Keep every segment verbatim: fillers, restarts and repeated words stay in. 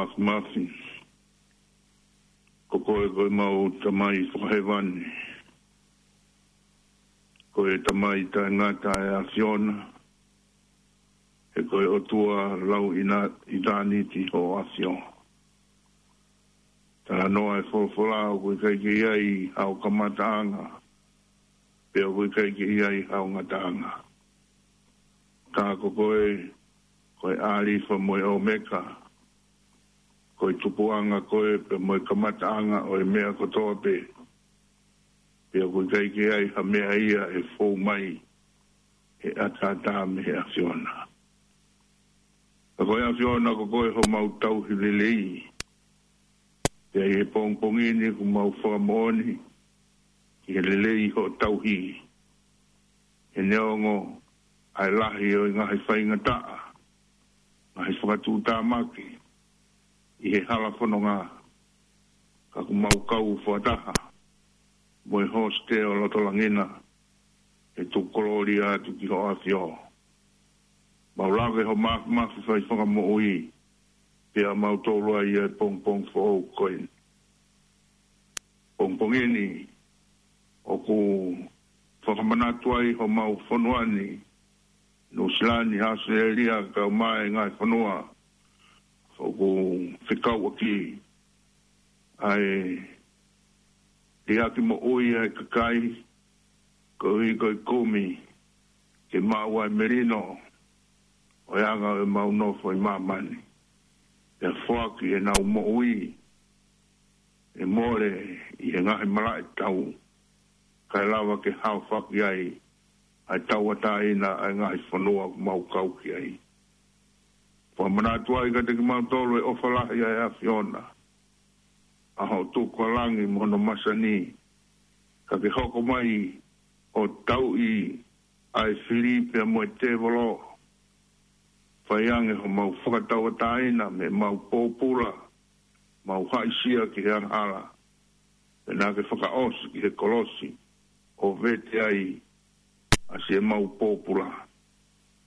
Māfimafi. Ko koe ko ʻemau Tamai fakahēvani. Ko e Tamai taʻengata ʻa e ʻAfiona. He ko e ʻOtua lau ʻitāniti hoʻo ʻAfio. Talanoa e folofola ʻoku ʻikai ke ʻi ai hao kamataʻanga. Pea ʻoku ʻikai ke ʻi ai hao ngataʻanga. Ka ko koe, ko e ʻAlifa mo e ʻOmeka. Ko e tupuʻanga koe, pea mo e kamataʻanga ʻo e meʻa kotoa pē. Pea ʻoku ʻikai ke ʻi ai ha meʻa ia ʻe fou mai, ʻe ʻataʻatā mei he ʻAfiona. Ka ko e ʻAfiona ko koe homau tauhi lelei. Pea ʻi he pongipongi ni ʻoku mau fakamoʻoni, ki he lelei hoʻo tauhi. He neongo ʻa e lahi ʻo e ngaahi faingataʻa, ngaahi fakatuʻutāmaki, ʻi he hala fononga, ka ʻoku mau kau fakataha, mo e hosite ʻo Lotolangina, he tuku kolōlia atu ki hoʻo ʻAfio. Mau lave ho Māfimafi fai fakamoʻui, pea mau tolu ai ʻa e pongipongi foʻou ko eni. Pongipongi ni, ʻoku fakamanatu ai homau fonua ni, Nuʻusila ni, ʻAositelēlia, kae ʻumaʻā e ngaahi fonua, ʻoku fekauʻaki ʻa e liʻaki moʻui ʻa e kakai, koeʻuhi ko e kumi, ke maʻu ʻa e melino, ʻo e anga ʻo ʻemau nofo ʻi māmani. Pea foaki ʻenau moʻui, ʻe mole ʻi he ngaahi malaʻe tau, kae lava ke haofaki ai, ʻa e tauʻatāina ʻa e ngaahi fonua ʻoku mau kau ki ai. Fakamanatu ai kiate kimautolu e ʻofa lahi ʻa e ʻAfiona. ʻA hoʻo tukulangi mo hono masani. Ka ke hoko mai ʻo tauʻi ʻa e fili pea mo e tēvolo. Fai ange homau fakatauʻatāina mei heʻemau pōpula, mau haʻisia ki he angahala. Pea naʻa ke fakaʻosi ki he kolosi, ʻo vete ai ʻa siʻemau pōpula.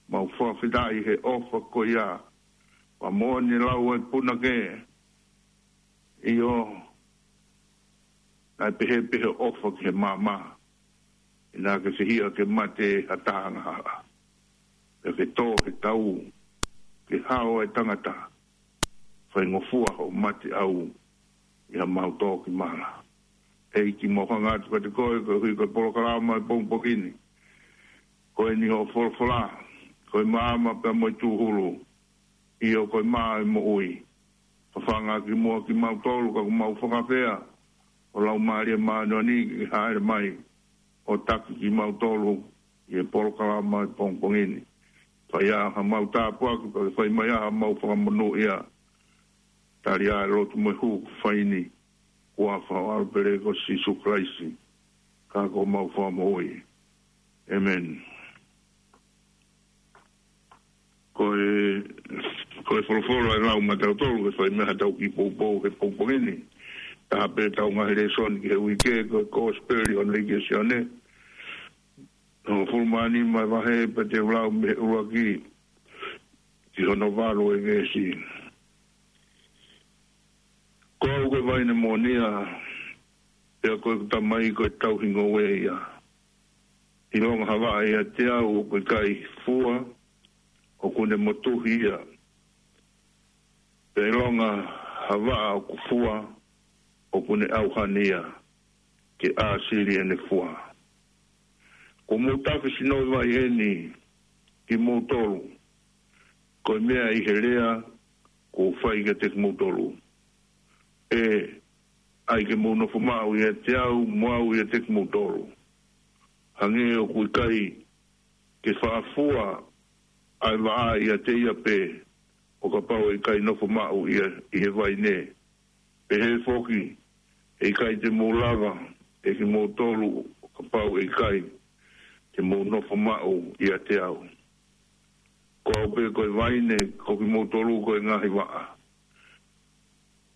Mau fakafetaʻi he ʻofa ko ia, pea moʻoni lau ʻa e punake, ʻio, naʻe pehē pē hoʻo ʻofa ki he maama, ʻi he naʻa ke fehiʻa ke mate ha taha angahala. Pea ke tō he tau, ke hao ʻa e tangata, faingofua hoʻo mate ʻau, ʻi haʻamau tō ki mala. ʻEiki, mau hanga atu kiate koe, koeʻuhi ko e polokalama ʻo e pongipongi ni. Ko eni hoʻo folofola, ko e maama pea mo e tūhulu, ʻio ko e mā ʻo e moʻui. Fafanga ki muʻa kimautolu, ka ʻoku mau fakafeʻao, ʻo Laumālie Māʻoniʻoni ke hāʻele mai, ʻo taki kimautolu, ʻi he polokalama ʻo e pongipongi ni. Fai ā haʻamau tāpuaki, pea ke fai mai ā haʻamau fakamonūʻia. Tali ā e lotu mo e hū ʻoku fai ni, ʻi he huafa ʻo ho ʻAlo pele ko Sīsū Kalaisi, ka ko homau Fakamoʻui. ʻĒmeni. Ko e, ko e folofola ʻe lau maʻatautolu, ke fai mei haʻatau kiʻi poupou he pongipongi ni. Taha pē ʻetau ngaahi lēsoni ki he uike, ko e Kosipeli ʻo Naʻe ʻIke ʻa Sione. Hongofulu mā nima ʻa e vahe, pea te u lau mei he ʻuluaki ki hono valu ʻa e veesi. Ko au ko e vaine moʻonia, pea ko ʻeku Tamai ko e tauhi ngoue ia. ʻIlonga ha vaʻa ʻiate au ʻoku ʻikai fua, ʻoku ne motuhi ia. Pea ʻilonga ha vaʻa ʻoku fua, ʻoku ne ʻauhani ia, ke ʻāsili ʻene fua. Kuo mou tafe sino vai ʻeni kimoutolu, ko e meʻa ʻi he lea kuo u fai kiate kimoutolu. ʻE ʻai ke mou nofo maʻu ʻiate au, mo au ʻiate kimoutolu. Hangē ʻoku ʻikai ke faʻa fua ʻa e vaʻa ʻiate ia pē, ʻo kapau ʻe ʻikai nofo maʻu ia ʻi he vaine. Pehē foki, ʻe ʻikai te mou lava ʻe kimoutolu, ʻo kapau ʻe ʻikai te mou nofo maʻu ʻiate au. Ko au pē ko e vaine, ko kimoutolu ko e ngaahi vaʻa.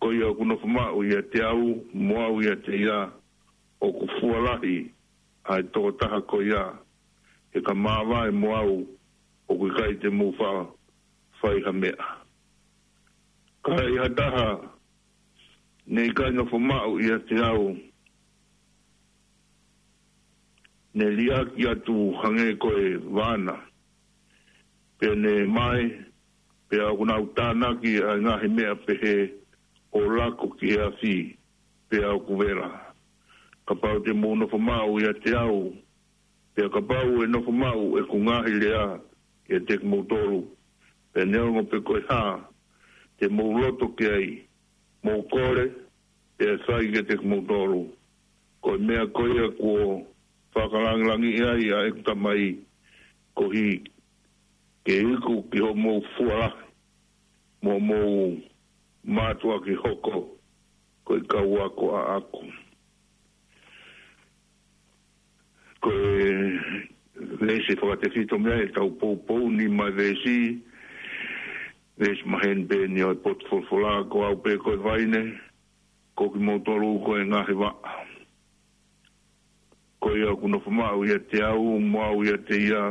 Ko ia ʻoku nofo maʻu ʻiate au, mo au ʻiate ia, ʻoku fua lahi ʻa e tokotaha ko ia, he ka māvae mo au, ʻoku ʻikai te mou faʻa fai ha meʻa. Ka ʻi ha taha ne ʻikai nofo maʻu ʻiate au, ne liʻaki atu hangē ko e vāna, pea ne mae, pea ʻoku nau tānaki ʻa e ngaahi meʻa pehē ʻo lako ki he afi, pea ʻoku vela. Kapau te mou nofo maʻu ʻiate au, pea kapau ʻe nofo maʻu ʻeku ngaahi lea ʻiate kimoutolu, pea neongo pe ko e hā te mou loto ki ai, mou kole, pea ʻe fai kiate kimoutolu. Ko e meʻa ko ia kuo fakalangilangiʻi ai ʻa ʻeku Tamai, koeʻuhi ke iku ki hoʻomou fualahi, mo hoʻomou mātuʻaki hoko ko e kau ako ʻaʻaku. Ko e veesi fakatefito mei ai ʻetau poupou, nima veesi, veesi maheni pē eni ʻo e potu folofola: Ko au pē ko e vaine, ko kimoutolu ko e ngaahi vaʻa. Ko ia ʻoku nofo maʻu ʻiate au, mo au ʻiate ia,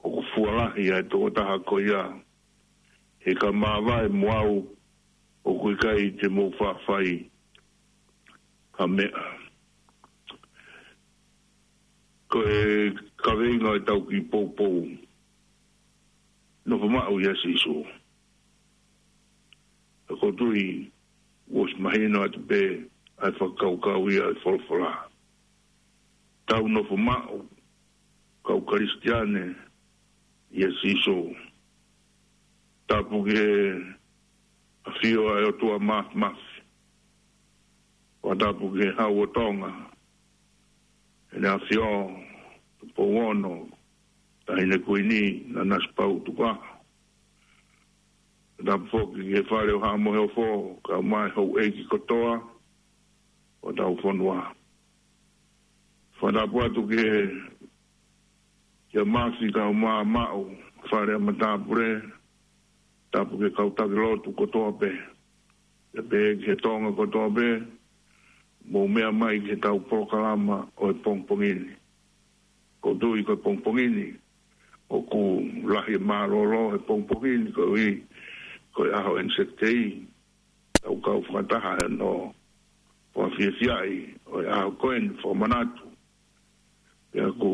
ʻoku fualahi ʻa e tokotaha ko ia. He ka māvae mo au, ʻoku ʻikai te mou faʻa fai ha meʻa. Ko e kaveinga ʻo ʻetau kiʻi poupou: Nofo maʻu ʻia Sīsū. Ka ʻoku ou tui kuo ʻosi mahino atu pē ʻa e fakakaukau ia ʻo e folofola. Tau nofo maʻu, kau Kalisitiane, ʻia Sīsū. Tapu ki he ʻafio ʻa e ʻOtua Māfimafi. Fakatapu ki he Hau ʻo Tonga, ʻEne ʻAfio Tupou Ono, Taʻahine Kuini Nanasipauʻu Tukuʻaho. Fakatapu foki ki he Fale ʻo Haʻa Moheofo, kae ʻumaʻā e houʻeiki kotoa ʻo hotau fonua. Fakatapu atu ki he, kia Mafi kae ʻumaʻā Maʻu, Fale ʻa Matāpule, tapu ki he kau taki lotu kotoa pē. Pea pehē ki he Tonga kotoa pē, mou meʻa mai ki heʻetau polokalama ʻo e pongipongi ni. ʻOku ou tui ko e pongipongi ni, ʻoku lahi e mālōlō he pongipongi ni, koeʻuhi ko e ʻaho ʻEnisēkitei, tau kau fakataha ʻi hono fakafiefiaʻi ʻo e ʻaho ko eni, fakamanatu. Pea ʻoku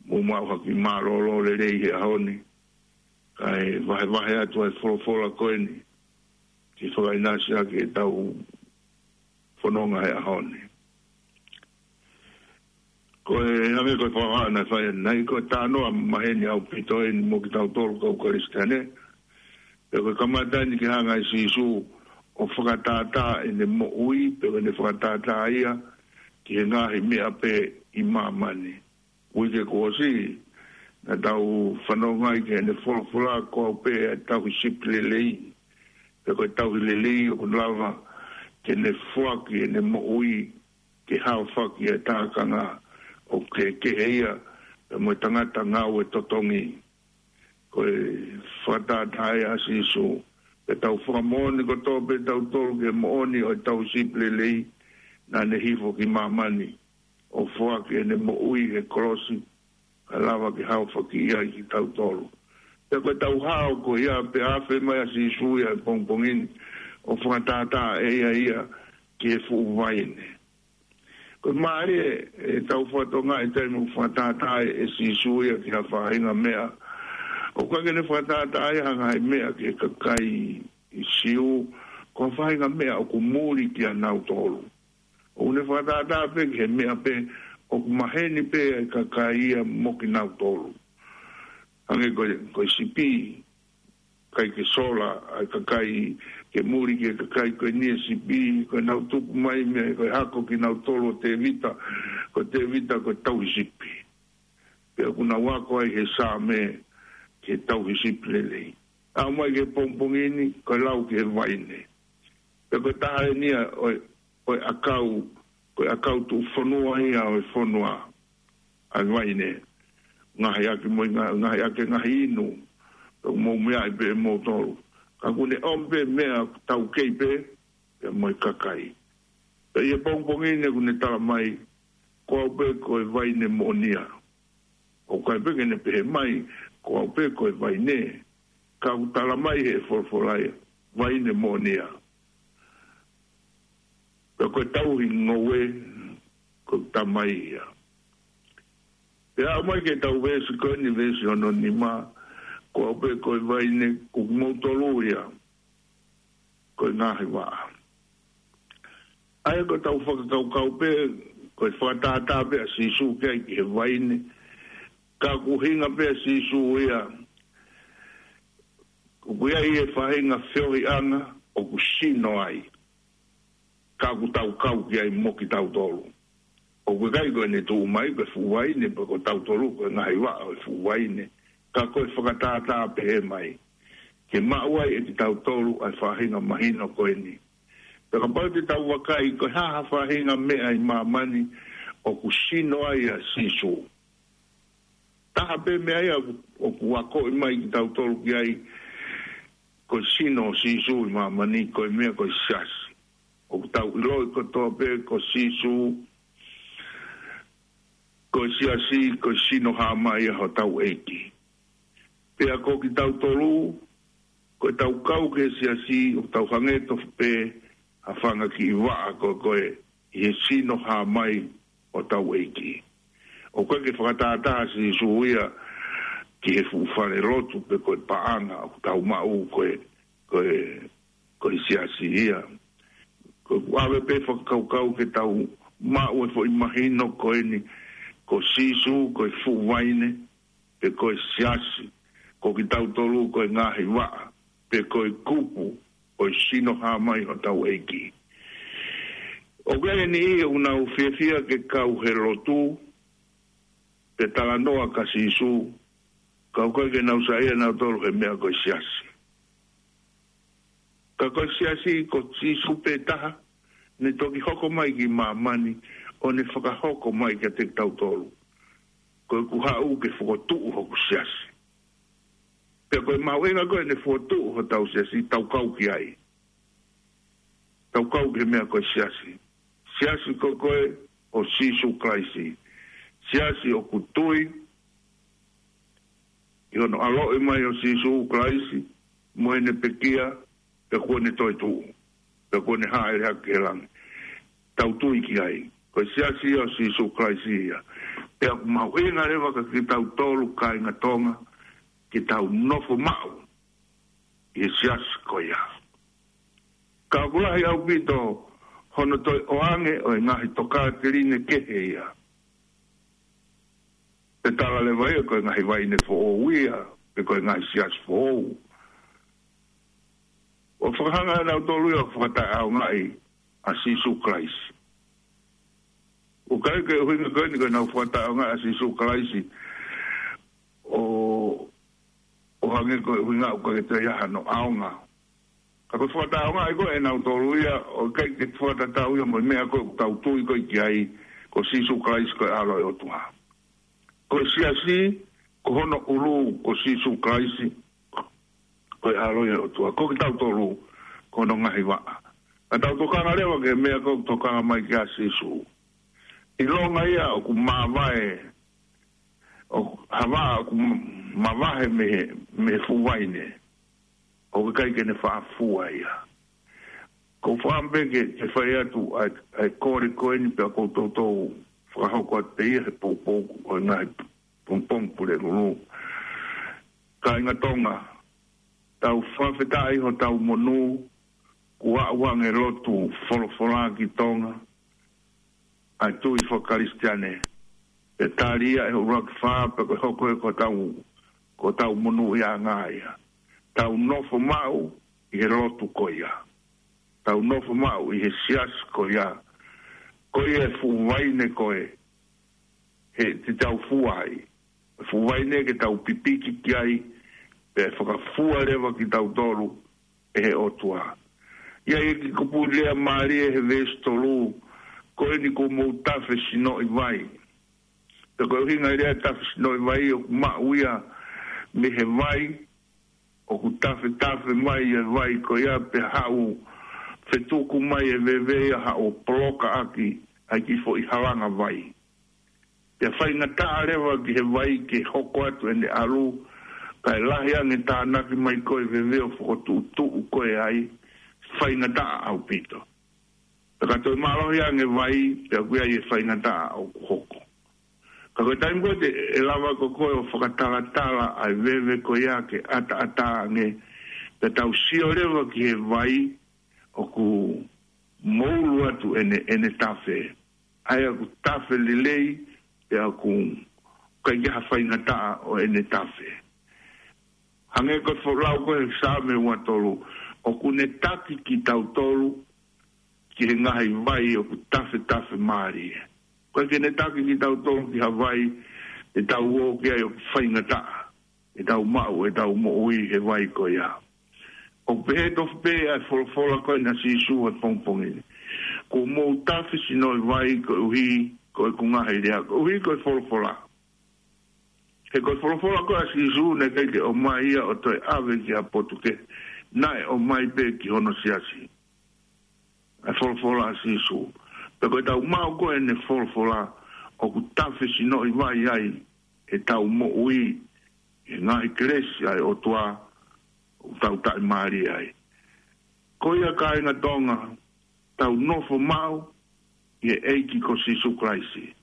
mou maʻu ha kiʻi mālōlō lelei he ʻaho ni, kae vahevahe atu ʻa e folofola ko eni, ke fakaʻinasi ʻaki ʻetau fononga he ʻaho ni. Ko e hangē ko e fakahā naʻe fai ʻanenai, ko e talanoa maheni ʻaupito eni mo kitautolu kau Kalisitiane. Pea ko e kamata eni ke hanga ʻe Sīsū ʻo fakatātā ʻene moʻui, pe ko ʻene fakatātā ia ki he ngaahi meʻa pē ʻi māmani. Uike kuo ʻosi, naʻa tau fanongo ai ki heʻene folofola, ko au pē ʻa e tauhi sipi lelei. Pea ko e tauhi lelei ʻoku lava ke ne foaki ʻene moʻui ke haofaki e tākanga ʻoku kehekehe ia, pea mo e tangata ngāue totongi. Ko e fakatātā ia ʻa Sīsū. Pea tau fakamoʻoni kotoa pē tautolu ki he moʻoni ʻo e tauhi sipi lelei, naʻa ne hifo ki māmani ʻo foaki ʻene moʻui he kolosi, kae lava ke haofaki ai kitautolu. Pea ko ʻetau hao ko ia, pea afe mai ʻa Sīsū ia he pongipongi ni ʻo fakatātā ʻe ia ia ki he fuʻu vaine. Ko e mālie ʻetau fakatokangaʻi e taimi ʻoku fakatātā ai ʻe Sīsū ia ki ha faʻahinga meʻa. ʻOku ʻikai ke ne fakatātā ia ha ngaahi meʻa ki he kakai Siu, ko ha faʻahinga meʻa ʻoku muli kia nautolu. ʻOku ne fakatātā pē ki he meʻa pē ʻoku maheni pē ʻa e kakai ia mo kinautolu. Hangē ko e, ko e sipi, ʻikai ke sola ʻa e kakai, ke muli ki he kakai ko eni e sipi, ko ʻenau tupu mai mei, ko e hako kinautolu ʻo Tēvita, ko Tēvita ko e tauhi sipi. Pea ʻoku nau ako ai he Saame ki he tauhi sipi lelei. Aʻu mai ki he pongipongi ni, ko e lau ki he vaine. Pea ko e taha eni ia ʻo e, ʻo e ʻakau, ko e ʻakau tuʻufonua ia ʻo e fonua, ʻa e vaine. Ngaohi ʻaki mo e nga-, ngaohi ʻaki e ngaahi inu, pea mou meaʻi pē ʻe moutolu. Ka ʻoku ne ʻomi pē meʻa taukei pē, pea mo e kakai. Pea ʻi he pongipongi ni ʻoku ne tala mai, ko au pē ko e vaine moʻonia. ʻOku ʻikai pē ke ne pehē mai, ko au pē ko e vaine. Ka ʻoku tala mai he folofola ia, vaine moʻoni ia. Pea ko e tauhi ngoue, ko e tamai ia. Pea aʻu mai ki he tau veesi ko eni, veesi hono nima, ko au pē ko e vaine, ko kimoutolu ia ko e ngaahi vaʻa. ʻA ia ko e tau fakakaukau pē, ko e fakatātā pē ʻa Sīsū ki ai ki he vaine. Ka ʻoku ʻuhinga pē ʻa Sīsū ia, ʻoku ʻi ai e faʻahinga feohiʻanga ʻoku sino ai. Ka ʻoku tau kau ki ai mo kitautolu. ʻOku ʻikai ko ʻene tuʻu mai ko e fuʻu vaine, pe ko tautolu ko e ngaahi vaʻa ʻo e fuʻu vaine. Ka ko e fakatātā pehē mai. Ke maʻu ai ʻe kitautolu ʻa e faʻahinga mahino ko eni. Pea kapau te tau vakai ko e hā ha faʻahinga meʻa ʻi māmani ʻoku sino ai ʻa Sīsū. Taha pē meʻa ia ʻoku, ʻoku akoʻi mai kitautolu ki ai, ko e sino ʻo Sīsū ʻi māmani, ko e meʻa ko e siasi. ʻOku tau ʻiloʻi kotoa pē ko Sīsū, ko e siasi, ko e sino hā mai ia hotau ʻEiki. Pea ko kitautolu, ko e tau kau ki he siasi, ʻoku tau hangē tofu pē ha fanga kiʻi vaʻa ko ē, ko ē, ʻi he sino hā mai hotau ʻEiki. ʻOku ʻikai ke fakatātā ʻa Sīsū ia ki he fuʻu fale lotu pe ko e paʻanga ʻoku tau maʻu ko e, ko e, ko e siasi ia. Ko ʻeku ʻave pē fakakaukau ke tau maʻu e foʻi mahino ko eni, ko Sīsū, ko e fuʻu vaine, pe ko e siasi, ko kitautolu ko e ngaahi vaʻa, pe ko e kupu ʻo e sino hā mai hotau ʻEiki. ʻOku ʻi ai e niʻihi ʻoku nau fiefia ke kau he lotu, pe talanoa kia Sīsū, ka ʻoku ʻikai ke nau saiʻia nautolu he meʻa ko e siasi. Ka ko e siasi ko Sīsū pē taha, ne toki hoko mai ki māmani, ʻo ne fakahoko mai kiate kitautolu. Ko ʻeku haʻu ke fokotuʻu hoku siasi. Pea ko e mahuʻinga ko ē ʻene fokotuʻu hotau siasi, tau kau ki ai. Tau kau ki he meʻa ko e siasi. Siasi ko ē ʻo Sīsū Kalaisi. Siasi ʻoku tui ʻi hono ʻaloʻi mai ʻo Sīsū Kalaisi, mo ʻene pekia, pea kuo ne toetuʻu, pea kuo ne hāʻele hake ki he langi. Tau tui ki ai. Ko e siasi ia ʻo Sīsū Kalaisi ia. Pea ʻoku mahuʻinga leva kia kitautolu kāinga Tonga, ke tau nofo maʻu ʻi he siasi ko ia. Ka ʻoku lahi ʻaupito hono toe ʻoange ʻo e ngaahi tokāteline kehe ia. Pe tala leva ia ko e ngaahi vaine foʻou ia, pe ko e ngaahi siasi foʻou. ʻO fakahanga ʻe nautolu ia ʻo fakataʻeʻaongaʻi ʻa Sīsū Kalaisi. ʻOku ʻikai ke ʻuhinga ko eni ko ʻenau fakataʻeʻaongaʻi ʻa Sīsū Kalaisi ʻo, ʻo hangē ko e ʻuhinga ʻoku ʻikai ke toe ʻi ai hano ʻaonga. Ka ko e fakataʻeʻaongaʻi ko ē ʻe nautolu ia, ʻoku ʻikai ke fakatatau ia mo e meʻa ko ē ʻoku tau tui ko ē ki ai, ko Sīsū Kalaisi ko e ʻAlo ʻo e ʻOtua. Ko e siasi, ko hono ʻulu, ko Sīsū Kalaisi, ko e ʻAlo ia ʻo e ʻOtua. Ko kitautolu, ko hono ngaahi vaʻa. Ka tau tokanga leva ki he meʻa ko ē ʻoku tokanga mai ki ai ʻa Sīsū. ʻIlonga ia ʻoku mavae, ʻoku, ha vaʻa ʻoku mavahe mei he, mei he fuʻu vaine. ʻOku ʻikai ke ne faʻa fua ia. Ko e fakaʻamu pē ke, ke fai atu ʻa e, ʻa e kole ko eni pea ʻoku ou toutou fakahoko atu pē ia he poupou ʻo e ngaahi pongipongi Pulelulu. Kāinga Tonga, tau fakafetaʻi hotau monū, kuo aʻu ange lotu folofola ki Tonga, ʻa e tui fakakalisitiane. Pea tali ia ʻe he ʻUluaki Fā, pea ko e hoko ia ko hotau, ko hotau monūʻiaʻanga ia. Tau nofo maʻu ʻi he lotu ko ia. Tau nofo maʻu ʻi he siasi ko ia. Ko ia e fuʻu vaine ko ē, he te tau fua ai. Fuʻu vaine ke tau pipiki ki ai, pea fakafua leva kitautolu ʻe he ʻOtua. ʻI ai e kiʻi kupu lea mālie he veesi tolu, ko eni kuo mou tafe sinoʻi vai. Pea ko e ʻuhinga e lea tafe sinoʻi vai, ʻoku maʻu ia mei he vai, ʻoku tafetafe mai e vai ko ia pea haʻu fetuku mai e veve ia haʻu poloka ʻaki ʻa e kiʻi foʻi halanga vai. Pea faingataʻa leva ki he vai ke hoko atu ʻene ʻalu, Kae lahi ange tānaki mai ko e veve ʻo fokotuʻutuʻu ko e ai, faingataʻa ʻaupito. Pea ka toe mālohi ange vai, pea ʻoku ʻi ai e faingataʻa ʻoku hoko. Ka ko e taimi ko ē te ʻe lava ko koe ʻo fakatalatala ʻa e veve ko ia ke ʻataʻatā ange, pea tau sio leva ki he vai ʻoku moulu atu ʻene, ʻene tafe. ʻA ia ʻoku tafe lelei, pea ʻoku ʻikai ke ha faingataʻa ʻo ʻene tafe. Hangē ko e foʻi lau ko ē he Saame ua tolu, ʻoku ne taki kitautolu ki he ngaahi vai ʻoku tafetafe mālie. ʻOku ʻikai ke ne taki kitautolu ki ha vai ʻe tau ō ki ai ʻoku faingataʻa, ʻe tau maʻu ʻetau moʻui he vai ko ia. ʻOku pehē tofu pē ʻa e folofola ko ena ʻa Sīsū he pongipongi ni. Kuo mou tafe sino ʻi vai koeʻuhi ko ʻeku ngaahi lea, koeʻuhi ko e folofola. He ko e folofola ko ē ʻa Sīsū naʻe ʻikai ke ʻomai ia ʻo toe ʻave ki ha potu kehe, naʻe ʻomai pē ki hono siasi. ʻA e folofola ʻa Sīsū. Pea ko ʻetau maʻu ko ē ʻene folofola ʻoku tafe sino ʻi vai ai ʻetau moʻui he ngaahi kelesi ʻa e ʻOtua ʻoku tau taʻimālie ai. Ko ia kāinga Tonga, tau nofo maʻu ʻi he ʻEiki ko Sīsū Kalaisi.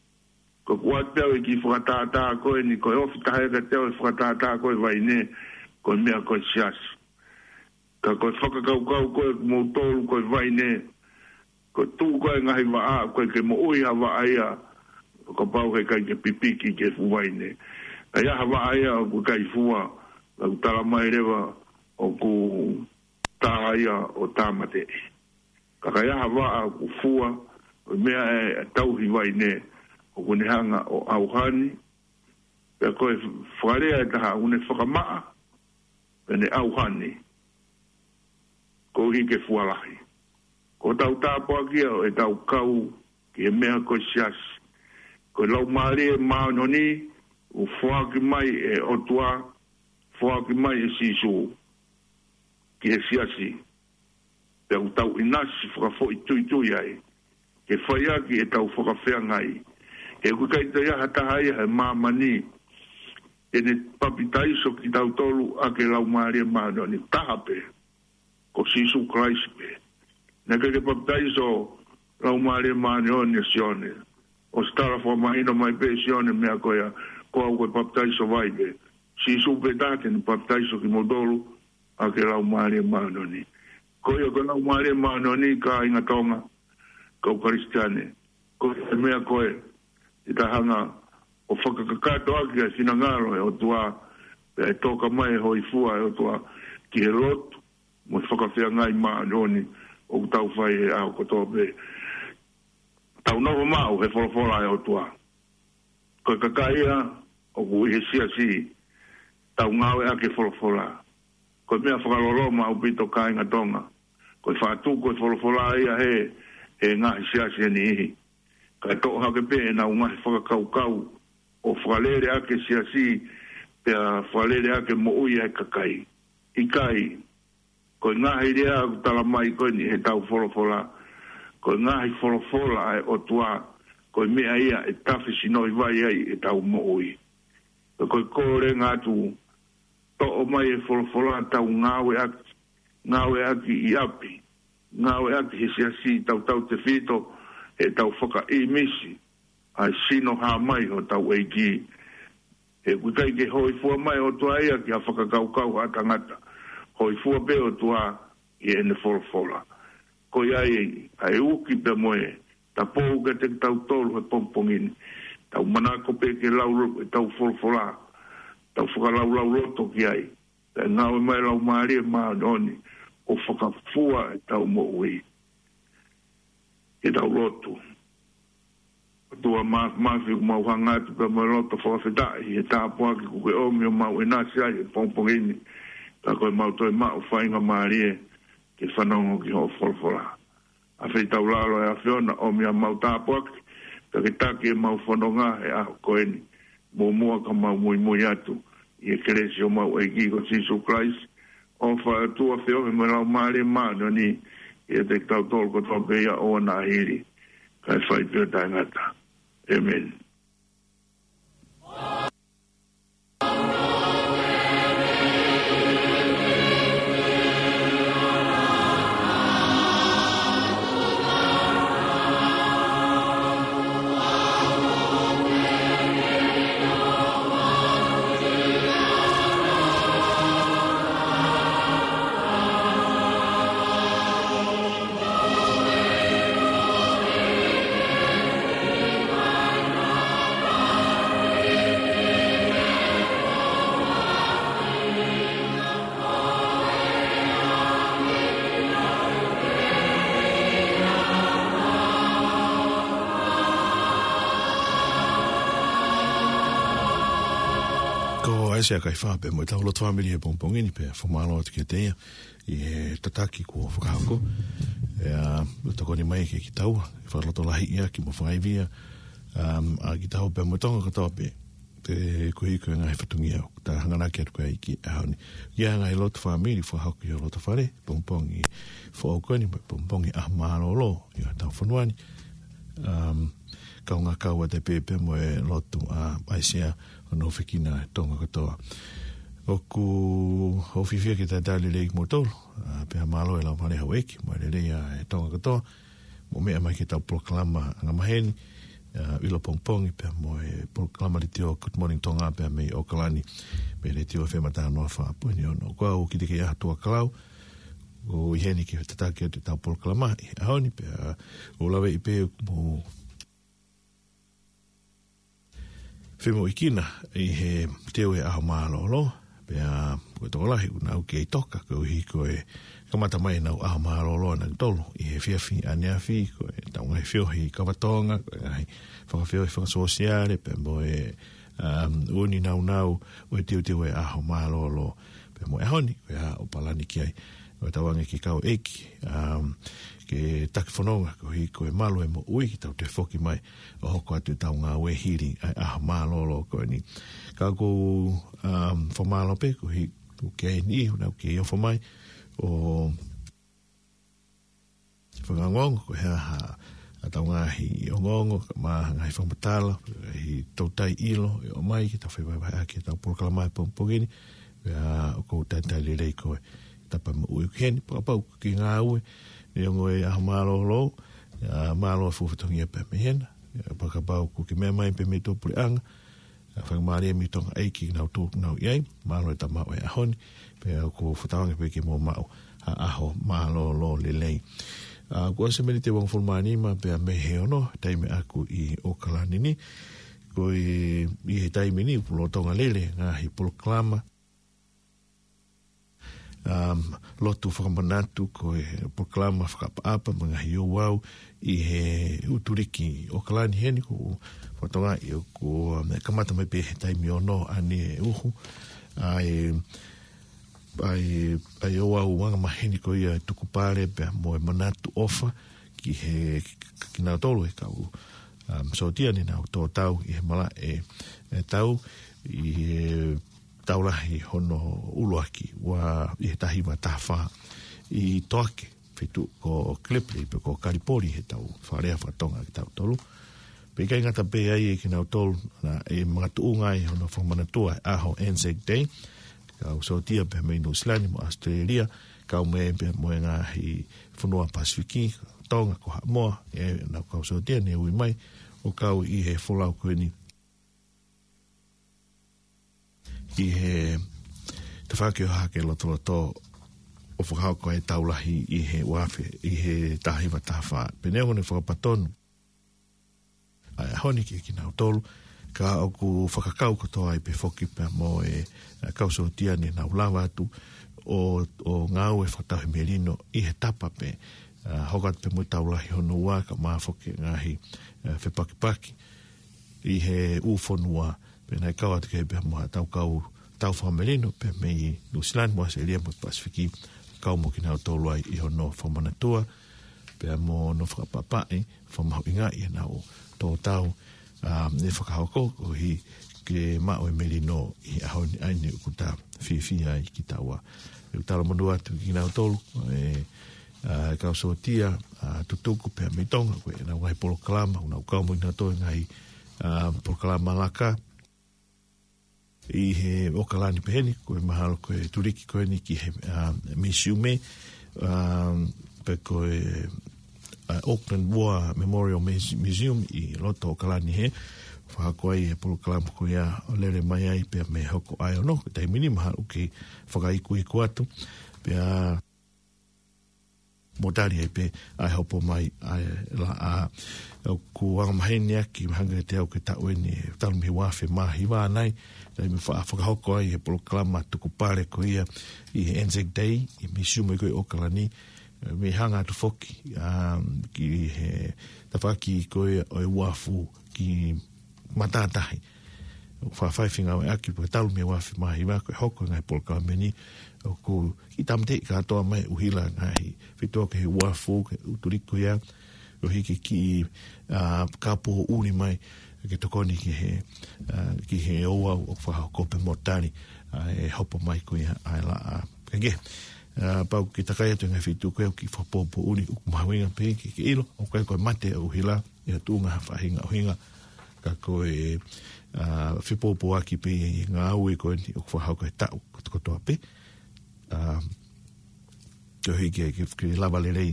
Ko ʻeku ʻoatu pē au e kiʻi fakatātā ko eni, ko e ofi taha ia kiate au e fakatātā ko e vaine, ko e meʻa ko e siasi. Ka ko e fakakaukau ko ē ʻoku mou tolu ko e vaine, ko e tuʻu ko ē ngaahi vaʻa, ʻoku ʻikai ke moʻui ha vaʻa ia, ʻo kapau heʻikai ke pipiki ki he fuʻu vaine. ʻA ia ha vaʻa ia ʻoku ʻikai fua, ʻoku tala mai leva ʻoku tā ia ʻo tāmateʻi. Ka ka ʻi ai ha vaʻa ʻoku fua, ʻo meʻa ʻe tauhi vaine, ʻoku ne hanga ʻo ʻauhani, pea ko e fakalea ʻe taha, ʻoku ne fakamaʻa, pea ne ʻauhani, koeʻuhi ke fua lahi. Ko ʻetau tāpuaki ia ʻo ʻetau kau ki he meʻa ko e siasi. Ko e Laumālie Māʻoniʻoni, ʻoku foaki mai ʻe he ʻOtua, foaki mai ʻe Sīsū ki he siasi. Pea ʻoku tau ʻinasi fakafoʻituitui ai, ke fai ʻaki ʻetau fakafeangai. He ʻoku ʻikai toe ʻi ai ha taha ia he māmani, te ne papitaiso kitautolu ʻaki e Laumālie Māʻoniʻoni, taha pē, ko Sīsū Kalaisi pē. Naʻe ʻikai ke papitaiso Laumālie Māʻoniʻoni ʻe Sione. ʻOsi tala fakamahino mai pē ʻe Sione meʻa ko ia, ko au ko e papitaiso vai pē. Sīsū pē taha te ne papitaiso kimoutolu ʻaki e Laumālie Māʻoniʻoni. Ko ia ko e Laumālie Māʻoniʻoni kāinga Tonga, kau Kalisitiane. Ko e meʻa ko ē, ʻe tau hanga ʻo fakakakato ʻaki ʻa e finangalo ʻo e ʻOtua, pea ʻe toka mai e hōifua ʻa e ʻOtua ki he lotu, mo e fakafeangai māʻoniʻoni ʻoku tau fai he ʻaho kotoa pē. Tau nofo maʻu he folofola ʻa e ʻOtua. Ko e kakai ia ʻoku ʻi he siasi, tau ngāueʻaki e folofola. Ko e meʻa fakaloloma ʻaupito kāinga Tonga. Ko e faʻa tuku e folofola ia he, he ngaahi siasi ʻe niʻihi. Kae toʻo hake pē ʻenau ngaahi fakakaukau ʻo fakalele ʻaki e siasi, pea fakalele ʻaki e moʻui ʻa e kakai. ʻIkai, ko e ngaahi lea ʻoku tala mai ko eni he tau folofola, ko e ngaahi folofola ʻa e ʻOtua, ko e meʻa ia ʻe tafe sino ʻi vai ai ʻetau moʻui. Pea ko e kole atu, toʻo mai e folofola tau ngāueʻaki, ngāueʻaki ʻi ʻapi, ngāueʻaki he siasi, tautautefito heʻetau fakaʻīmisi ʻa e sino hā mai hotau ʻEiki. He ʻoku ʻikai ke hōifua mai e ʻOtua ia ki ha fakakaukau ʻa tangata. Hōifua pē ʻOtua ʻi heʻene folofola. Ko ia ai, ʻa e uki pea mo e tapou kiate kitautolu he pongipongi ni. Tau manako pē ke lau ʻetau folofola. Tau fakalaulauloto ki ai. Pea ngāue mai Laumālie Māʻoniʻoni ʻo fakafua ʻetau moʻui. Ke tau lotu. ʻOtua Māfimafi, ʻoku mau hanga atu pea mo e loto fakafetaʻi he tāpuaki kuo ke ʻomi ʻo mau ʻinasi ai he pongipongi ni. Ka ko e mau toe maʻu faingamālie ke fanongo ki hoʻo folofola. ʻAfeitaulalo ʻe ʻAfiona, ʻomi ʻa mau tāpuaki, ka ke taki ʻemau fononga he ʻaho ko eni. Muʻomuʻa ka mau muimui atu ʻi he kelesi ʻo mau ʻEiki ko Sīsū Kalaisi, ʻofa ʻa e ʻOtua, feohi mo e Laumālie Māʻoniʻoni, ʻiate kitautolu kotoa pē ia ʻo ʻoua naʻa hili, kae fai pē ʻo taʻengata. ʻĒmeni. Sea Kaifā pea mo ʻetau lotu fāmili he pongipongi ni pea fakamālō atu kiate ia ʻi he tataki kuo fakahoko. ʻE, ʻa, tokoni mai ke kitaua, fakalotolahiʻi ʻaki mo fakaivia, um, ʻa kitaua pea mo Tonga kotoa pē. Te koeʻuhi ko e ngaahi fatongia ʻoku ta hanganaki atu ki ai ki he ʻaho ni. ʻA e ngaahi lotu fāmili fakahoko ʻi ho loto fale, pongipongi foʻou ko eni, mo e pongipongi ʻaho mālōlō ʻi hotau fonua ni. Um, kaungā kau atu pē pea mo e lotu ʻa ʻAisea ʻo nofo ʻi he Tonga kotoa. ʻOku ou fiefia ke talitali lelei kimoutolu, ʻa, pea mālō e lau fale houʻeiki, mo e lelei ʻa e Tonga kotoa, mou meʻa mai ki heʻetau polokalama angamaheni, ʻa, ʻilo pongipongi, pea mo e polokalama letiō Good Morning Tonga, pea mei ʻAokalani, mei he letiō F M ʻa taha noa fā poini ono. Ko au Kitikeiʻaho Tuʻakalau, ʻoku ʻi heni ke tataki atu ʻetau polokalama ʻi he ʻaho ni, pea ʻoku ou laveʻi pē ʻoku mou femoʻuekina ʻi he teu e ʻaho mālōlō, pea ko e tokolahi ʻoku nau kei toka koeʻuhi ko e kamata mai ʻenau ʻaho mālōlō ʻanautolu ʻi he efiafi ʻaneafi, ko ʻetau ngaahi feohi kava Tonga, ko e ngaahi fakafeohi fakasōsiale, pea mo e, um, ʻū nāunau ʻo e teuteu e ʻaho mālōlō, pea mo e ʻaho ni, ko e hā ʻoku palani ki ai. ʻOku tau ange ki he kau ʻeiki, um, ke taki fononga koeʻuhi ko e malu e moʻui ke tau toe foki mai ʻo hoko atu ʻetau ngāue hili ʻa e ʻaho mālōlō ko eni. Ka ʻoku ou, um, fakamālō pē koeʻuhi ʻoku ʻi ai e niʻihi ʻoku nau kei ofo mai ʻo fakaongoongo ko e hā haʻatau ngaahi ongoongo, mo e ngaahi fakamatala, ngaahi toutai ʻilo ʻe ʻomai ke tau fevahevaheʻaki ʻetau polokalama he pongipongi ni. Pea ʻoku ou talitali lelei ko e tapa moʻui ʻoku ʻi heni, fakapapau ʻoku ke ngāue, neongo e ʻaho mālōlō, ʻa, mālō e fuʻu fatongia pē mei hena. ʻIo, fakapapau ʻoku ke meʻa mai pē mei tuʻapuleʻanga, ʻa, fakamālō mei Tonga ʻEiki nautolu ʻoku nau ʻi ai, mālō e tama ʻo e ʻaho ni, pea ʻoku ou fakatauange pē ke mou maʻu ha ʻaho mālōlō lelei. ʻA, kuo ʻosi e miniti ʻe uangofulu mā nima pea mei he ono, taimi ʻaku ʻi ʻAokalani ni, ko e, ʻi he taimi ni, ʻoku lolotonga lele e ngaahi polokalama, um, lotu fakamanatu, ko e polokalama fakaʻapaʻapa mo e ngaahi ouau ʻi he ʻUtuliki ʻAokalani heni, ʻoku ou fakatokangaʻi ʻoku, um, kamata mai pē he taimi ono ʻaneuhu, uhu, ʻa e, ʻa e, ʻa e ouau angamaheni ko ia e tukupale pea mo e manatu ʻofa ki he, ki, kinautolu e kau, um, sōtia ne nau tō tau ʻi he malaʻe, e tau ʻi he tau lahi hono ʻuluaki, ua, ʻi he taha hiva taha fā, ʻi Toake, feituʻu ko Gallipoli, pe ko Kalipoli, he tau fakalea fakatonga kitautolu. Pea ʻikai ngata pē ai kinautolu, naʻe makatuʻunga ai hono fakamanatua e ʻaho Anzac Day, kau sōtia pea mei Nuʻusila ni mo ʻAositelēlia, kau mai pea mo e ngaahi fonua Pasifiki, Tonga, ko Haʻamoa, ʻenau kau sōtia ne ui mai ʻo kau ʻi he folau ko eni ʻi he tafaʻaki ʻo Hahake Lotoloto ʻo fakahoko e tau lahi ʻi he ua afe, ʻi he taha hiva taha fā. Pea neongo ne fakapatonu ʻa e ʻaho ni kiate kinautolu, ka ʻoku fakakau kotoa ai pē foki pea mo e, ʻa, kau sōtia ne nau lava atu ʻo, ʻo ngāue fakatauhi melino ʻi he tapa pē, ʻa, hoko atu pē mo e tau lahi hono ua kae ʻumaʻā foki e ngaahi, ʻa, fepakipaki ʻi he ʻū fonua, pea naʻe kau atu ki ai pea mo haʻatau kau tau fakamelino, pea mei Nuʻusila ni mo ʻAositelēlia mo e Pasifiki, kau mo kinautolu ai ʻi hono fakamanatua, pea mo hono fakaʻapaʻapaʻi, fakamahuʻingaʻi ʻenau tō tau, ʻa, ne fakahoko, koeʻuhi ke maʻu e melino ʻi he ʻaho ni ʻa eni ʻoku ta fiefia ai kitaua. ʻOku ou talamonū atu kiate kinautolu, e, ʻa, kau sōtia, ʻa, tutuku pea mei Tonga, ko ʻenau ngaahi polokalama, ʻoku nau kau mo kinautolu he ngaahi, ʻa, polokalama laka ʻi he ʻAokalani pehē ni, ko e mahalo ko e tuliki ko eni ki he, ʻa, misiume, ʻa, pe ko e, ʻa, Auckland War Memorial Muse-, Museum ʻi loto ʻAokalani hē, fakahoko ai e polokalama ko ia ʻo lele mai ai pea mei he hoko ʻa e ono, ko e taimi ni mahalo ʻoku ke fakaikuiku atu, pea mou tali ai pē ʻa e hopo mai ʻa e laʻā. ʻOku angamaheni ʻaki, hangē ko e taʻu eni, talu mei he ua afe mā hiva nai, taimi fa-, fakahoko ai e polokalama tukupale ko ia ʻi he Anzac Day, ʻi he misiume ko ē ʻi ʻAokalani, mei he hanga atu foki, ʻa, ki he tafaʻaki ko ia ʻo e uafu ki matātahi. ʻoku faifai fengāueʻaki, pea talu mei he ua afe mā hiva ko e hoko e ngaahi polokalama ni, ʻoku kiʻi tāmateʻi kātoa mai ʻuhila ngaahi feituʻu ki he uafu, ki he ʻū tuliki ko ia, ʻo hiki ki, ā, ka poʻuli mai, ke tokoni ki he, ā, ki he ouau ʻoku fakahoko pea mo tali, ā, e hopo mai ko ia ʻa e laʻā. Kaikehe, ā, pau ke takai atu e ngaahi feituʻu ko ē ʻoku kiʻi fakapōpōʻuli, ʻoku mahuʻinga pē ke, ke ʻilo, ʻoku ʻikai ko e mate ʻa e ʻuhila, ʻi ha tuʻunga ha faʻahinga ʻuhinga, ka ko e, ā, fepōpōʻaki pē ʻi he ngāue ko eni ʻoku fakahoko he taʻu kotoa pē. Ā, koeʻuhi ke, ke, ke lava lelei,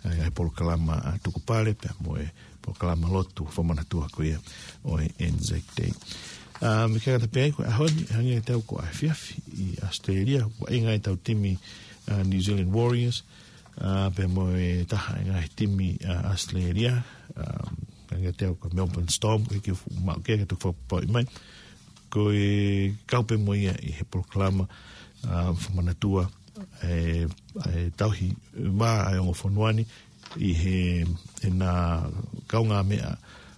ā, e polokalama, ā, tukupale, pea mo e polokalama lotu fakamanatua ko ia ʻo e Anzac Day. Ā, meʻa ke ngata pē ai, ko e ʻaho ni, hangē ko e tau ko e efiafi ʻi ʻAositelēlia, ʻoku ʻi ai e tau timi, ā, New Zealand Warriors, ā, pea mo e taha e ngaahi timi, ā, ʻAositelēlia, ā, hangē ko e tau ko e Melbourne Storm, ʻoku ʻikai ke fuʻu maʻu ke, ke toki fakapapauʻi mai. Ko e kau pē mo ia ʻi he polokalama, ā, fakamanatua, e, e tauhi vā ʻa e ongo fonua ni, ʻi he, ʻenau kaungāmeʻa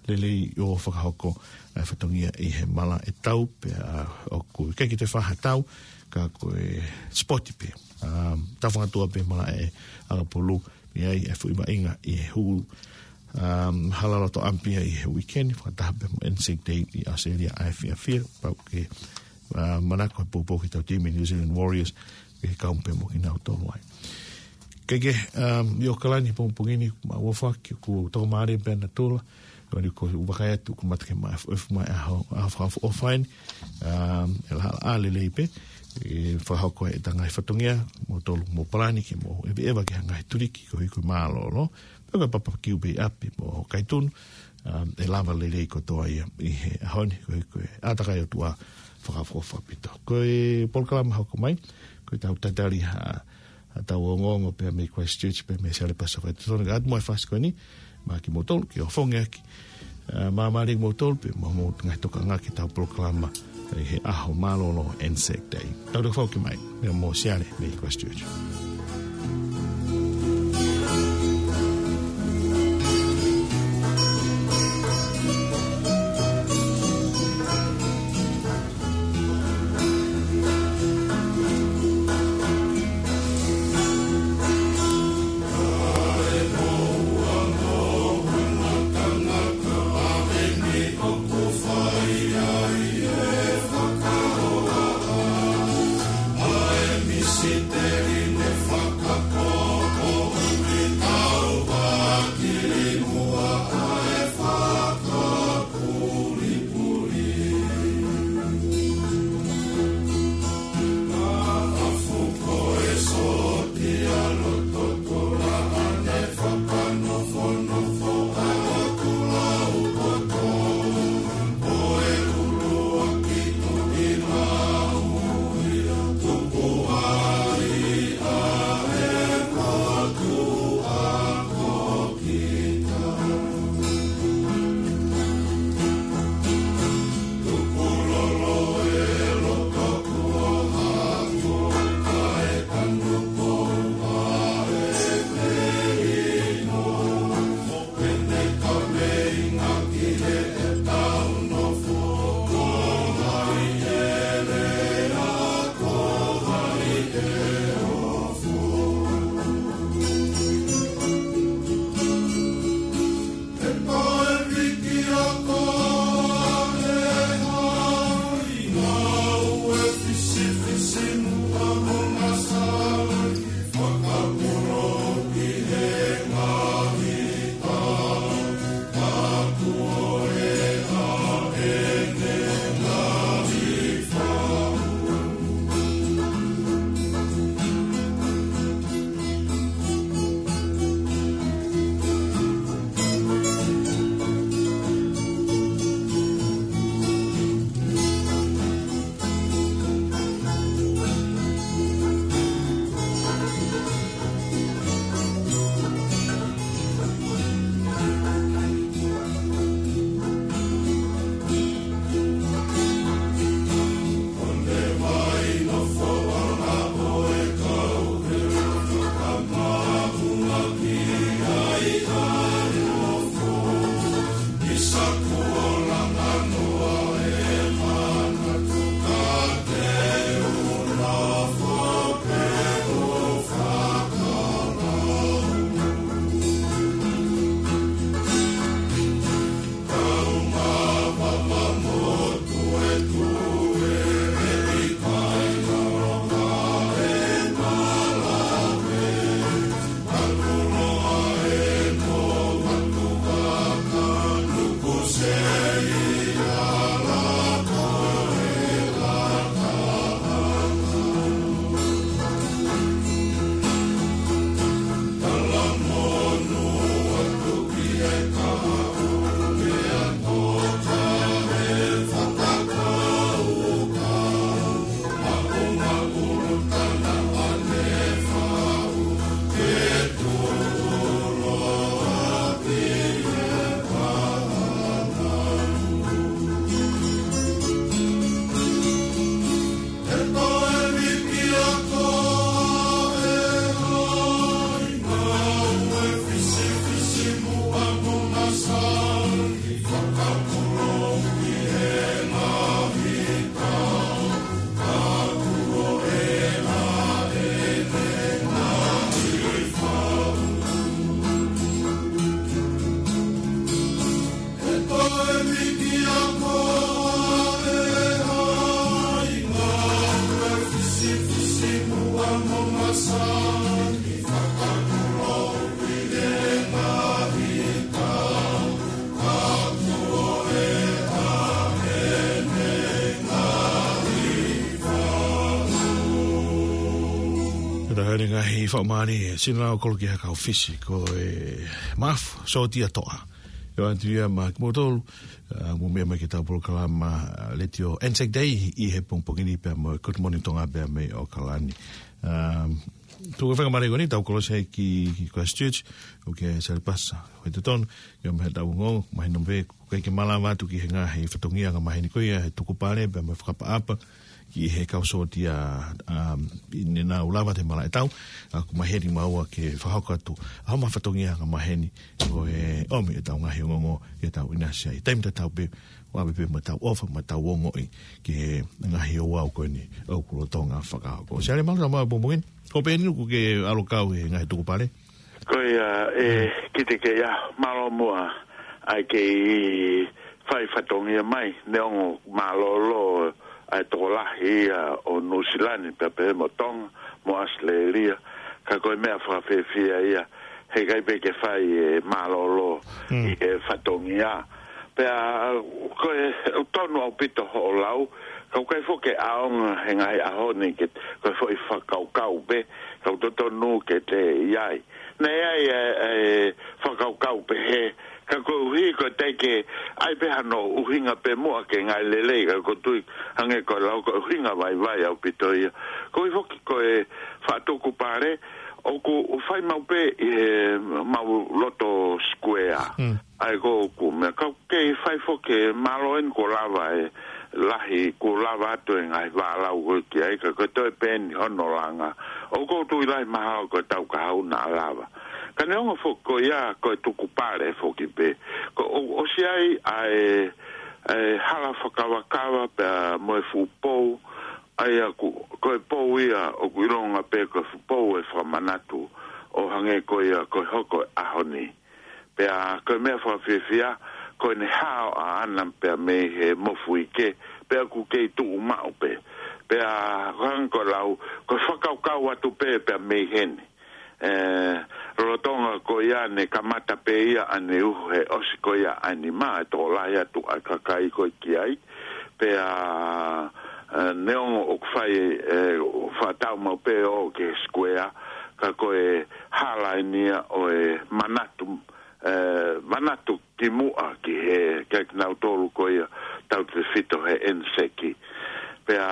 lelei ʻo fakahoko ʻa e fatongia ʻi he malaʻe tau, pea ʻoku ʻikai ke toe fai ha tau, ka ko e sipoti pē. Ā, tau fakatuʻa pē malaʻe ʻakapulu, ʻi ai e foʻi vaʻinga ʻi he hū, ā, hala loto ʻapi ʻi he uike ni, fakataha pē mo e Anzac Day ʻi ʻAositelēlia ʻa e fiefia, pau ke, ā, manako he poupou ki he tau timi New Zealand Warriors, ke kau pē mo kinautolu ai. Kaikehe, ā, ʻi ʻAokalani he pongipongi ni, mau ʻofa ke ʻoku tau mālie pē ʻa natula, ʻo ni ko u vakai atu ʻoku mate ke ma-, ʻofa mai ʻaho, ʻaho fakaʻofoʻofa eni, ā, e laʻā, laʻā lelei pē, ʻe fakahoko e ngaahi fatongia, mo tolu mo palani ke mo ʻeveʻeva ki he ngaahi tuliki, koeʻuhi ko e mālōlō, pea ko e papakiu pē ʻi ʻapi mo kaitunu, ā, ʻe lava lelei kotoa ia ʻi he ʻaho ni, koeʻuhi ko e ʻātakai ʻOtua fakaʻofoʻofa ʻaupito. Ko e polokalama hoko mai, ko e tau tatali ha, ha tau ongoongo pea mei Christchurch, pea mei Salipasa Whai Totonu, ka atu mo e fasi ko eni, maʻa kimoutolu, ke ʻofongi ʻaki, ā, māmālie kimoutolu, pea mo hoʻomou ngaahi tokanga ki he tau polokalama, ʻi he ʻaho mālōlō Anzac Day. Tau tau fau ki mai, meʻa mo Siale, mei Christchurch. He fakamālie, sino lau kolo ki he kau Fisi, ko e Mafu, Sōtia Toʻa. ʻOatu ia maʻa kimoutolu, ʻa, mou meʻa mai ki heʻetau polokalama, ʻa, Letiō Anzac Day ʻi he pongipongi ni pea mo e Good Morning Tonga pea mei ʻAokalani. ʻA, tuku e fakamālie ko eni, tau kolosi ai ki, ki Christchurch, ʻo Salipasa. Ko e totonu, ʻio, mei heʻetau ongo, mahino pē, ʻoku ʻikai ke malava atu ki he ngaahi fatongia angamaheni ko ia, he tukupale, pea mo e fakaʻapaʻapa, ki he kau sōtia, ʻa, ʻi heʻenau lava atu he malaʻe tau, ʻa, ʻoku maheni maua ke fakahoko atu, ʻa, homa fatongia angamaheni, ko e ʻomi ʻetau ngaahi ongoongo, ke tau ʻinasi ai. Taimi tatau pē, ʻoku ʻave pē mo ʻetau ʻofa, mo ʻetau ongoʻi, ki he ngaahi ouau ko eni, ʻoku lolotonga fakahoko. Siale mālō, tau maʻu pongipongi ni, ko pē eni ʻoku ke ʻalu kau he ngaahi tukupale. Ko ia, ʻe, kiate ia, mālō muʻa, ʻa e kei fai fatongia mai, neongo mālōlō, ʻa e tokolahi ia ʻo Nuʻusila ni, pea pehē mo Tonga, mo ʻAositelēlia, ka ko e meʻa fakafiefia ia, heʻikai pē ke fai e mālōlō ʻi he fatongia. Pea, ko e, ʻoku tonu ʻaupito hoʻo lau, ka ʻoku ʻikai foki ke ʻaonga he ngaahi ʻaho ni ke, ko e foʻi fakakaukau pē, ka ʻoku totonu ke toe ʻi ai. Naʻe ʻi ai e, e fakakaukau pehē, ka koeʻuhi ko e teʻeki ai pē hano ʻuhinga pē muʻa ke ngaahi lelei, ka ʻoku ou tui hangē ko e lau ko e ʻuhinga vaivai ʻaupito ia. Koeʻuhi foki ko e faʻa tukupale, ʻoku fai maʻu pē ʻi he mau loto sikuea. ʻA ia ko ʻeku meʻa, ka ʻoku kei fai foki e mālō eni kuo lava e lahi, kuo lava atu e ngaahi vālau ko ē ki ai, ka ko e toe pē eni hono langa. ʻOku ou tui lahi mahalo ko e taʻu kahaʻu naʻa lava. Ka neongo foki ko ia ko e tukupale foki pē. Ko ʻo, ʻosi ʻi ai ʻa e, e hala fakakavakava pea mo e fuʻu pou, ʻa ia ʻoku, ko e pou ia ʻoku ʻilonga pē ko e fuʻu pou e fakamanatu ʻo hangē ko ia ko e hoko e ʻaho ni. Pea ko e meʻa fakafiefia, ko ʻene hao ʻaʻana pea mei he mofuike, pea ʻoku kei tuʻu maʻu pē. Pea ko e hangē ko e lau, ko e fakakaukau atu pē pea mei heni. ʻE, lolotonga ko ia ne kamata pē ia ʻene uhu he ʻosi ko ia ʻa e nima, ʻa e tokolahi atu ʻa e kakai ko ē ki ai. Pea, ʻe, neongo ʻoku fai, ʻe, ʻoku fakatatau maʻu pē ʻo ki he sikuea, ka ko e hala eni ia ʻo e manatu, ʻe, manatu kimuʻa ki he, kia kinautolu ko ia tautefito he ʻEniseki. Pea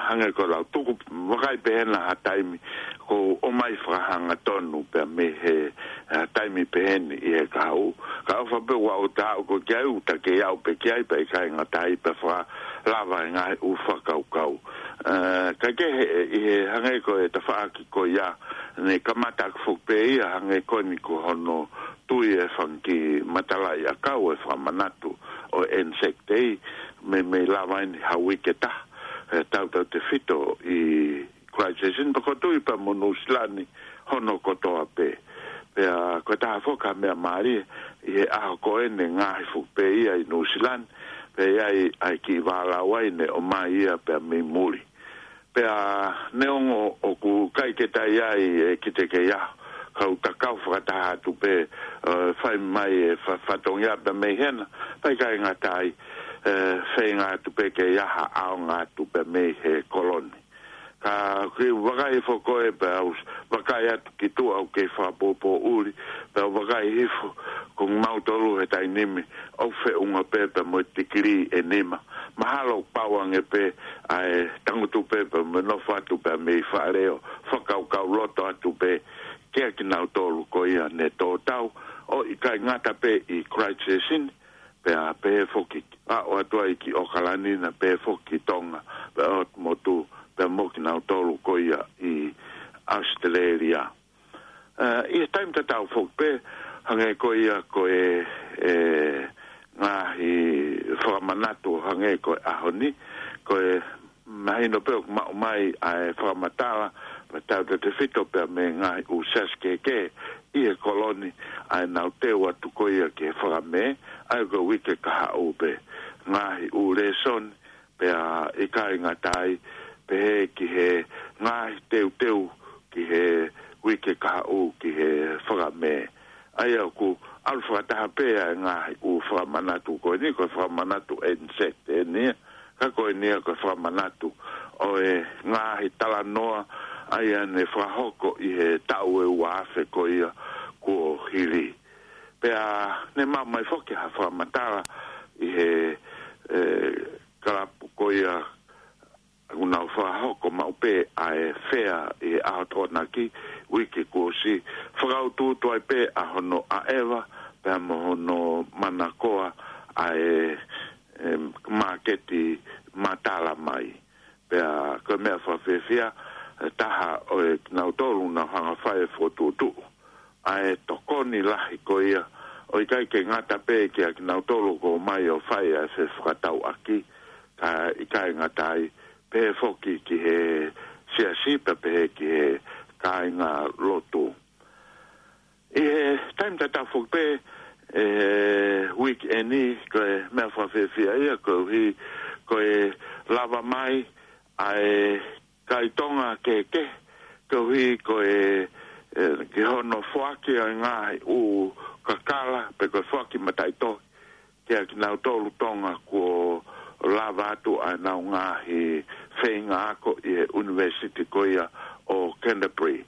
hangē ko e lau, tuku, vakai pē hena ha taimi, ʻoku ʻomai fakahangatonu pea mei he, ʻe, taimi pehē ni ʻi he kahaʻu. Ka ʻofa pē ʻoku ou taʻu ko ē ki ai, ʻoku ta kei aʻu pē ki ai, pea ʻikai ngata ai pea fakalava e ngaahi ʻū fakakaukau. ʻE, ka kehe ʻi he hangē ko e tafaʻaki ko ia, ne kamata ʻaki foki pē ia hangē ko eni ko hono tui e fanga kiʻi matalaʻiʻakau e fakamanatu ʻo e ʻEniseki, meimei lava eni ha uike ʻe taha, ʻe, tautautefito ʻi Christchurch, pea ʻoku ou tui pea mo Nuʻusila ni hono kotoa pē. Pea ko e taha foki ha meʻa mālie, ʻi he ʻaho ko eni ngaohi foki pē ia ʻi Nuʻusila ni, pea ʻi ai ʻa e kiʻi vālau ai ne ʻomai ia pea mei muli. Pea neongo ʻoku ʻikai ke toe ʻi ai e kiʻi teke ia, ka ʻoku ta kau fakataha atu pē, ʻe, fai mai e fa-, fatongia pea mei hena, pea ʻikai ngata ai, ʻe, feinga atu pē ke ʻi ai ha ʻaonga atu pea mei he kolo ni. Ka ʻoku ou vakai foki ko ē pea u s-, vakai atu ki tuʻa ʻoku kei fakapōpōʻuli, pea u vakai hifo ko kimautolu he taimi ni, ʻoku feʻunga pē pea mo e tikilī ʻe nima. Mahalo ʻoku pau ange pē ʻa e tangutu pē pea mo e nofo atu pea mei fale ʻo fakakaukau loto atu pē kia kinautolu ko ia ne tō tau, ʻo ʻikai ngata pē ʻi Christchurch ni, pea pehē foki, aʻu atu ai ki ʻAokalani na, pehē foki ki Tonga, pea ʻo motu, pea mo kinautolu ko ia ʻi ʻAositelēlia. ʻE, ʻi he taimi tatau foki pē, hangē ko ia ko e, e, ngaahi fakamanatu hangē ko e ʻaho ni, ko e mahino pē ʻoku maʻu mai ʻa e fakamatala, pea tautautefito pea mei he ngaahi ʻū siasi kehekehe ʻi he kolo ni, ʻa ʻenau teu atu ko ia ki he fakamē, ʻa ia ko e uike kahaʻu pē. Ngaahi ʻū lēsoni, pea ʻikai ngata ai, pehē ki he ngaahi teuteu ki he uike kahaʻu ki he fakamē. ʻA ia ʻoku ʻalu fakataha pē ʻa e ngaahi ʻū fakamanatu ko eni, ko e fakamanatu ʻEniseki eni ia, ka ko eni ia ko e fakamanatu ʻo e ngaahi talanoa, ʻa ia ne fakahoko ʻi he taʻu ʻe ua afe ko ia kuo hili. Pea ne maʻu mai foki ha fakamatala ʻi he, ʻe, kalapu ko ia ʻoku nau fakahoko maʻu pē ʻa e fea ʻi he ʻaho Tokonaki, uike kuo ʻosi, fakautuutu ai pē ʻa hono ʻaʻeva, pea mo hono manakoa ʻa e, ʻe, māketi matala mai. Pea ko e meʻa fakafiefia, ʻe taha ʻo e kinautolu nau hanga fai e fokotuʻutuʻu ʻa e tokoni lahi ko ia, ʻo ʻikai ke ngata pē kia kinautolu ʻoku ō mai ʻo fai ʻa e fefakatauʻaki, ka ʻikai ngata ai, pehē foki ki he siasi, pea pehē ki he kāinga lotu. ʻI he taimi tatau foki pē, ʻe, weekend ni, ko e meʻa fakafiefia ia, koeʻuhi, ko e lava mai ʻa e kai Tonga kehekehe, koeʻuhi ko e, ʻe, ki hono foaki ʻa e ngaahi ʻū kakala, pe ko e foaki mataʻitohi, kia kinautolu Tonga kuo lava atu ʻa ʻenau ngaahi feinga ako ʻi he ʻunivēsiti ko ia ʻo Canterbury.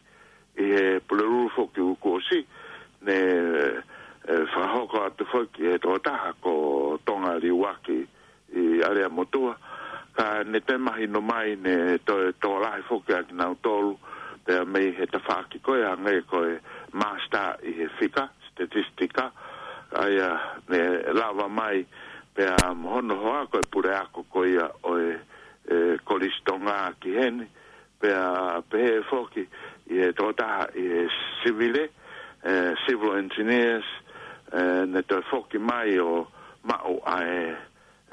ʻI he Pulelulu foki ʻoku ʻosi, ne, ʻe, fakahoko atu foki ʻe he tokotaha ko Tonga Liuaki ʻi ʻAleamotua, ka ne toe mahino mai ne toe tokolahi foki ʻa kinautolu, pea mei he tafaʻaki ko ia hangē ko e master ʻi he fika, statistika, ʻa ia ne lava mai, pea mo hono hoa ko e puleako ko ia ʻo e, ʻe, Kolisi Tonga ki heni, pea pehē foki ʻi he tokotaha ʻi he sivile, ʻe, civil engineers, ʻe, ne toe foki mai ʻo maʻu ʻa e,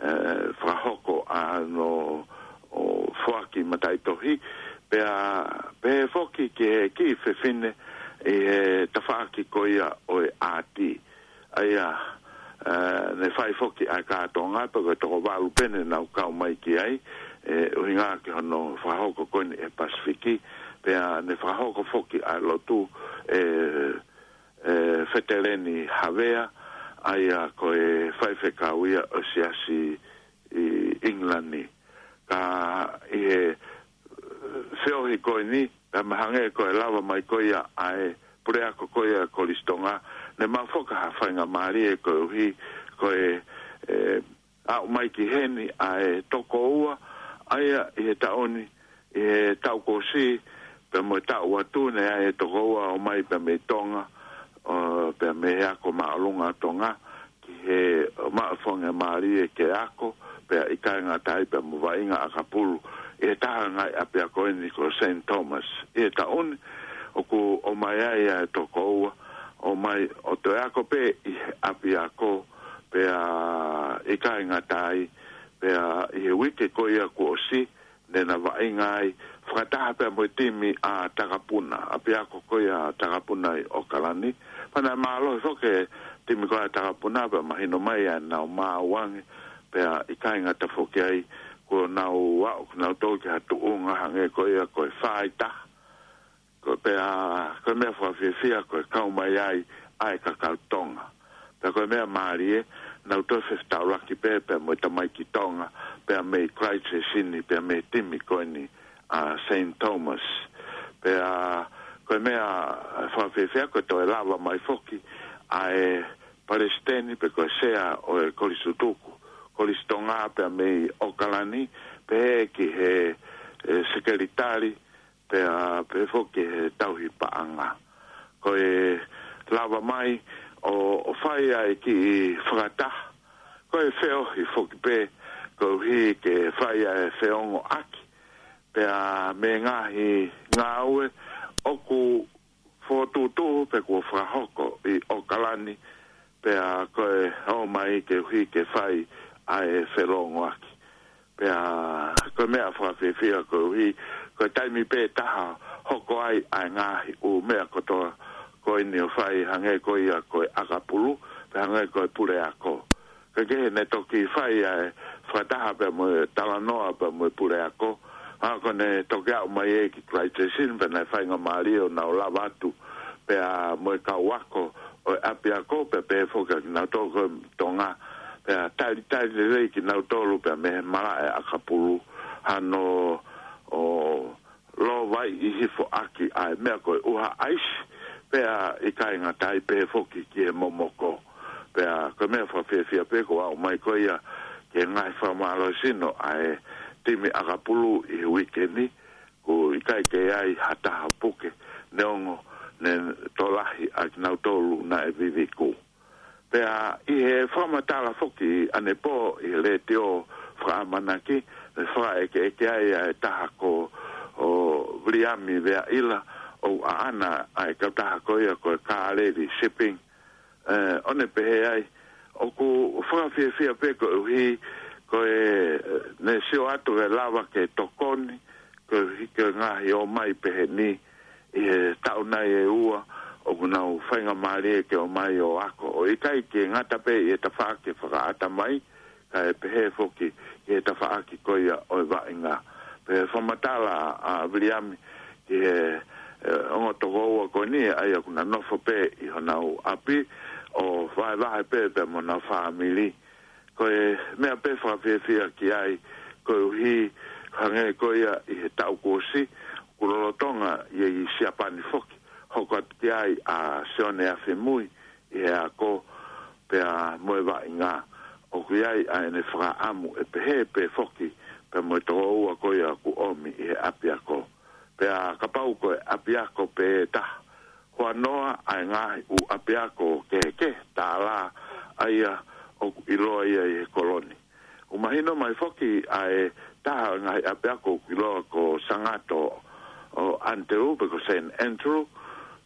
ʻe, fakahoko ʻa hono ʻo foaki mataʻitohi, pea pehē foki ki he kiʻi fefine ʻi he tafaʻaki ko ia ʻo e ʻāti. ʻA ia, ʻe, ne fai foki ʻa e kātoanga, pea ko e toko valu pē ne nau kau mai ki ai, ʻe, ʻuhinga ki hono fakahoko ko eni ʻe Pasifiki, pea ne fakahoko foki ʻa e lotu ʻe, ʻe Feteleni Havea, ʻa ia ko e faifekau ia ʻo e siasi ʻi ʻIngilani. Ka ʻi he, ʻe, feohi ko eni, pea mahalo hangē ko e lava mai ko ia ʻa e puleako ko ia Kolisi Tonga, ne maʻu foki ha faingamālie koeʻuhi, ko e, ʻe, aʻu mai ki heni ʻa e tokoua, ʻa ia ʻi he taʻu ni, ʻi he taʻu kuo ʻosi, pea mo e taʻu atu ne ʻi ai e tokoua ʻo ō mai pea mei Tonga, ʻo, pea mei he ako māʻolunga ʻo Tonga, ki he maʻu faingamālie ke ako, pea ʻikai ngata ai pea mo vaʻinga ʻakapulu ʻi he taha ngaahi ʻapiako eni ko Saint Thomas. ʻI he taʻu ni, ʻoku ō mai ai ʻa e tokoua, ō mai ʻo toe ako pē ʻi he ʻapiako, pea ʻikai ngata ai, pea ʻi he uike ko ia kuo ʻosi, ne na vaʻinga ai, fakataha pea mo e timi ʻa Takapuna, ʻapiako ko ia Takapuna ʻi ʻOkalani. Pea naʻe mālohi foki e timi ko ia Takapuna, pea mahino mai ʻa ʻenau maau ange, pea ʻikai ngata foki ai, kuo nau aʻu, kuo nau tō ki ha tuʻunga hangē ko ia ko e fā ʻi he taha. Ko e pea, ko e meʻa fakafiefia, ko e kau mai ai ʻa e kakai Tonga. Pea ko e meʻa mālie, nau toe fefetaulaki pē, pea mo e tamaiki Tonga, pea mei Christchurch ni, pea mei he timi ko eni ʻa Saint Thomas. Pea ko e meʻa fakafiefia, ko e toe lava mai foki ʻa e palesiteni, pe ko e sea ʻo e Kolisi Tutuku, Kolisi Tonga, pea mei ʻOkalani, pehē ki he, ʻe, sekelitali, pea pehē foki he tauhi paʻanga. Ko e lava mai ʻo, ʻo fai ʻa e kiʻi fakataha, ko e feohi foki pē, koeʻuhi ke fai ʻa e feongoʻaki, pea mei he ngaahi ngāue ʻoku fokotuʻutuʻu pe kuo fakahoko ʻi ʻOkalani, pea ko e ō mai koeʻuhi ke fai ʻa e felōngoaki. Pea ko e meʻa fakafiefia koeʻuhi, ko e taimi pē taha hoko ai ʻa e ngaahi ʻū meʻa kotoa ko eni ʻo fai hangē ko ia ko e ʻakapulu, pea hangē ko e puleako. Ka kehe ne toki fai ʻa e fakataha pea mo e talanoa pea mo e puleako. ʻA ko ʻene toki aʻu mai ē ki Christchurch ni, pea naʻe faingamālie ʻo nau lava atu pea mo e kau ako ʻo e ʻapiako, pea pehē foki kia kinautolu ko Tonga, pea talitali lelei kinautolu pea mei he malaʻe ʻakapulu, hano ʻo lōvaiʻi hifo ʻaki ʻa e meʻa ko e ʻuha ʻaisi, pea ʻikai ngata ai pē foki ki he momoko. Pea ko e meʻa fakafiefia pē ko e aʻu mai ko ia ki he ngaahi fakamālohisino ʻa e timi ʻakapulu ʻi he uike ni, ʻoku ʻikai ke ʻi ai ha taha puke, neongo ne tokolahi ʻa kinautolu naʻe viviku. Pea ʻi he fakamatala foki ʻanepō ʻi he letiō fakaʻamanaki, ne fakaʻekeʻeke ai ʻa e taha ko ʻo Viliami Veaʻila, ʻoku ʻaʻana ʻa e kautaha ko ia ko e Kāleli Shipping. ʻE, ʻo ne pehē ai, ʻoku fakafiefia pē koeʻuhi ko e, ne sio atu ke lava ke tokoni, koeʻuhi ko e ngaahi ō mai pehē ni ʻi he taʻu nai ʻe ua, ʻoku nau faingamālie ke ō mai ʻo ako. ʻO ʻikai ke ngata pē ʻi he tafaʻaki fakaʻatamai, kae pehē foki ʻi he tafaʻaki ko ia ʻo e vaʻinga. Pea fakamatala ʻa Viliami ki he, ʻe, ongo tokoua ko eni, ʻa ia ʻoku na nofo pē ʻi honau ʻapi, ʻo vahevahe pē pea mo honau fāmili. Ko e meʻa pē fakafiefia ki ai, koeʻuhi hangē ko ia ʻi he taʻu kuo ʻosi, ʻoku lolotonga ʻi he Siapani foki, hoko atu ki ai ʻa Sione Afimui ʻi he ako pea mo e vaʻinga. ʻOku ʻi ai ʻa ʻene fakaʻamu ʻe pehē pē foki pea mo e tokoua ko ia ʻoku ʻomi ʻi he ʻapiako. Pea kapau ko e ʻapiako pē taha, huanoa ʻa e ngaahi ʻū ʻapiako kehekehe tālā ʻa ia ʻoku ʻiloa ia ʻi he kolo ni. ʻOku mahino mai foki ʻa e taha ʻo e ngaahi ʻapiako ʻoku ʻiloa ko Sangato ʻo Andrew, pe ko Saint Andrew,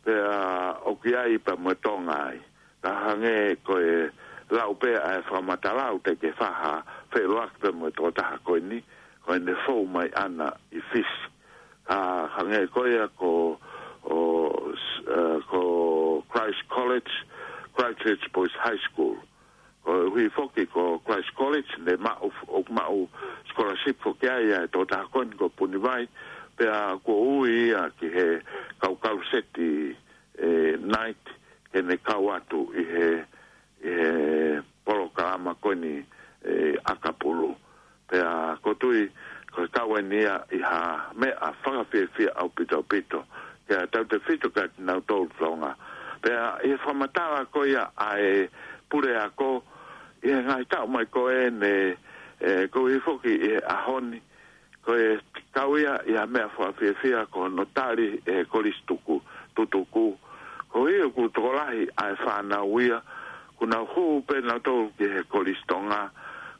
pea ʻoku ʻi ai pea mo e Tonga ai. Ka hangē ko e lau pē ʻa e fakamatala, ʻoku teʻeki ke fai ha feʻiloaki pea mo e tokotaha ko eni, ko ʻene fou mai ʻana ʻi Fisi. Ka hangē ko ia ko, ʻo, s-, ʻe, ko Christ College, Christchurch Boys High School. Koeʻuhi foki ko Christ College, ne maʻu, ʻoku maʻu scholarship foki ai ʻa e tokotaha ko eni ko Punivai, pea kuo ui ia ki he kau kaluseti, ʻe, Knight, ke ne kau atu ʻi he, ʻi he polokalama ko eni, ʻe, ʻakapulu. Pea ʻoku ou tui, ko e kau eni ia ʻi ha meʻa fakafiefia ʻaupito ʻaupito, ke tautefito kia kinautolu Tonga. Pea ʻi he fakamatala ko ia ʻa e puleako, ʻi he ngaahi taʻu mai ko eni, ʻe, koeʻuhi foki ʻi he ʻaho ni, ko e kau ia ʻi ha meʻa fakafiefia ko hono tali ʻe he kolisi tuku, tutuku. Koeʻuhi ʻoku tokolahi ʻa e fānau ia, ʻoku nau hū pē nautolu ki he Kolisi Tonga,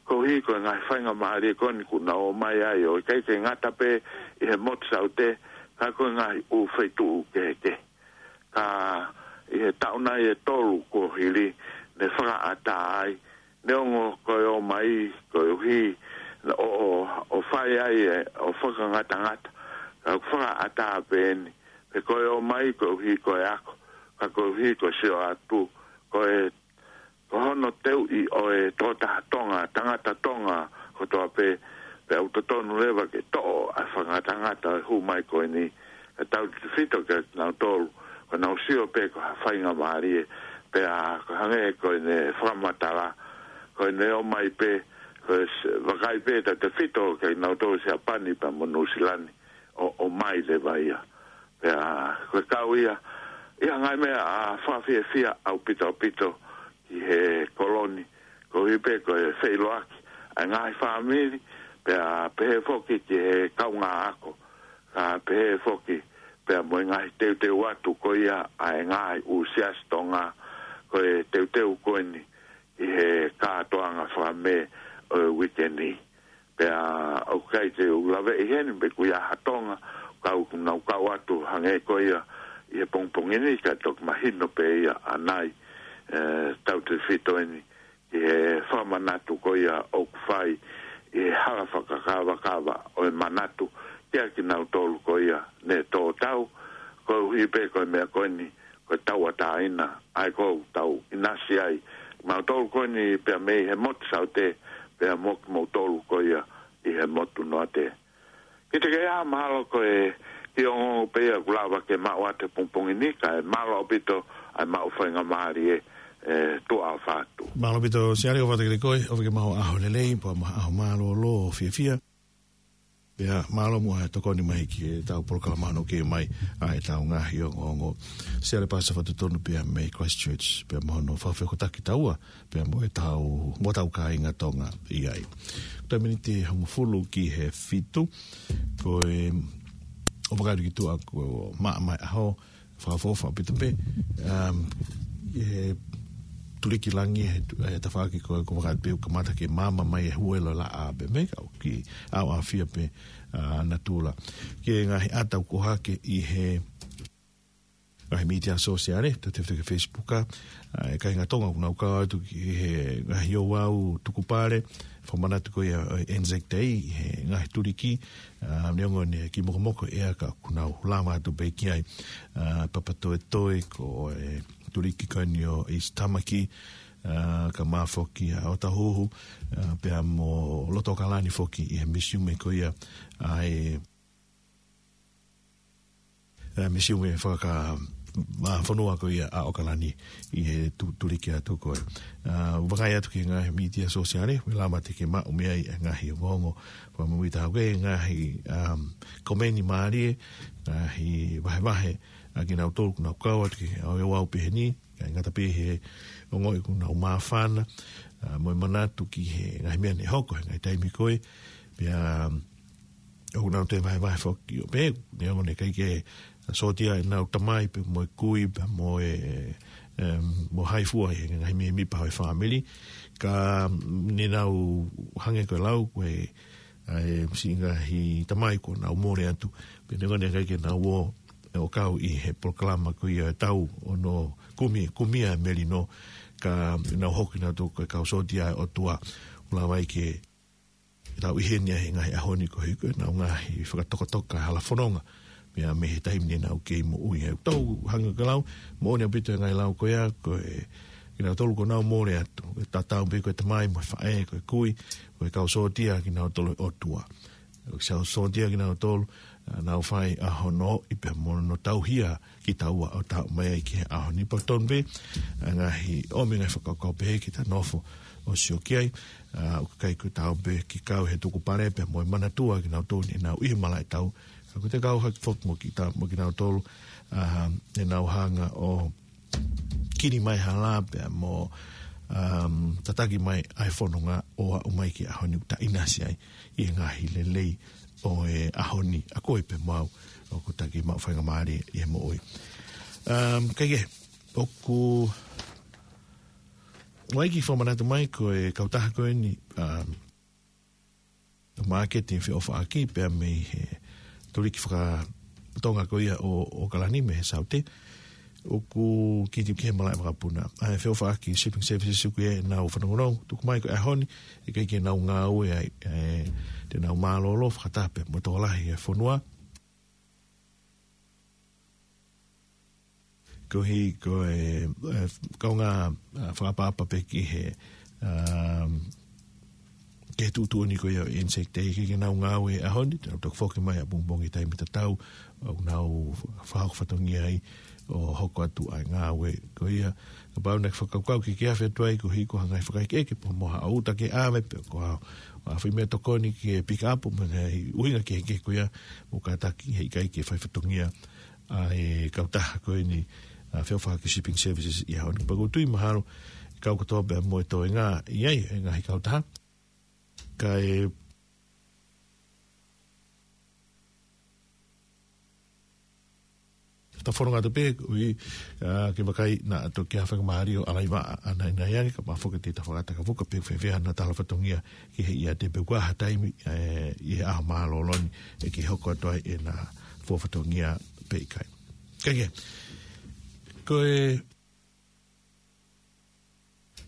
koeʻuhi ko e ngaahi faingamālie ko eni ʻoku nau ō mai ai, ʻo ʻikai ke ngata pē ʻi he motu Saute, ka ko e ngaahi ʻū feituʻu kehekehe. Ka ʻi he taʻu nai ʻe tolu kuo hili, ne fakaʻatā ai, neongo ko e ō mai, koeʻuhi, ʻo, ʻo, ʻo fai ai ʻe, ʻo fakangatangata, ka ʻoku fakaʻatā pē eni, pe ko e ō mai, koeʻuhi ko e ako, ka koeʻuhi ko e sio atu, ko e, ko hono teuʻi ʻo e tokotaha Tonga, tangata Tonga kotoa pē, pea ʻoku totonu leva ke toʻo ʻa e fakangatangata ʻo e hū mai ko eni, ka tautefito kia kinautolu, ko ʻenau sio pē ko ha faingamālie, pea ko e hangē ko ʻene fakamatala, ko ʻene ō mai pē, ko e s-, vakai pē tautefito kia kinautolu Siapani pea mo Nuʻusila ni, ʻo, ʻo ō mai leva ia. Pea ko e kau ia, ʻi ha ngaahi meʻa fakafiefia ʻaupito ʻaupito ki he kolo ni, koeʻuhi pē ko e feʻiloaki ʻa e ngaahi fāmili, pea pehē foki ki he kaungā ako, ka pehē foki pea mo e ngaahi teuteu atu ko ia ʻa e ngaahi ʻū siasi Tonga, ko e teuteu ko eni ki he kātoanga faka-Mē ʻo e uike ni. Pea ʻoku ʻikai te u laveʻi heni pe ʻoku ʻi ai ha Tonga, ka ʻoku nau kau atu hangē ko ia ʻi he pongipongi ni, ka toki mahino pē ia ʻanai, ʻe, tautefito eni ki he fakamanatu ko ia ʻoku fai ʻi he hala fakakavakava ʻo e manatu kia kinautolu ko ia ne tō tau, koeʻuhi pē ko e meʻa ko eni, ko e tauʻatāina, ʻa ia ʻoku tau ʻinasi ai mautolu ko eni pea mei he motu Saute, pea mo kimoutolu ko ia ʻi he motu Noate. Kiate koe ā, mahalo ko e kiʻi ongoongo pē ia ʻoku lava ke maʻu atu he pongipongi ni, kae mālō ʻaupito ʻa e maʻu faingamālie, ʻe, tuʻa ʻofa atu. Mālō ʻaupito, Siale, ʻofa atu kiate koe, ʻofa ke maʻu ha ʻaho lelei, pea mo ha ʻaho mālōlō ʻo fiefia. Pea mālō muʻa e tokoni mai ki heʻetau polokalama hono kei mai ʻa ʻetau ngaahi ongoongo. Siale Pasa Fatutonu pea mei Christchurch, pea mo hono fakafekotaki taua, pea mo ʻetau, mo ʻetau kāinga Tonga ʻi ai. Ko e miniti hongofulu ki he fitu, ko e, ʻo vakailu ki tuʻa ko maʻa mai ʻaho, fakaʻofoʻofa ʻaupito pē, um, he tuliki langi, he tu-, he tafaʻaki ko, ko e vakailu pē ʻoku kamata ke maama mai e huelo laʻā pē mei ka ʻoku ʻaoʻafia pē, uh, natula. Ki he ngaahi ʻata ʻoku ʻohake ʻi he ngaahi mītia sōsiale, tau tefito ki he Facebook, ʻa, ʻa e kāinga Tonga ʻoku nau kau atu ki he ngaahi ouau tukupale, fakamanatu ko ia ʻo e Anzac Day, he ngaahi tuliki, ʻa, neongo ʻene kei mokomoko ʻea ka ʻoku nau lava atu pē ki ai, ʻa, Papatoetoe ko e tuliki ko eni ʻo East Tamaki, ʻa, kae ʻumaʻā foki ʻa ʻOtahuhu, ʻa, pea mo Lotokalani foki ʻi he misiume ko ia ʻa e ʻa e misiume faka-, ʻa, fonua ko ia ʻa ʻOkalani ʻi he tu-, tuliki atu ko ē. ʻA, vakai atu ki he ngaahi mītia sōsiale, ʻoku lava te ke maʻu mei ai e ngaahi ongoongo. Fakamoʻoni ʻoku ʻi ai e ngaahi, um, komeni mālie, ngaahi vahevahe, ʻa kinautolu ʻoku nau kau atu ki he ouau pehē ni, ʻikai ngata pē he ongoʻi ʻoku nau māfana, ʻa, mo e manatu ki he ngaahi meʻa ne hoko he ngaahi taimi ko ē, pea, um, ʻoku nau toe vahevahe foki ʻo pehē, neongo ʻoku ʻikai ke sōtia ʻenau tamai pea mo e kui pea mo e, em, mo hai fua ʻi he ngaahi mēmipa ʻo e fāmili. Ka ne nau hangē ko e lau, ko e, ʻa e siʻi ngaahi tamai kuo nau mole atu. Pea neongo ʻoku ʻikai ke nau ō ʻo kau ʻi he polokalama ko ia ʻo e tau ʻo hono kumi, kumi ʻa e melino, ka nau hoko kinautolu ko e kau sōtia ʻa e ʻOtua. ʻOku lava ai ke tau ʻi heni ʻi he ngaahi ʻaho ni koeʻuhi ko ʻenau ngaahi fakatokatoka hala fononga. Meʻa mei he taimi ne nau kei moʻui ai. Tau hangē ko e lau, moʻoni ʻaupito e ngaahi lau ko ia, ko e, kinautolu kuo nau mole atu. ʻE tatau pē ko e tamai mo e faʻē, ko e kui, ko e kau sōtia kinautolu ʻa e ʻOtua. ʻOku kau sōtia kinautolu, ʻa, nau fai ʻa hono ʻi pea mo hono tauhi ʻa kitaua ʻo tau mai ai ki he ʻaho ni. Pea tonu pē ʻa e ngaahi ʻomi ngaahi fakakaukau pehē ke ta nofo ʻo sio ki ai, ʻa, ʻoku ʻikai ko e tau pē ke kau he tukupale pea mo e manatua kinautolu ne nau ʻi he malaʻe tau. Ka ko e te kau hake foki mo kita, mo kinautolu, ʻa, ne nau hanga ʻo kili mai hala pea mo, um, tataki mai ʻa e fononga ʻo aʻu mai ki he ʻaho ni ʻoku ta ʻinasi ai ʻi he ngaahi lelei ʻo e ʻaho ni ʻa koe pea mo au ʻoku ta kei maʻu faingamālie ʻi he moʻui. Um, kae kehe, ʻoku ʻi ai e kiʻi fakamanatu mai ko e kautaha ko eni, um, māketi feʻofaʻaki pea mei he tuliki faka-Tonga ko ia ʻo, ʻo ʻOkalani mei he Saute. ʻOku kei tuʻu ki he malaʻe vakapuna. ʻA e feʻofaʻaki shipping services ʻoku ʻi ai ʻenau fanongonongo, tuku mai ko e ʻaho ni, ʻe ʻikai ke nau ngāue ai, ʻe, te nau mālōlō fakataha pē mo e tokolahi e fonua. Koeʻuhi ko e, e, kaungā, ʻa, fakaʻapaʻapa pē ki he, um, ki he tuʻutuʻuni ko ia ʻo e Anzac Day, ʻe ʻikai ke nau ngāue he ʻaho ni, te nau toki foki mai ʻapongipongi taimi tatau, ʻo nau fakahoko fatongia ai, ʻo hoko atu ʻa e ngāue ko ia. Kapau naʻe fakakaukau ke ke afe atu ai koeʻuhi ko ha ngaahi fakaʻekeʻeke pea mo ha ʻuta ke ʻave pē ko ha, ha foʻi meʻatokoni ke pick up mo e ngaahi ʻuhinga kehekehe ko ia, mou kātaki he ʻikai ke fai fatongia ʻa e kautaha ko eni, ʻa, feʻofaʻaki shipping services ʻi he ʻaho ni. Pea ʻoku ou tui mahalo ʻe kau kotoa pē mo e toenga ʻi ai e ngaahi kautaha. Kae ta fononga atu pē, ui, ʻa, ke vakai naʻa toki ʻi ai ha faingamālie ʻo ʻalaiva ʻa, ʻa nai nai ange, kapau foki te ta fakataka fuka pē fēfē haʻana tala fatongia ki he ʻiate pe ʻoku ʻi ai ha taimi, ʻe, ʻi he ʻaho mālōlō ni, ʻe kei hoko atu ai ʻena fua fatongia pe ʻikai. Kae kehe, ko e,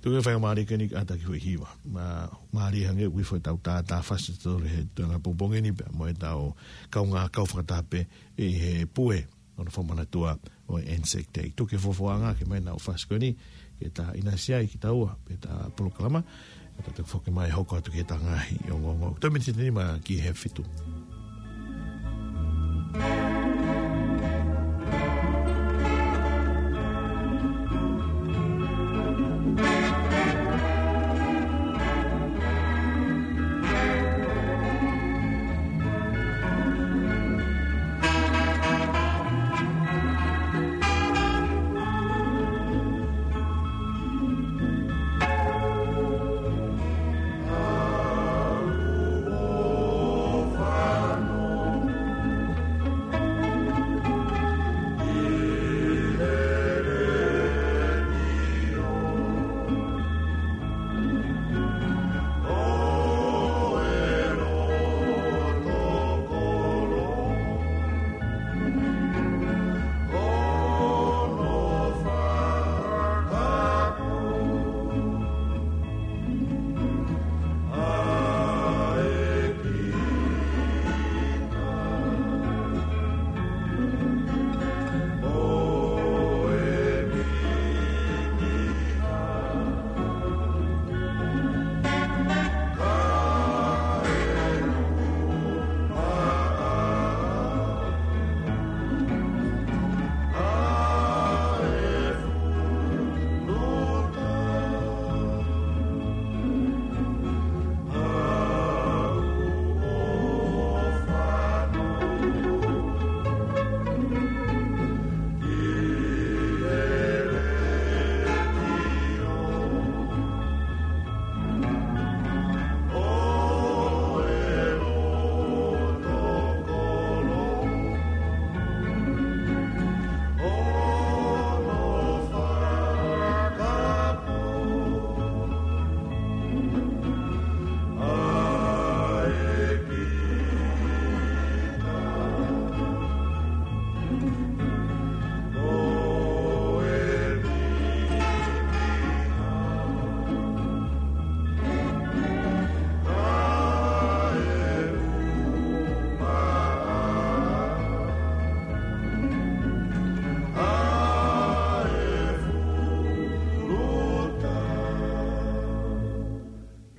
tuku e faingamālie ko eni ke ʻatā ki he foʻi hiva. Ma, mālie hangē ʻoku ʻi ai foki ʻetau tātāfasi ʻatautolu he tuʻunga pongipongi ni pea mo ʻetau kaungā kau fakataha pē ʻi he pue ʻo hono fakamanatua ʻo e Anzac Day. Tuku e fuafuaʻanga ke ʻomai ʻenau fasi ko eni, ke ta ʻinasi ai kitaua, pea ta polokalama, ʻe ta toki foki mai hoko atu ki heʻeta ngaahi ongoongo. Toe miniti ʻe nima ki he fitu.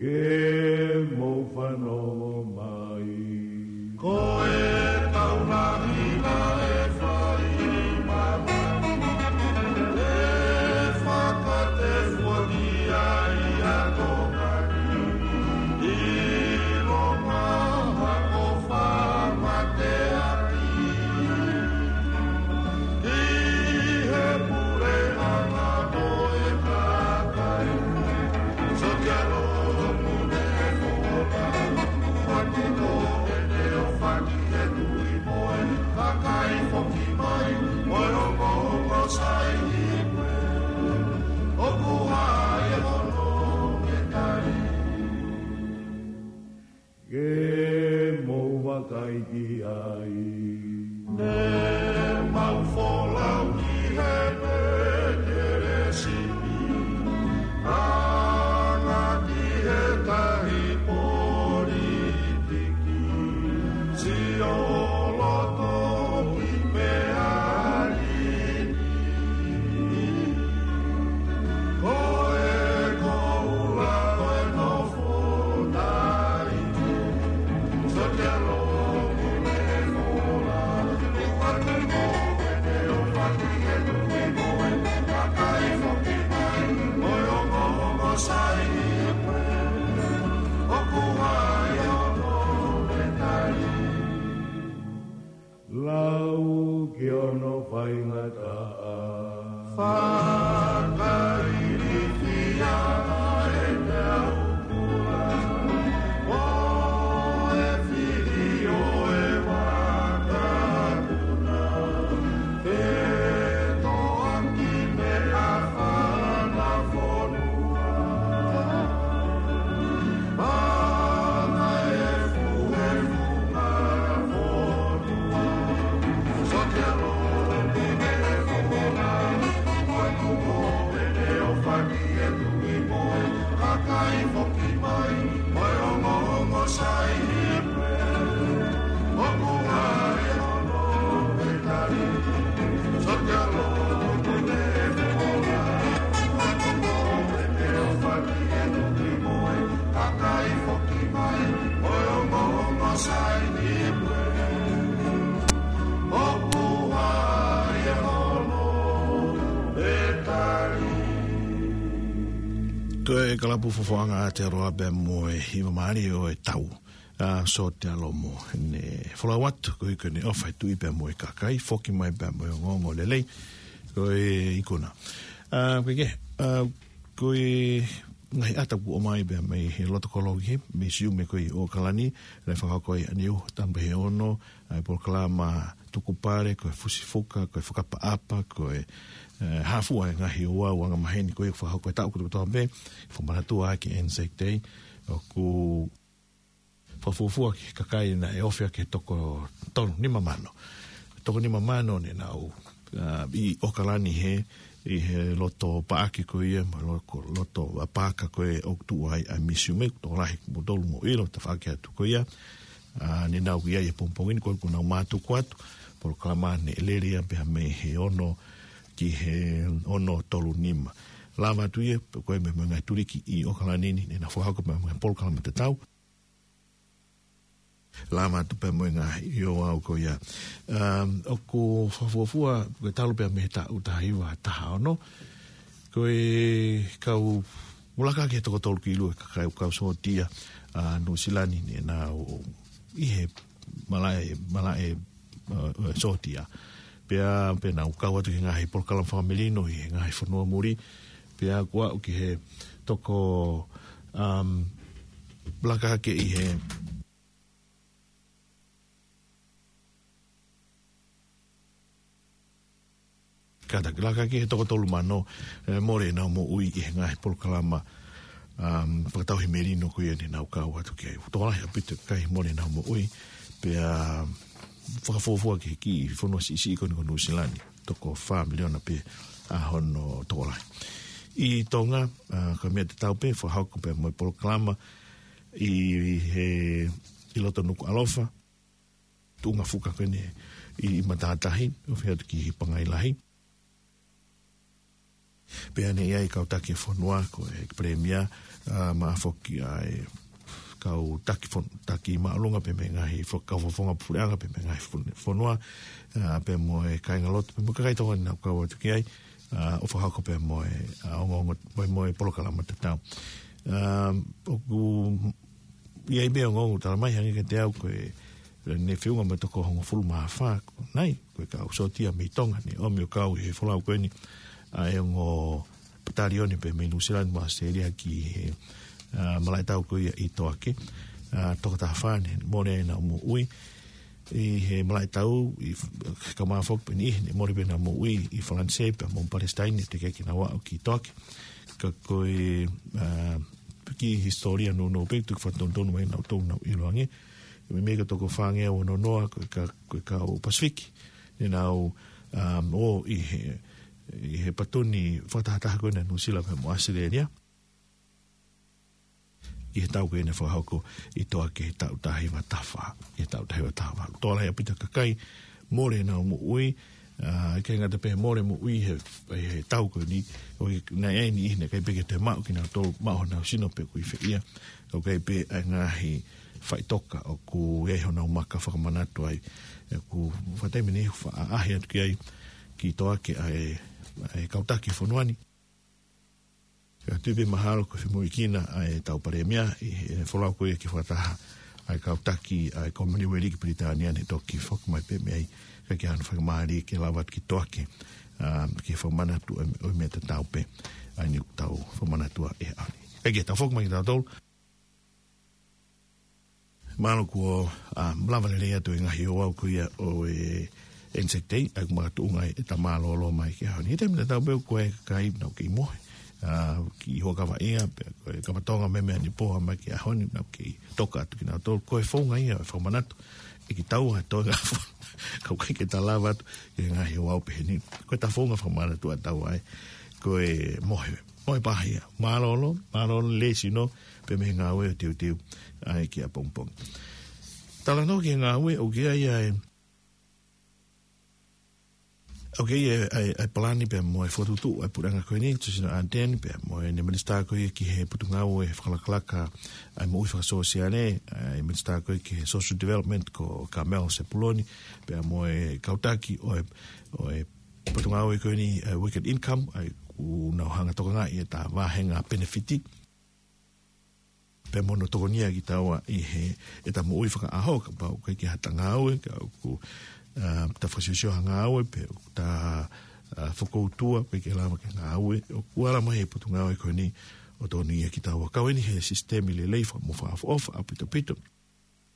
Ke mou fanongo mai. Ko e taulaʻi naʻe fai mamahi, ʻe fakatefua ki ai ʻa Tonga ni. ʻIlonga hako fakamateaki ʻi he puleʻanga ʻo e kakai. Sotia lomu ne fola, ʻoku ʻatu ko e teofaki e tui mo e kakai foki mai, ʻo e ongoongo sai ʻi he ʻoku ʻi ai hono ke tali. Ke mou vakai ki ai. Ne mau folau ki he Petelesimi, anga ki he tahi politiki, sio loto ki meʻa lī. Ko e koula ʻo e nofo taʻi. Sotia lomu ne fola, ʻoku ʻatu ko e teofaki e tui mo e kakai foki mai, ʻo e ongoongo sai ʻi he ʻoku ʻi ai hono ke tali. Lau ki hono faingataʻa. Fakailifia e meʻa ʻoku lau. ʻO e fili ʻo e vakapuna. Fetoʻaki meʻa fana fonua. Ko e kalapu fofoʻanga ʻa Aotearoa pea mo e hiva mālie ʻo e tau. ʻA Sotia Lomu ne folau atu, ko e ʻofa e tui pea mo e kakai, foki mai pea mo e ongoongo lelei, ko e ikuna. ʻA, ko e ke, ʻa, ko e ngaahi ʻata kuo ʻomai pea mei he loto koloa ki he, misiume ko ē ʻi ʻOkalani, naʻe fakahoko ai ʻaneuhu, tamu pē he ono, ʻa e polokalama tukupale, ko e fusifuka, ko e fakaʻapaʻapa, ko e, ʻe, hā fua e ngaahi ouau angamaheni ko ē fakahoko he taʻu kotoa pē, fakamanatua ki he Anzac Day, ʻoku fakafuofua ki he kakai naʻe ofi ʻaki e toko tolu nima mano. Toko nima mano ne nau, ʻa, ʻi ʻOkalani he, ʻi he loto paaki ko ia, mo e lo-, ko loto paaka ko ē ʻoku tuʻu ai ʻa e misiume, tokolahi mo tolu mo ʻilo, tafaʻaki atu ko ia. ʻA, ne nau ʻi ai he pongipongi ni ko ē kuo nau mātuku atu, polokalama ne lele ia pea mei he ono ki he ono tolu nima. Lava atu ia, ko e meʻa mo e ngaahi tuliki ʻi ʻOkalani ni, ne nau fakahoko pea mo e polokalama tatau. Lava atu pea mo e ngaahi ouau ko ia. Um, ʻoku fakafuofua, ko e talu pea mei he taʻu taha hiva taha ono. Ko e kau, ʻoku laka hake he toko tolu ki ʻolunga e kakai ʻoku kau sōtia, ʻa, Nuʻusila ni ne nau ʻi he malaʻe, malaʻe, ʻa, ʻa, sōtia. Pea, pea nau kau atu ki he ngaahi polokalama fakamelino ʻi he ngaahi fonua muli. Pea kuo aʻu ki he toko, um, laka hake ʻi he kātaki laka hake he toko tolu mano, ʻe, mole ʻenau moʻui ʻi he ngaahi polokalama, um, fakatauhi melino ko ia ne nau kau atu ki ai. Tokolahi ʻaupito e kakai mole ʻenau moʻui, pea fakafuofua ki he kiʻi fonua siʻisiʻi ko eni ko Nuʻusila ni, toko fā miliona pē ʻa hono tokolahi. ʻI Tonga, ʻa, ko e meʻa tatau pē, fakahoko pea mo e polokalama ʻi he, ʻi loto Nukuʻalofa, tuʻunga fuka ko eni ʻi, ʻi Matātahi, ofi atu ki Pangai Lahi. Pea ne ʻi ai e kau taki fonua, ko e palēmia, ʻa, mo e foki ʻa e kau taki fon-, taki māʻolunga pea mo e ngaahi fo-, kau fakafofonga puleʻanga pea mo e ngaahi fon-, fonua, ʻa, pea mo e kāingalotu, pea mo e kakai Tonga naʻa nau kau atu ki ai, ʻa, ʻo fakahoko pea mo e, ʻa, ongoongo, mo e, mo e polokalama tatau. ʻA, ʻoku ʻi ai pē ongoongo tala mai hangē kiate au ko e, ne feʻunga mo e toko hongofulu mā fā, ko nai, ko e kau sōtia mei Tonga, ne ʻomi ʻo kau ʻi he folau ko eni, ʻa e ongo patalione pea mei Nuʻusila mo ʻAositelēlia ki he, ʻa, malaʻe tau ko ia ʻi Toake, ʻa, toko taha fā ne mole ai ʻenau moʻui, ʻi he malaʻe tau, ʻi f-, kau mai foki pē ʻe niʻihi ne mole pē ʻenau moʻui ʻi Falanisē pea mo Palesitaine, teʻeki ke nau aʻu ki Toake. Ka ko e, ʻa, kiʻi hisitōlia nounou pē, tuku fakatonutonu mai naʻa tau nau ʻilo ange. Meimei ko e toko fāngeau ono noa, ko e ka-, ko e kau Pasifiki. Ne nau, ʻa, ō ʻi he, ʻi he patoni fakatahataha ko ena ʻa Nuʻusila pea mo ʻAositelēlia. ʻI he tau ko ena fakahoko ʻi Toake he taʻu taha hiva taha fā, he taʻu taha hiva taha valu. Tokolahi ʻaupito e kakai mole ʻenau moʻui, ʻa, ʻikai ngata pē he mole moʻui he, he tau ko eni, ʻoku ʻi ai e niʻihi naʻe ʻikai pē ke toe maʻu kinautolu, maʻu honau sino pe ʻoku ʻi fē ia, ʻoku ʻi ai pē ʻa e ngaahi faʻitoka ʻoku ʻi ai honau maka fakamanatu ai, ʻoku fakatai meni fa-, ʻaʻahi atu ki ai ki Toake ʻa e, ʻa e kau taki fonua ni. Ka tui pē mahalo ko e femoʻuekina ʻa e tau palēmia ʻi he folau ko ia ki he fakataha ʻa e kau taki ʻa e Commonwealth ki Pilitānia ne toki foki mai pē mei ai, ka ke ʻi ai hano faingamālie ke lava atu ki Toake, ʻa, ke fakamanatu ʻo, ʻo meʻa tatau pē ʻa eni ʻoku tau fakamanatua ʻi he ʻaho ni. Ka ke tau foki mai kitautolu. Mālō kuo, ʻa, lava lelei atu e ngaahi ouau ko ia ʻo e Anzac Day, ʻa ia ʻoku makatuʻunga ai ʻeta mālōlō mai ki he ʻaho ni. He taimi tatau pē ʻoku ʻi ai e kakai naʻa nau kei mohe, ʻa, ki Huʻakavaʻia, pea ko e kau Tonga mei Meʻanepō mai ki he ʻaho ni, naʻa nau kei toka atu kinautolu. Ko e founga ia ʻo e fakamanatu, ʻe kitaua ʻa e toenga fo-, ka ʻoku ʻikai ke ta lava atu ki he ngaahi ouau pehē ni. Ko ʻeta founga fakamanatu ʻa taua ai, ko e mohe, mohe pahia. Mālōlō, mālōlō lelei sino, pea mei he ngāue ʻo teuteu ai ki ʻapongipongi. Talanoa ki he ngāue, ʻoku ʻi ai ʻa e, ʻoku ʻi ai ʻa e, ʻa e, ʻa e palani pea mo e fokotuʻutuʻu ʻa e puleʻanga ko eni, Jacinda Ardern, pea mo ʻene minisitā ko ia ki he potungāue fakalakalaka ʻa e moʻui fakasōsiale, ʻa e minisitā ko ia ki he social development ko Carmel Sepuloni, pea mo e kau taki ʻo e, ʻo e potungāue ko eni, ʻa e Weekend Income, ʻa ia ʻoku nau hanga ʻo tokangaʻi ʻeta vāhenga penefiti. Pea mo hono tokonia kitaua ʻi he, ʻeta moʻui fakaʻaho, kapau ʻoku ʻikai ke ʻi ai hata ngāue, ka ʻoku, ʻa, ta fakasiosio ha ngāue, pe ʻoku ta, ʻa, fokoutua, ʻoku ʻikai ke lava ke ngāue, ʻoku ala mai e potungāue ko eni ʻo tokonia kitaua. Kau eni he sisitemi lelei faka-, mo fakaʻofoʻofa ʻaupito ʻaupito.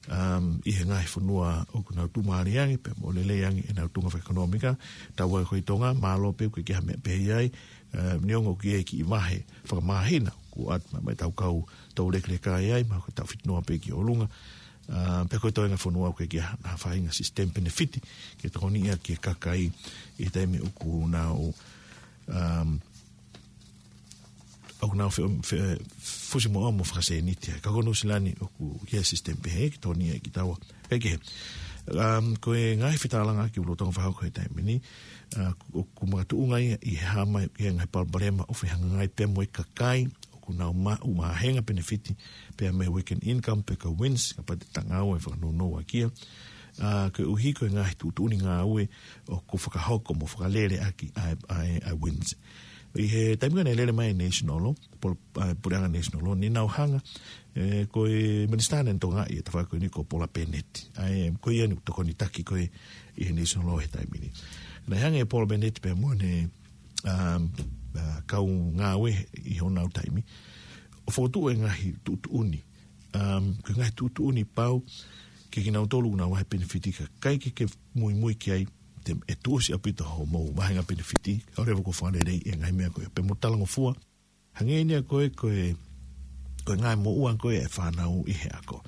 Um, ʻi he ngaahi fonua ʻoku nau tuʻumālie ange, pea mo lelei ange ʻenau tuʻunga fakaʻekonōmika, taua ko ē ʻi Tonga, mālō pē ʻoku ʻikai ke ʻi ai ha meʻa pehē ai, um, neongo ʻoku ʻi ai e kiʻi vahe fakamāhina, ʻoku ʻoatu mai, mai ʻetau kau tau lekeleka ai, mahalo ko ʻetau fitinoa pē ki ʻolunga, um, pea ko e toenga fonua ʻoku ʻikai ke ʻi ai ha faʻahinga sisitemi penefiti, ke tokoniʻi ʻaki e kakai ʻi he taimi ʻoku nau, um, ʻoku nau fe-, fe-, fusi moʻa mo fakasēniti ai. Ka ko Nuʻusila ni ʻoku ʻi ai e sisitemi pehē ke tokoniʻi kitaua. Kae kehe, um, ko e ngaahi fetalanoaʻaki ʻoku lolotonga fakahoko he taimi ni, ʻa, ʻoku makatuʻunga ia ʻi he hā mai ki he ngaahi palopalema ʻoku fehangahangai pea mo e kakai ʻoku nau maʻu vāhenga penefiti pea mo e Weekend Income pe ko e WINZ, kapau te ta ngāue fakanounou ʻaki ia. ʻA, koeʻuhi ko e ngaahi tuʻutuʻuni ngāue ʻoku fakahoko mo fakalele ʻaki ʻa e, ʻa e, ʻa e WINZ. ʻI he taimi ko ē naʻe lele mai e National Law, pol-, ʻa, puleʻanga National Law, ne nau hanga, ʻe, ko e minisitā naʻe tokangaʻi e tafaʻaki ko eni ko Paula Bennett. ʻA ia, ko ia naʻe tokoni taki ko ē ʻi he National Law he taimi ni. Naʻe hanga ʻe Paula Bennett pea mo ʻene, um, ʻa, kau ngāue ʻi honau taimi, ʻo fokotuʻu e ngaahi tuʻutuʻuni. Um, ko e ngaahi tuʻutuʻuni pau, ke kinautolu ʻoku nau vahe penefiti ka ʻikai ke ke muimui ki ai, te, ʻe tuʻusi ʻaupito hoʻomou vāhenga penefiti, ʻo leva kuo fakalelei e ngaahi meʻa ko ē, pea mo talangofua. Hangē ni ia ko e, ko e, ko e ngaahi moʻua ko ē ʻa e fānau ʻi he ako.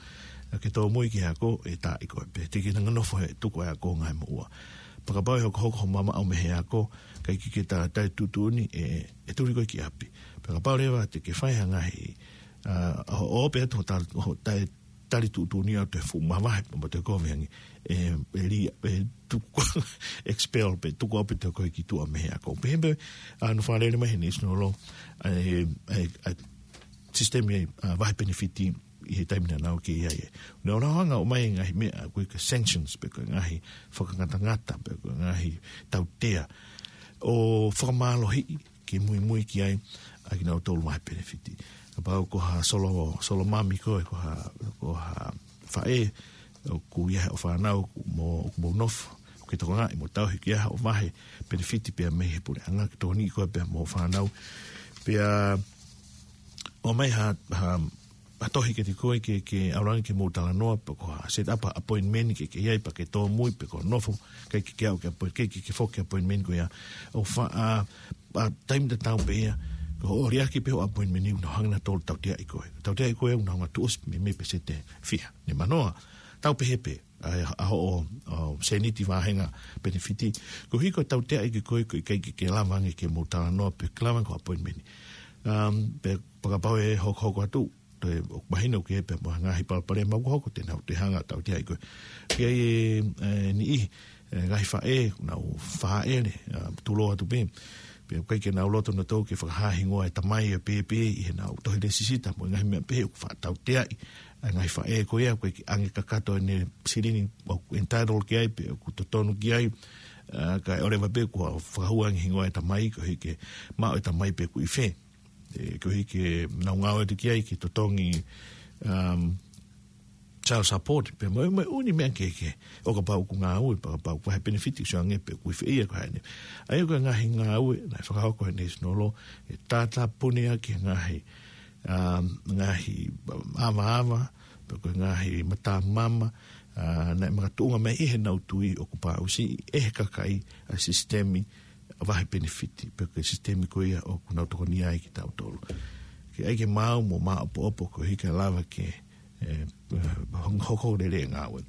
Ka ke tōmui ki he ako, ʻe taaʻi koe, pea te ke hanga ʻo nofo he tuku ʻa e ako ngaahi moʻua. Pea kapau ʻe hokohoko hoʻo mamaʻo mei he ako, ʻikai ke ke ta-, taʻe tuʻutuʻuni, ʻe, ʻe tuli koe ki ʻapi. Pea kapau leva te ke fai ha ngaahi, ʻa, ʻo, ʻo pē atu hoʻo ta-, hoʻo taʻe tali tuʻutuʻuni au te fuʻu mavahe, mo te kovi ange, e, e li, e tuku, expel pē, tuku au pē te koe ki tuʻa mei he ako. Pehē pē, a, ʻoku fakalele mai he National Law, a, e, e, e, system e, a, vahe penefiti ʻi he taimi naʻa nau kei ʻi ai. Naʻa nau hanga ʻo ʻomai e ngaahi meʻa, ko e sanctions, pe ko e ngaahi fakangatangata, pe ko e ngaahi tautea. ʻO fakamālohiʻi, ke muimui ki ai, ʻa kinautolu vahe penefiti. Kapau ko ha solo, solo mami koe, ko ha, ko ha faʻē, ʻoku ʻi ai hoʻo fānau, mo, mo nofo, ʻoku ke tokangaʻi, mo tauhi ki ai hoʻo vahe penefiti pea mei he puleʻanga, ke tokoniʻi koe pea mo e fānau. Pea, ʻomai ha, ha, ha tohi kiate koe ke, ke ʻalu ange ke mou talanoa, pe ko ha set up appointment ke, ke ʻi ai pea ke tōmui, pe ko e nofo, ke, ke, ke, ke, ke, ke, ke foki appointment ko ia. ʻO fa-, a, a, taimi tatau pē ia, ko hoʻo liʻaki pē hoʻo appointment ʻoku nau hanga ʻe nautolu ʻo tauteaʻi koe. Tauteaʻi koe ʻoku nau hanga ʻo tuʻusi mei, mei he peseti ʻe fiha, nima noa. Tau pehē pē, ʻa, ʻa hoʻo, ʻo, sēniti vāhenga penefiti. Koeʻuhi ko e tauteaʻi ki koe, ʻoku ʻikai ke, ke lava ange ke mou talanoa pe ke lava ange ko e appointment. Um, pea kapau ʻe hokohoko atu, toe ʻoku mahino ke pea mo e ngaahi palopalema ʻoku hoko te nau toe hanga ʻo tauteaʻi koe. Ke ʻi ai e, e, niʻihi, e, ngaahi faʻē, nau fāʻele, a, tulou atu pē. Pea ʻoku ʻikai ke nau loto nautolu ke fakahā hingoa e tamai ʻo pēpē ʻi heʻenau tohi lēsisita mo e ngaahi meʻa pehē ʻoku faʻa tauteaʻi ʻa e ngaahi faʻē ko ia, ʻoku ʻikai ke ʻange kakato ʻene silini ʻoku entitled ki ai, pe ʻoku totonu ki ai, a, kae ʻoua leva pē kuo fakahū ange hingoa e tamai, koeʻuhi ke maʻu e tamai pe ʻoku ʻi fē. E, koeʻuhi ke nau ngāue atu ki ai, ke totongi, um, child support, pea mo e, mo e ʻū meʻa kehekehe. ʻO kapau ʻoku ngāue, pea kapau ʻoku vahe penefiti, sio ange pe ʻoku ʻi fē ia ko eni. ʻA ia ko e ngaahi ngāue naʻe fakahoko he National Law, ʻe tātāpuni ʻaki e ngaahi, um, ngaahi, um, avaava, pe ko e ngaahi matamama, a, naʻe makatuʻunga mai ʻi heʻenau tui ʻoku pāʻusiʻi ʻe he kakai ʻa e sisitemi vahe penefiti, pe ko e sisitemi ko ia ʻoku nau tokoni ai kitautolu. Ke ʻai ke maau mo maʻopoʻopo koeʻuhi ke lava ke, e, e, hong-, hoko lelei e ngāue.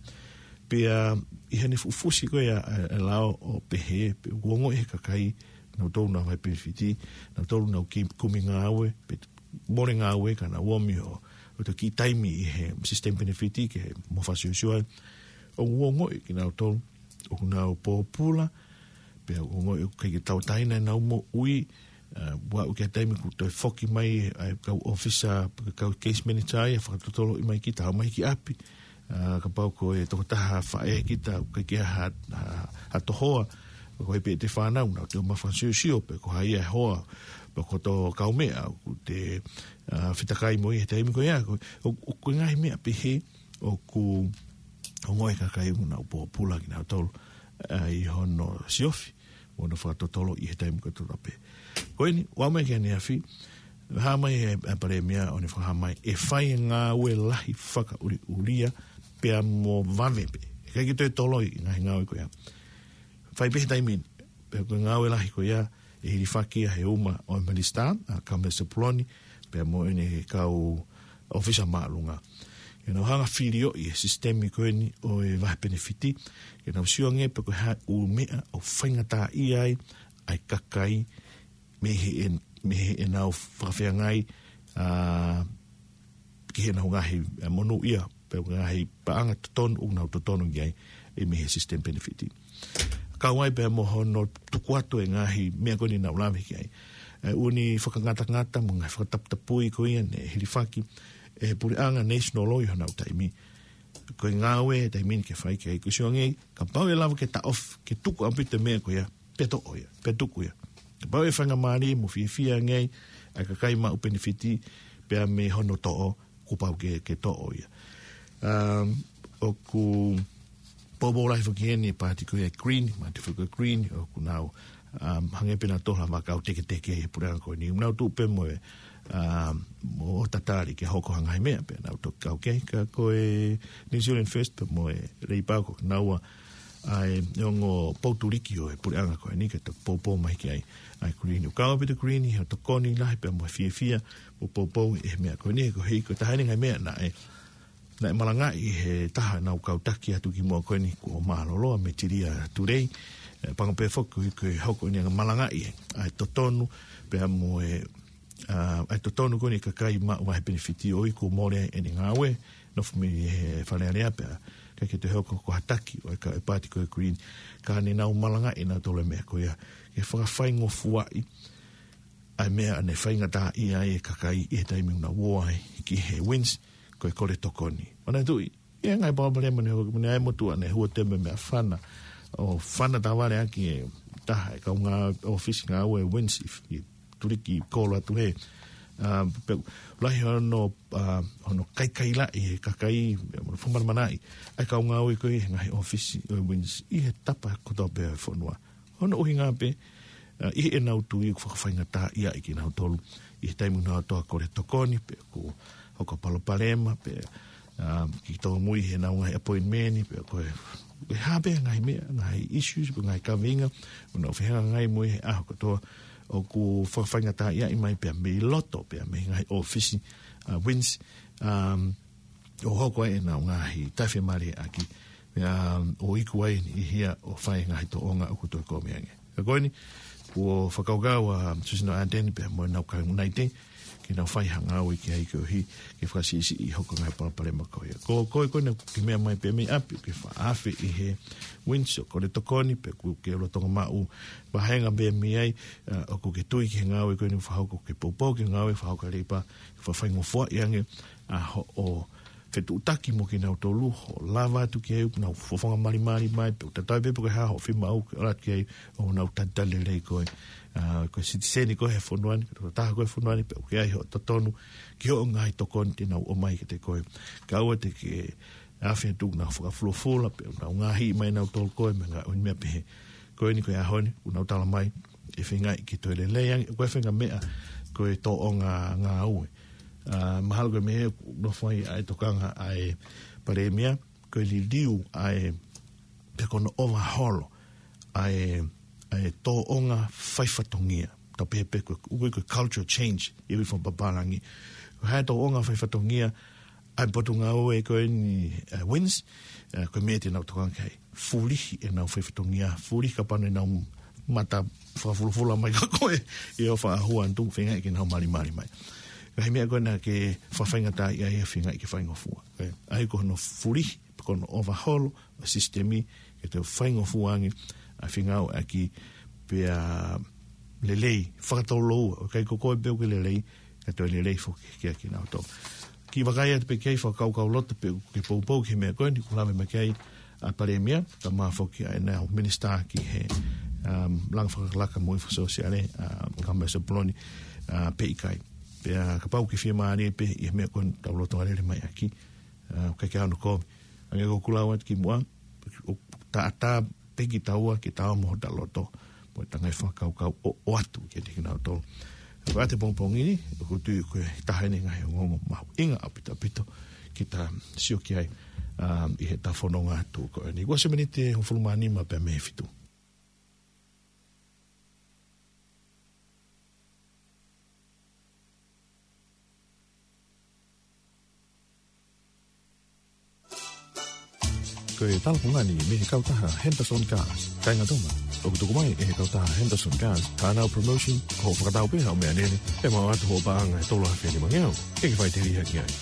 Pea ʻi heʻene fuʻu fusi ko ia, e, e lao ʻo pehē, pe ʻoku ongoʻi ʻe he kakai, nautolu ʻoku nau vahe penefiti, nautolu ʻoku nau ki-, kumi ngāue, pe mole ngāue ka nau ō mai ʻo, ʻo toki taimi ʻi he sisitemi penefiti ke mo fasiosio ai. ʻOku ongoʻi kinautolu ʻoku nau pōpula, pea ʻoku ongoʻi ʻoku ʻikai ke tauʻatāina ʻenau moʻui, a, ʻo aʻu ki he taimi kuo toe foki mai ʻa e kau ʻōfisa, pe ko e kau case manager ia ʻo fakatotoloʻi mai kita, ʻomai ki ʻapi. A, kapau ko e tokotaha faʻē kita, ʻoku ʻikai ke ha, ha, ha tohoa, ko e pē ʻete fānau, nau toe ō mai ʻo fakasiosio, pe ko hai e hoa, pe ko hoto kaumeʻa, ʻoku te, a, fetakai mo ia he taimi ko ia, ko, ʻo, ʻoku ngaahi meʻa pehē, ʻoku ongoʻi ʻe he kakai ʻoku nau pōpula kinautolu, a, ʻi hono siofi, mo hono fakatotoloʻi he taimi kotoa pē. Ko eni, ʻoku ʻomai ki heʻene afi, hā mai e, e Palēmia ʻo ne fakahā mai, ʻe fai e ngāue lahi fakaʻuliʻulia, pea mo vave pē. ʻIkai ke toe toloi e ngaahi ngāue ko ia. Fai pē he taimi ni, pea ko e ngāue lahi ko ia, ʻe hilifaki ia he uma ʻo e Minisitā, ʻa Kamea Sepuloni, pea mo ʻene kau ʻōfisa māʻolunga. Ke nau hanga ʻo filioʻi e sisitemi ko eni ʻo e vahe penefiti, ke nau sio ange pe ko e hā e ʻū meʻa ʻoku faingataʻaʻia ai ʻa e kakai mei he, mei heʻenau fakafeangai, a, ki heʻenau ngaahi, e, monūʻia, pe ngaahi paʻanga totonu, ʻoku nau totonu ki ai, ʻe mei he sisitemi penefiti. Kau ai pea mo hono tuku atu e ngaahi meʻa ko eni naʻa ku lave ki ai. E ʻū fakangatangata mo e ngaahi fakataputapui ko ia naʻe hilifaki ʻe he puleʻanga National Law ʻi honau taimi. Ko e ngāue e taimi ni ke fai ki ai, ko e sio ange, kapau ʻe lava ke taʻofi, ke tuku ʻaupito e meʻa ko ia, pea toʻo ia, pea tuku ia. Kapau ʻe faingamālie mo fiefia ange ai ʻa e kakai maʻu penefiti, pea mei hono toʻo, kuo pau ke, ke toʻo ia. Um, ʻoku poupou lahi foki eni e paati ko ia e Green, mātuʻa foki ko e Green, ʻoku nau, um, hangē pē nautolu ha kau teketeke he puleʻanga ko eni. Nau tuʻu pē mo e, um, mo tatali ke hoko ha ngaahi meʻa pea nau toki kau ki ai, ka ko e New Zealand First pea mo e Labour ko kinaua ʻa e ongo poutuliki ʻo e puleʻanga ko eni ke toki poupou mai ki ai ʻa e Green. ʻOku kau ʻaupito e Green ʻi hono tokoni lahi pea mo e fiefia mo poupou ʻi he meʻa ko eni, koeʻuhi ko e taha eni e ngaahi meʻa naʻe, naʻe malangaʻi ʻe he taha ʻenau kau taki atu kimuʻa ko eni kuo mālōlō, ʻa Metilia Tulei, e, pango pē foki koeʻuhi ko e hoko eni ʻo malangaʻi ʻa e totonu pea mo e ʻa, ʻa e totonu ko eni e kakai maʻu ʻa e penefiti ʻo e iku mole ʻa ʻene ngāue, nofo mei he Fale Alea pea ʻikai ke toe hoko ko ha taki ʻo e kau ʻa e paati ko e Green, ka ne nau malangaʻi ʻe nautolu e meʻa ko ia, ke fakafaingofuaʻi ʻa e meʻa naʻe faingataʻaʻia ai e kakai ʻi he taimi naʻa nau ō ai ki he Wins, ko e kole tokoni. Manatuʻi, ʻi he ngaahi palopalema naʻe hoko, naʻe ʻi ai e motuʻa naʻe hua teme meʻa fana, ʻo fana tavale ʻaki e taha e kau ngā ʻōfisi ngāue Wins ʻi, ʻi Tuliki kolo atu hē. ʻA, pea lahi hono, ʻa, hono kaikaila ʻi he kakai, mo hono fakamanamanaʻi ʻa e kau ngāue ko ē he ngaahi ʻōfisi ʻo e Wins ʻi he tapa kotoa pē ʻo e fonua. Hono ʻuhinga pē, ʻa, ʻi heʻenau tui ʻoku fakafaingataʻaʻia ai kinautolu ʻi he taimi naʻa nau toa kole tokoni, pe ʻoku hoko ha palopalema, pe, ʻa, ke tōmui heʻenau ngaahi appointment, pe ko e, ko e hā pē ngaahi meʻa, ngaahi issues, pe ngaahi kaveinga ʻoku nau fehangahangai mo ia he ʻaho kotoa, ʻoku fakafaingataʻaʻia mai pea mei loto, pea mei he ngaahi ʻōfisi, ʻa, Wins, um, ʻo hoko ai ʻenau ngaahi taʻefiemālieʻaki, pea, um, ʻo iku ai ʻi hia ʻo fai e ngaahi tōʻonga ʻoku toe kumi ange. Ka ko eni, kuo fakakaukau ʻa Tusino Ardern pea mo ʻenau kaungā naite ke nau fai ha ngāue ki ai koeʻuhi ke fakasiʻisiʻi hoko e ngaahi palopalema ko ia. Ko, ko e ko ena ke meʻa mai pē mei ʻapi, ke fakaafe ʻi he Wins ʻo kole tokoni, pe ʻoku ke lolotonga maʻu vāhenga pē mei ai, ʻa, ʻoku ke tui ki he ngāue ko eni ʻoku fakahoko, ke poupou ki he ngāue ʻoku fakahoko ʻe he Leipa, ke fakafaingofuaʻi ange ʻa hoʻo fetuʻutaki mo kinautolu, ʻo lava atu ki ai ʻoku nau fofonga malimali mai, pe ʻoku tatau ai pē pe ko e hā hoʻo fiemaʻu, ke ʻalu atu ki ai ʻo nau talitali lelei koe. ʻA, ko e sitiseni koe he fonua ni, ko e tokotaha koe he fonua ni, pea ʻoku ʻi ai hoʻo totonu ki hoʻo ngaahi tokoni te nau ʻomai kiate koe. Kae ʻoua te ke afe atu ʻoku nau fakafulufula, pe ʻoku nau ngaahi mai nautolu koe, mo e ngaahi ʻū meʻa pehē. Ko eni ko e ʻaho ni, ʻoku nau tala mai ʻe feingaʻi ke toe lelei ange, ko e faʻahinga meʻa ko e tōʻonga ngāue. ʻA, mahalo ko e meʻa ʻoku nofo ai ʻa e tokanga ʻa e Palēmia, ko e liliu ʻa e, pe ko hono ʻovaʻola ʻa e, ʻa e tōʻonga faifatongia. Tau pehē pē ko e, ʻoku ui ko e cultural change ʻi he ui fakapapālangi. Ko e hā e tōʻonga faifatongia ʻa e potungāue ko eni, ʻa e Wins, ʻa, ko e meʻa te nau tokanga ki ai. Fulihi ʻenau faifatongia, fulihi kapau naʻa nau mata fakafulufula mai kia koe ʻi hoʻo faʻa hū atu, feingaʻi ke nau malimali mai. Ngaahi meʻa ko ena ke fakafaingataʻaʻia ai, feingaʻi ke faingofua. ʻA ia ko hono fulihi, pe ko hono ʻovaʻola ʻo e sisitemi, ke toe faingofua ange ʻa e fengāueʻaki pea lelei, fakatouloua, ʻoku ʻikai ko koe pē ʻoku ke lelei, ka toe lelei foki kia kinautolu. Kiʻi vakai atu pē ki ai, fakakaukauloto pē ʻoku ke poupou ki he meʻa ko eni, ʻoku lave mai ki ai ʻa e Palēmia, kae ʻumaʻā foki ʻa ʻenau Minisitā ki he, um, Langa Fakalakalaka mo e Ivi Fakasōsiale, ʻa Kamala Sepuloni, ʻa, pe ʻikai. Pea kapau ʻoku ke fiemālie pē ʻi he meʻa ko eni ʻoku tau lolotonga lele mai ʻaki, ʻa, ʻoku ʻikai ke ʻi ai hano kovi. Hangē ko ʻeku lau atu kimuʻa, ʻoku taʻataʻa pē kitaua ke tau mo hota loto, mo e ngaahi fakakaukau ʻo, ʻoatu kiate kinautolu. Ko e ʻaho pongipongi ni, ʻoku ou tui ko e taha eni e ngaahi ongoongo mahuʻinga ʻaupito ʻaupito ke ta sio ki ai, um, ʻi heʻeta fononga atu ko eni. Kuo ʻosi e miniti ʻe hongofulu mā nima pē mei he fitu. Ko e talapungani mei he kautaha Henderson Cars. Kāinga Tonga, ʻoku tuku mai ʻe he kautaha Henderson Cars haʻanau promotion, ko hoʻo fakatau pē haʻo meʻalele, ʻe maʻu atu hoʻo paʻanga ʻe tolu afe nima ngeau, ke ke faʻiteliha ki ai.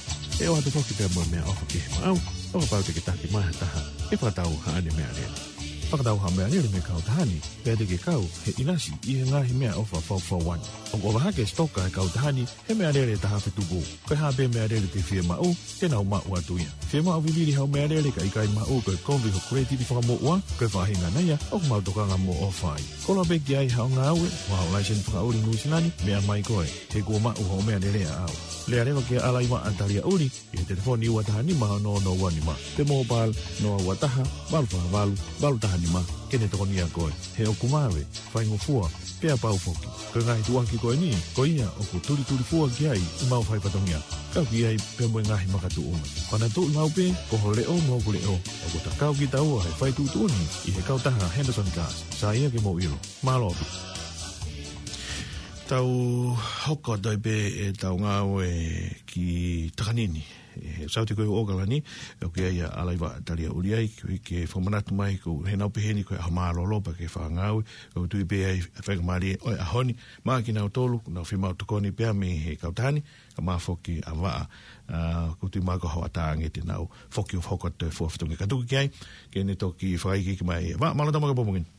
ʻE ʻoatu foki pē mo e meʻaʻofa ki he maʻau, ʻo kapau te ke taki mai ha taha ʻe fakatau haʻane meʻalele. Fakatau haʻo meʻalele mei he kautaha ni, pea te ke kau he ʻinasi ʻi he ngaahi meʻaʻofa fakafaʻahinga. ʻOku ʻofa hake e sitoka ʻa e kautaha ni he meʻalele ʻe taha afe tupu. Ko e hā pē meʻalele te ke fiemaʻu, te nau maʻu atu ia. Fiemaʻu vivili haʻo meʻalele kae ʻikai maʻu, ko e kovi hoʻo credit fakamoʻua, ko e faʻahinga ia ʻoku mau tokanga mo ʻofa ai. Koloa pē ki ai haʻo ngāue, mo haʻo laiseni fakaʻuli Nuʻu Sila ni, meʻa mai koe, he kuo maʻu hoʻo meʻalele ʻaʻau. Lea leva kia Alaiva ʻa Talia ʻUli, ʻi he telefoni ua taha nima ono ono ua nima, pe mobile noa ua taha, valu fā valu, valu taha nima, ke ne tokonia koe. He ʻoku mave, faingofua, pea pau foki. Ko e ngaahi tuʻuaki ko eni, ko ia ʻoku tulitulifua ki ai ʻemau faifatongia. Kau ki ai pea mo e ngaahi makatuʻunga. Manatuʻi maʻu pē, ko ho leʻo mo hoku leʻo, ʻoku ta kau kitaua he fai tuʻutuʻuni ʻi he kautaha Henderson Cars. Sai ia ke mou ʻilo. Mālō. Tau hoko atu ai pē ʻetau ngāue ki Takanini. ʻe Saute ko e ʻOkalani, ʻoku ʻi ai ʻa Alaiva Talia Uliai, ke, ke fakamanatu mai ko e hena peheni ko e ʻaho mālōlō pea ke fakangāue, ʻoku tui pē ʻa e faingamālie ʻo e ʻaho ni, maʻa kinautolu, nau fiemaʻu tokoni pea mei he kautaha ni, kae ʻumaʻā foki ʻa Vaʻa, ʻa, ʻoku tui mai ko e hoʻatā ange te nau foki ʻo fakahoko atu e fua fetongi ka tuku ki ai, ke ne toki fakaikiiki mai. Vaʻa, mālō e tau maʻu e pongipongi ni.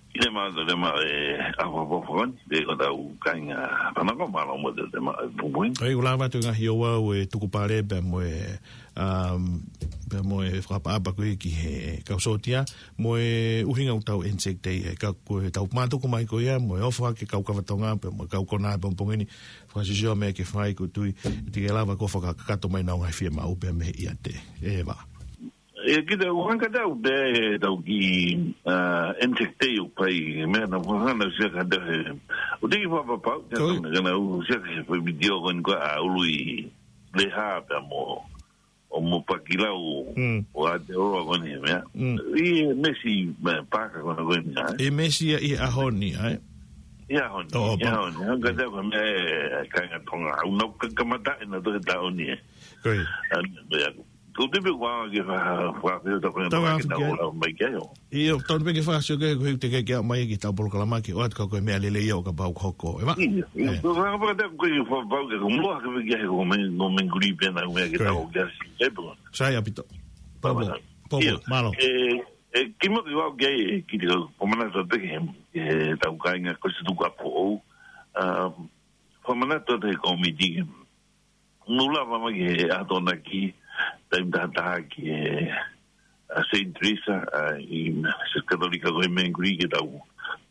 Ina ma te ma e afa fofoni, pe ko tau kainga panako mālō mo te te ma e pongipongi. ʻOi, ʻoku lava atu e ngaahi ouau e tukupale pea mo e, um, pea mo e fakaʻapaʻapa ko ē ki he kau sōtia, mo e ʻuhinga ʻoku tau Anzac Day, e ka ko e tau mātuku mai ko ia, mo e ofo hake kau kava Tonga, pea mo e kau konā e pongipongi ni, fakasisio meʻa ke fai ʻoku tui, te ke lava ko e fakakakato mai ʻenau ngaahi fiemaʻu pea mei he ʻiate. ʻE Vaʻa. ʻE kita ʻoku hanga tau pē, tau ki, ʻa, Anzac Day ʻoku fai, meʻa naʻa ku hanga ʻo sio ki ai he, ʻoku teʻeki fakapapau, kia Ko- tau, naʻa ku sio ki he foʻi vitiō ko eni ko ē ʻa Ului Leha pea mo, ʻo mo Pakilau, Mm. ʻo Aotearoa ko eni he meʻa. Mm. ʻI he meesi, meʻa, paaka ko ena ko eni, ʻa e? ʻI he meesi ia ʻi he ʻaho ni, ʻa e? ʻI he ʻaho ni, ʻO, ʻo, ʻi he pa- ʻaho ni. Hanga tau ko e meʻa e, kainga Tonga. ʻOku nau ka-, kamata ʻenau tohi taʻu ni ē. Ko ia. ʻA, meʻa, ʻoku tepe ua ke fa-, fa-, fa-, ta ko Tau na afu ke ke na ke ʻo lau mai ke io. ʻIo, tau pē ke fakasio ke, ko e te ke ke mai ki he tau polokalama ke ʻoatu ka ko e meʻa lelei ia ʻoku pau ke hoko. ʻE Vaʻa? ʻIo, ʻio. ʻE. Ko e faka-, faka-, ko e faka-, faka-, ko e meʻa ke feke he ko e meʻa, ko e meʻa nguli pē na meʻa ke Ko ia. tau ke asi. ʻE pō. Sai ʻaupito. Pō, pō, Pō, pō, pō. ʻIo. Mālō. ʻE, ʻe, kimuʻa ke u ʻai ke, ki te kau, ko e manatu pē ki he, ki he tau kainga ko e situ ka pō. Um, ko e manatu te komiti ke Mou lava mai ki he ʻaho Tokonaki, taimi tahataha ki he, ʻa, Saint Teresa, ʻa, ʻi he Siasi Katolika ko e Mengri ke tau.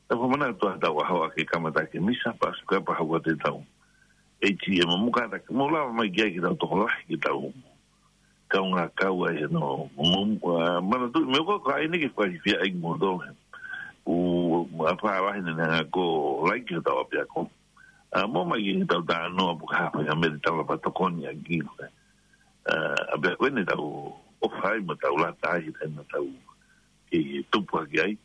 Tau fakamanatu ʻa e tau ʻaho ʻa ke kamata ke misa, pea suka pea hau ʻa te tau. ʻEiki ʻe mamuka ta, mou lava mai ki ai ke tau tokolahi ke tau. Kau ngā kau ai no, mou, ʻa, manatu, meʻa ko e ka ʻai ni ke fakafiefia ai mo tō. ʻO, ʻa pā lahi ne nanga ko laiki ʻo tau ʻapiako. ʻA, mo mai ki he tau tā noa puka hapa ka mele tau lapa tokoni a ki ko e. ʻA, ʻapiako ʻene tau ʻofa ai mo tau lata ai he taimi tau ke tupu hake ai.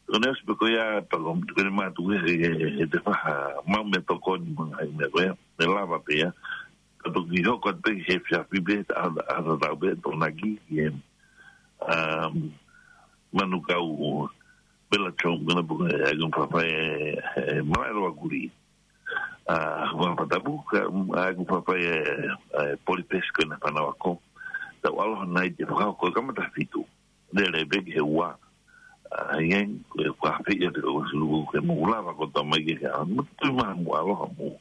Ko ne ʻosi pē ko ia, pa ko, ko ne mātu he, he, he te faha mau me tokoni mo ngaahi meʻa ko ia, me lava pē ia. Ka toki hoko atu pē he fiafi pē, ta, ta, ta, tau pē, Tokonaki, ki he, um, Manukau, Bella Chong, ko na puka, e, ko fafai, e, e, malaʻe loa kuri. ʻA, ko Papatapu, ka, ʻa, ko fafai, e, e, Polipesi ko ena fanau ako. Tau ʻalu nai te fakahoko kamata fitu. Lele pē ki he ua. ʻA, ʻi ai, ko e fafai ia te ko suluku ke mou lava ko tau mai ke ka. Mo tui maha mo ʻaloha mo.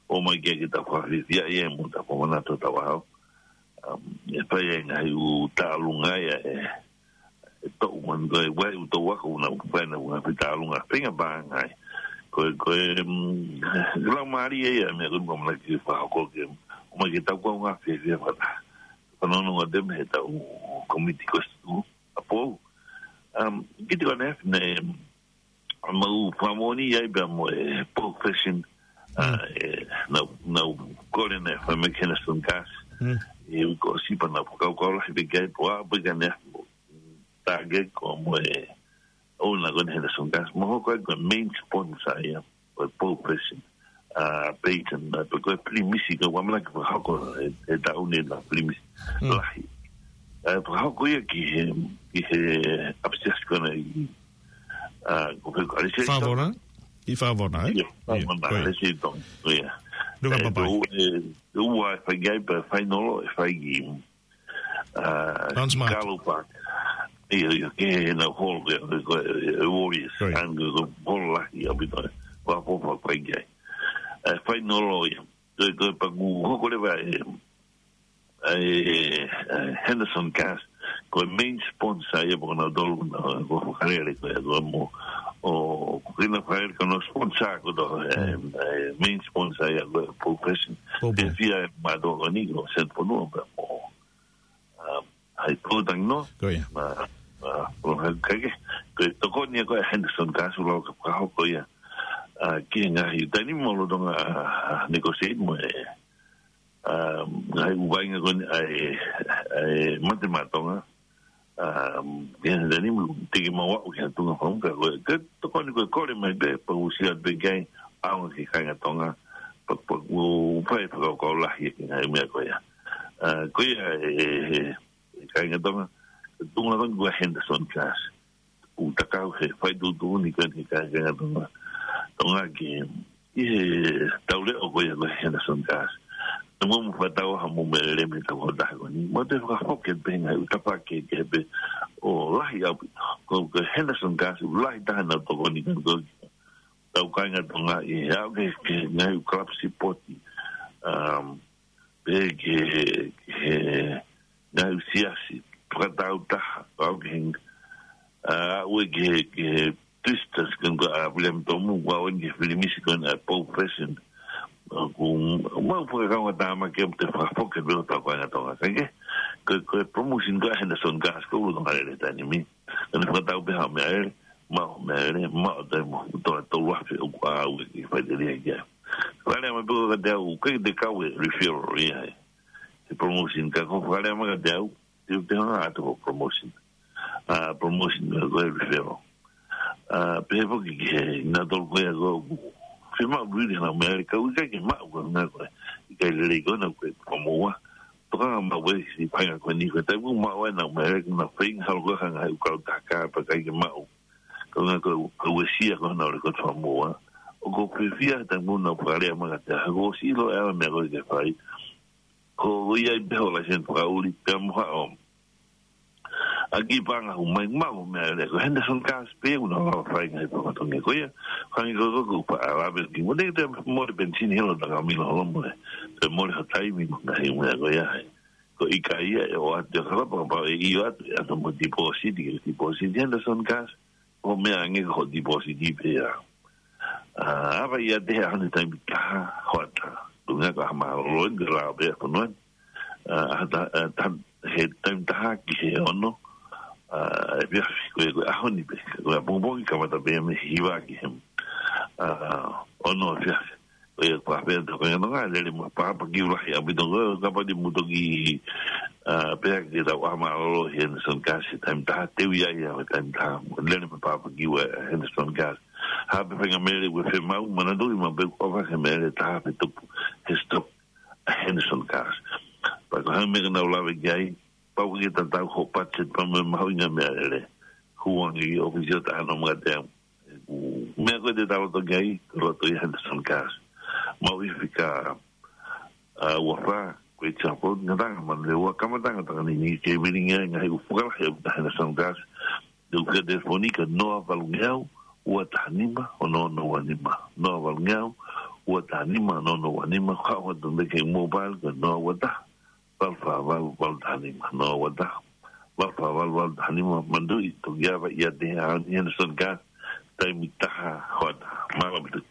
ʻO mai ke ke tau fafai ia ia mo tau fakamanatu tau ʻaho. Um, ʻe fai ai ngaahi ʻū tālunga ia e, e toʻu man ko e wai ʻū toʻu ako una ʻū fai na ʻū ngaahi tālunga fenga pāngai. Ko e, ko e, um, lau mālie ia, meʻa ko e ʻumaʻā ke fakahoko ke, ʻo mai ke tau kau ngā fiefia fakataha. Fanongo atu mei he tau komiti ko e situ, ʻa pō. Um, ki te kone ne, mau fakamoʻoni ai pea mo e profession, ʻa, Mm. e, nau, nau kole ne fa me kena son gas. Mm. E ko sipa na fakau kau lahi pē kai po a pē ka ne, tā ke ko mo e, ʻo na ko ne kena son gas. Mo hoko ai ko e main sponsor ia, ko e profession. ʻA, Peyton, ʻa, pe ko e pilimisi, ko e wamana ke fakahoko, e, e tau ne na pilimisi. Mm. Lahi. ʻA, fakahoko ia ki he, ki he ʻapisiasi ko na ʻi, ʻa, ko fē ko Alisi Tong. Favona? ʻI Favona, e? ʻIo, Favona, ʻIo, ko ia. Alisi Tong, ko ia. Nunga E, Papai. ko, e, ua e fai ai pē fainolo, e fai ki, ʻa, Don Smart. Carlo Park. ʻIo, ʻio, ke he na hall, ke, ko, e, Warriors. Ko ia. An, ko, ko hall lahi ʻaupito, e. Ko a popa fai ai. E, fainolo ia. Ko, ko, pa ku hoko leva e, e, e, Henderson Gas, ko e main sponsor ia, poko na tolu, na, ko fakalele, ko, ko mo, ʻo, ko kina fakalele, ko no sponsor, ko to, e, Mm. e, main sponsor ia, ko profession. Ko Te pe. fia e mātou ko ni, ko Sen Fonua, pe mo, um, hai pōtang no. Ko ia. Ma, ma, ko hai kake, ko e tokoni ia ko e Henderson Gas, ʻo lau ka fakahoko ia. ʻA, ki he ngaahi, taimi mo lo tonga, ʻa, negotiate mo e, um, ngaahi ʻū vainga ko eni ʻa e, ʻa e mate matonga. Um, ia, tani mo te ke mau aʻu ki ha tuʻunga fakamuka ko e, ke tokoni ko e kole mai pē, pa usia pē kai, ʻaonga ki he kāinga Tonga, pa, pa, ʻo fai fakakaukau lahi ki he ngaahi meʻa ko ia. Ko ia e kāinga Tonga, ko e tuʻunga ko eni ʻa Henderson Gas. ʻOku takau he fai tuʻutuʻuni ko eni he kāinga Tonga. Tonga ke ʻi he tau leʻo ko ia ko e Henderson Gas. Naʻa mou fakatau ha mou meʻa lelei mei he tau hota ko eni. Mou toe fakafoki pē ngaahi ʻū tapa kehekehe pē ʻo lahi ʻaupito. Ko, ko e Henderson Gas, ʻoku lahi taha ʻenau tokoni ko eni ki he tau kāinga Tonga ʻi he ʻalu ki he, ki he ngaahi ʻū kalapu sipoti. Pehē ki he, ki he ngaahi ʻū siasi, fakatau taha, ʻalu ki he, ʻalu ki he, ki he Twisters, ko eni ʻa William Tomu, ʻalu ki he filimisi ko eni ʻa Paul Fashion. ʻOku mau fakakaungātāmaki ʻo toe fakafoki pē ʻo tau kāinga Tonga. Kae kehe, ko, ko e promotion ko ē ʻa Henderson Gas, ko e ʻulu Tonga lele he taimi ni. Ka ne fakatau pē ha meʻa lele, maʻu ha meʻa lele, maʻu ha taimi mo e tolu afe ʻoku ʻalu ki he faʻiteliha ki ai. Fakalea mai pē ko ē kiate au, ʻoku ʻikai te u kau he referral ia he, he promotion, ka ko e fakalea mai kiate au, te u toe hanga atu ko e promotion. ʻA, promotion ko e referral. ʻA, pehē foki ki he, naʻa tolu ko ia ko ē ʻoku fiemaʻu lelei ʻenau meʻa lele, ka ʻoku ʻikai ke maʻu ko ē ʻenau meʻa ko ē, ʻikai lelei ko ē ʻenau ko ē promote. Tokanga maʻu ʻe he siʻi paenga ko eni ko e taimi ʻoku maʻu ai ʻenau meʻa lele, ʻoku nau feinga holo ko ē ha ngaahi ʻū kau taka pea ʻikai ke maʻu. Ko e ngaahi ko ē, ko e uesia ko ē ʻenau lele ko e promote. ʻOku ou fiefia he taimi ʻoku nau fakalea mai kiate au, he kuo u ʻosi ʻilo ʻa e meʻa ko ē ke fai. Ko ia ai pē hoʻo laiseni fakaʻuli, pea mo haʻo ʻaki paʻanga ʻoku mai maʻu meʻa lele, ko e Henderson Gas pē ʻoku nau lava fai ngaahi fakatongi ko ia. Hangē ko ē ʻoku ou faʻa lave ki ai, mole te mole penisini holo taka milo holo mole. Te mole ha taimi mo e ngaahi meʻa ko ia ai. Ko e ʻikai ia ʻe ʻoatu ʻe he kalapa, kapau ʻe ʻoatu ʻe ʻoatu mo e deposit, ke deposit Henderson Gas. Ko e meʻa ange ko e deposit pē ia. ʻA, ʻa ia te he ʻaho ni taimi taha hoʻatā. Ko e ngaahi ko e ʻaho mālōlō eni, ko e lao pē ʻa e fonua ni. ʻA, ʻa ta, ʻa ta, he taimi taha ki he ono, ʻa, efiafi, ko e, ko e ʻaho ni pē, ko e ʻapongipongi kamata pē mei he hiva ki he, ʻa, ono efiafi. Ko ia ko e pehē atu ko e ngaahi lele mo e pāpakiu lahi ʻaupito ko ē, kapau te mou toki, ʻa, pehē ki he tau ʻaho mālōlō he Henderson Gas he taimi taha, te u ʻi ai he taimi taha, lele mo e pāpakiu ʻa e Henderson Gas. Ha pē faʻahinga meʻa lele ʻoku fiemaʻu, manatuʻi maʻu pē ʻoku ʻofa he meʻa lele taha pē tupu he stock ʻa e Henderson Gas. Pea ko e hā e meʻa ʻoku nau lave ki ai, pau ke tatau hoʻo budget pea mo e mahuʻinga meʻa lele. Hū ange ki he ʻōfisi ʻo taha noa mai kiate au. Meʻa ko ē te tau loto ki ai, ko e loto ʻi he Henderson Gas. Maʻu ʻi he fika, ʻa, ua fā, ko e example, ngataʻanga manu lele ua, kamataʻanga taha ni ni ke milingi ai ngaahi ʻū fakalahi ʻa e Henderson Gas. Te u fika telefoni ki he noa valu ngeau, ua taha nima, ono ono ua nima. Noa valu ngeau, ua taha nima, ono ono ua nima. Ka ʻoku ʻoatu pē ki he mobile, ko e noa ua taha, valu fā valu, valu taha nima. Noa ua taha, valu fā valu, valu taha nima. Manatuʻi, toki ʻave ia te he ʻaho ni Henderson Gas, taimi taha hoʻatā. Mālō ʻaupito.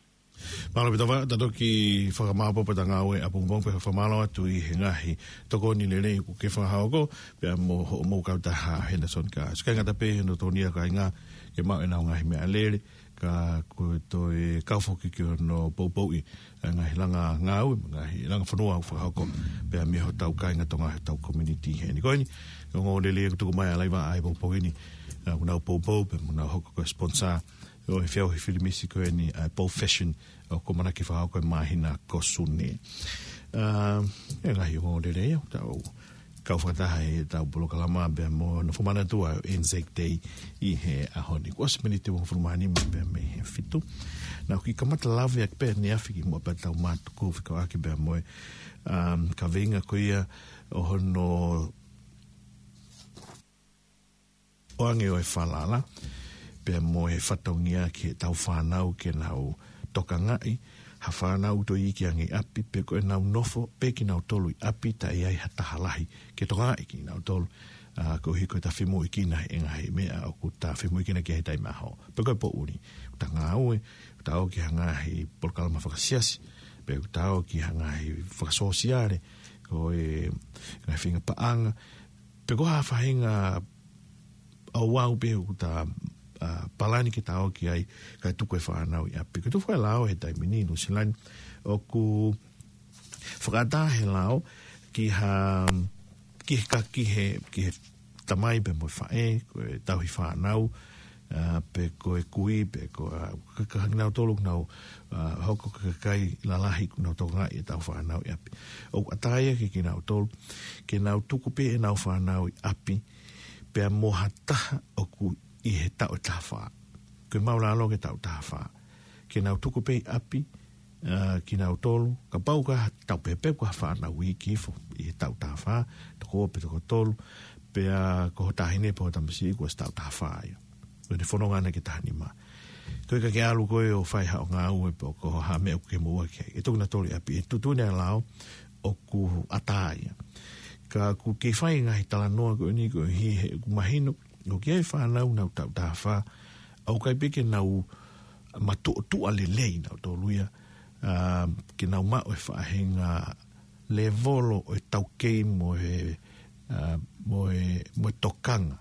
Mālō ʻaupito Vā, ta toki fakamāopoopo ʻeta ngāue ʻapongipongi pea fakamālō atu ʻi he ngaahi tokoni lelei kuo ke fakahoko, pea mo hoʻomou kautaha Henderson Gas. ʻIkai ngata pē he nofo ni ʻa e kāinga ke maʻu ʻenau ngaahi meʻa lele, ka ko e toe kau foki ki hono poupouʻi ʻa e ngaahi langa ngāue, ngaahi langa fonua ʻoku fakahoko, pea mei hotau kāinga Tonga, hotau community heni. Ko eni, ongoongolelei ʻoku tuku mai ʻa Laiva ʻa e poupou ni, ʻa, ʻoku nau poupou, pea mo nau hoko ko e sponsor ʻo e feʻauhi filimisi ko eni ʻa e Paul Fashion, ʻoku ʻamanaki fakahoko he māhina ko Sune. ʻA, ʻe ngaahi ongoongolelei ʻoku tau kau fakataha ʻi heʻetau polokalama pea mo nofo manatua ʻo Anzac Day ʻi he ʻaho ni. Kuo ʻosi miniti ʻe hongofulu mā nima pea mei he fitu. Naʻa ku kiʻi kamata lave ʻaki pē ʻaneafi kimuʻa pea tau mātuku fekauʻaki pea mo e, um, kaveinga ko ia ʻo hono ʻoange ʻo e falala, pea mo e fatongia ki heʻetau fānau ke nau tokangaʻi ha fānau ʻoku toe iiki ange ʻi ʻapi, pe ko ʻenau nofo pē kinautolu ʻi ʻapi taʻe ʻi ai ha taha lahi ke tokangaʻi kinautolu. ʻA, koeʻuhi ko ʻeta femoʻuekina he ngaahi meʻa ʻoku ta femoʻuekina ki ai he taimi ʻaho. Pe ko e poʻuli, ʻoku ta ngāue, ʻoku ta ō ki ha ngaahi polokalama fakasiasi, pe ʻoku ta ō ki ha ngaahi fakasōsiale, ko e ngaahi faʻahinga paʻanga, pe ko ha faʻahinga ʻauʻau pē ʻoku ta, ʻa, palani ke ta ō ki ai, kae tuku e fānau ʻi ʻapi. Ko ʻeku fakalao he taimi ni ʻi Nuʻu Sila ni, ʻoku fakaʻatā he lao ki ha, ki he ka, ki he, ki he tamai pea mo e faʻē, ko e tauhi fānau, ʻA, pe ko e kui, pe ko, ʻa, ka, ka, kinautolu ʻoku nau, ʻa, hoko ko e kakai lalahi ʻoku nau tokangaʻi ʻetau fānau ʻi ʻapi. ʻOku ʻatā ia kiate kinautolu, ke nau tuku pē ʻenau fānau ʻi ʻapi, pea mo ha taha ʻoku ʻi he taʻu ʻe taha fā. Ko e māʻulalo ki he taʻu taha fā. Ke nau tuku pē ʻi ʻapi, ʻa, kinautolu, kapau ko ha taʻu pehē pē ko ha fānau iiki hifo ʻi he taʻu taha fā, toko ua pe toko tolu, pea ko ho taʻahine pe ho tamasiʻi kuo ʻosi taʻu taha fā ia. Ko ʻene fononga ʻana ki he taha nima. Ko e ka ke ʻalu koe ʻo fai haʻo ngāue pe ko ha meʻa ʻoku ke moʻua ki ai. ʻE tuku kinautolu ʻi ʻapi, ʻe tuʻutuʻuni ʻa e lao ʻoku ʻatā ia. Ka ʻoku kei fai ngaahi talanoa ko eni koeʻuhi he ʻoku mahino, ʻoku ʻi ai e fānau nau taʻu taha fā, ʻoku ʻikai pē ke nau matuʻotuʻa lelei nautolu ia, ʻa, ke nau maʻu e faʻahinga lēvolo ʻo e taukei mo e, ʻa, mo e, mo e tokanga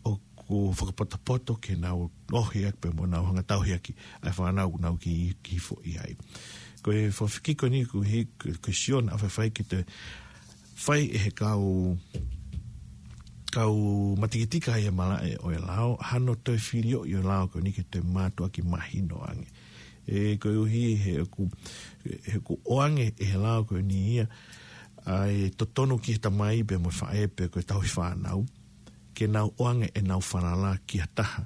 ʻoku fakapotopoto ke nau ohi ʻaki pea mo nau hanga tauhi ʻaki ʻa e fānau ʻoku nau iiki hifo ʻi ai. Ko e fakafekiki ko eni koeʻuhi ko, ko e sio naʻa faifai ke te fai ʻe he kau, kau matikitika ʻi he malaʻe ʻo e lao, hano toe filioʻi ʻo e lao ko eni ke toe mātuʻaki mahino ange. ʻE koeʻuhi he ʻoku, he ʻoku ʻoange ʻe he lao ko eni ia ʻa e totonu ki he tamai pea mo e faʻē pe ko e tauhi fānau, ke nau ʻoange ʻenau falala ki ha taha,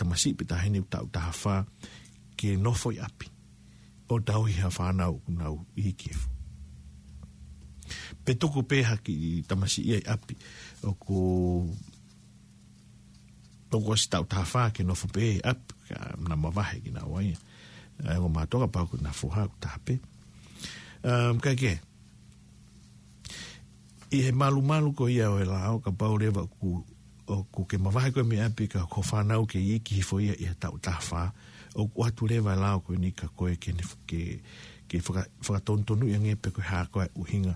tamasiʻi pe taʻahine ʻoku taʻu taha fā, ke nofo ʻi ʻapi ʻo tauhi ha fānau ʻoku nau iiki hifo. Pe tuku pē ha kiʻi tamasiʻi ia ʻi ʻapi ʻoku, ʻoku ʻosi taʻu taha fā ke nofo pē ʻi ʻapi, ka na mavahe kinaua ia. ʻA e ongo mātuʻa kapau ko ʻena foha ʻoku taha pē. Um, ka ke, ʻi he malumalu ko ia ʻo e lao, kapau leva ʻoku, ʻoku ke mavahe koe mei ʻapi ka ko ho fānau ke iiki hifo ia ʻi he taʻu taha fā, ʻoku ʻoatu leva e lao ko eni kia koe ke ne f-, ke, ke faka-, fakatonutonuʻi ange pe ko e hā koā e ʻuhinga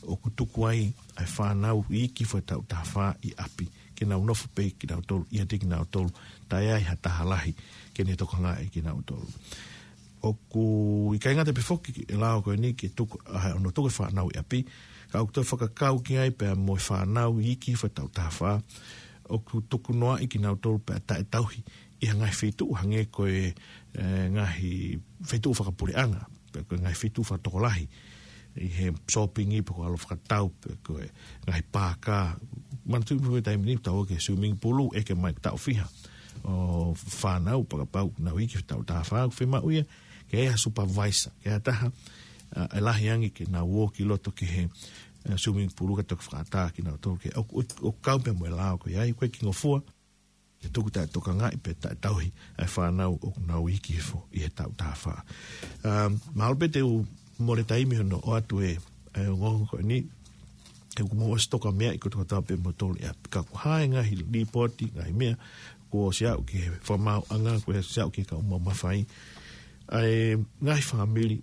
ʻoku tuku ai ʻa e fānau iiki hifo he taʻu taha fā ʻi ʻapi, ke nau nofo pē kinautolu, ʻiate kinautolu, taʻe ʻi ai ha taha lahi ke ne tokangaʻi kinautolu. ʻOku ʻikai ngata pē foki e lao ko eni ke tuku, ʻa, hono tuku e fānau ʻi ʻapi, ka ʻoku toe fakakau ki ai pea mo e fānau iiki hifo he taʻu taha fā, ʻoku tukunoaʻi kinautolu pea taʻetauhi ʻi ha ngaahi feituʻu hangē ko e, ʻe, ngaahi feituʻu fakapuleʻanga, pe ko e ngaahi feituʻu fakatokolahi, ʻi he sōpingi pe ko e ʻalu fakatau, pe ko e ngaahi paaka. Manatuʻi pē ko e taimi ni, tau ō ki he swimming pool, ʻeke mai taʻu fiha ʻo fānau, pea kapau nau iiki he taʻu taha fā, ʻoku fiemaʻu ia ke ʻi ai ha supervisor, ke ʻi ai ha taha, ʻa, ʻe lahi ange ke nau ō ki loto ki he, ʻe, swimming pool ka toki fakaʻatā kinautolu ke, ʻo, ʻo, ʻoku kau pē mo e lao ko ia, ʻoku ʻikai ke ngofua ke tuku taʻetokangaʻi pe taʻetauhi ʻa e fānau ʻoku nau iiki hifo ʻi he taʻu taha fā. Um, mahalo pē te u mole taimi hono ʻoatu e, e ongoongo ko eni, he ʻoku mou ʻosi toka meaʻi kotoa pē moutolu ia. Ka ko e hā e ngaahi līpooti, ngaahi meʻa kuo ʻosi aʻu ki he fakamaauʻanga, kuo ʻosi aʻu ki he kau maumau mafai, ʻa e ngaahi fāmili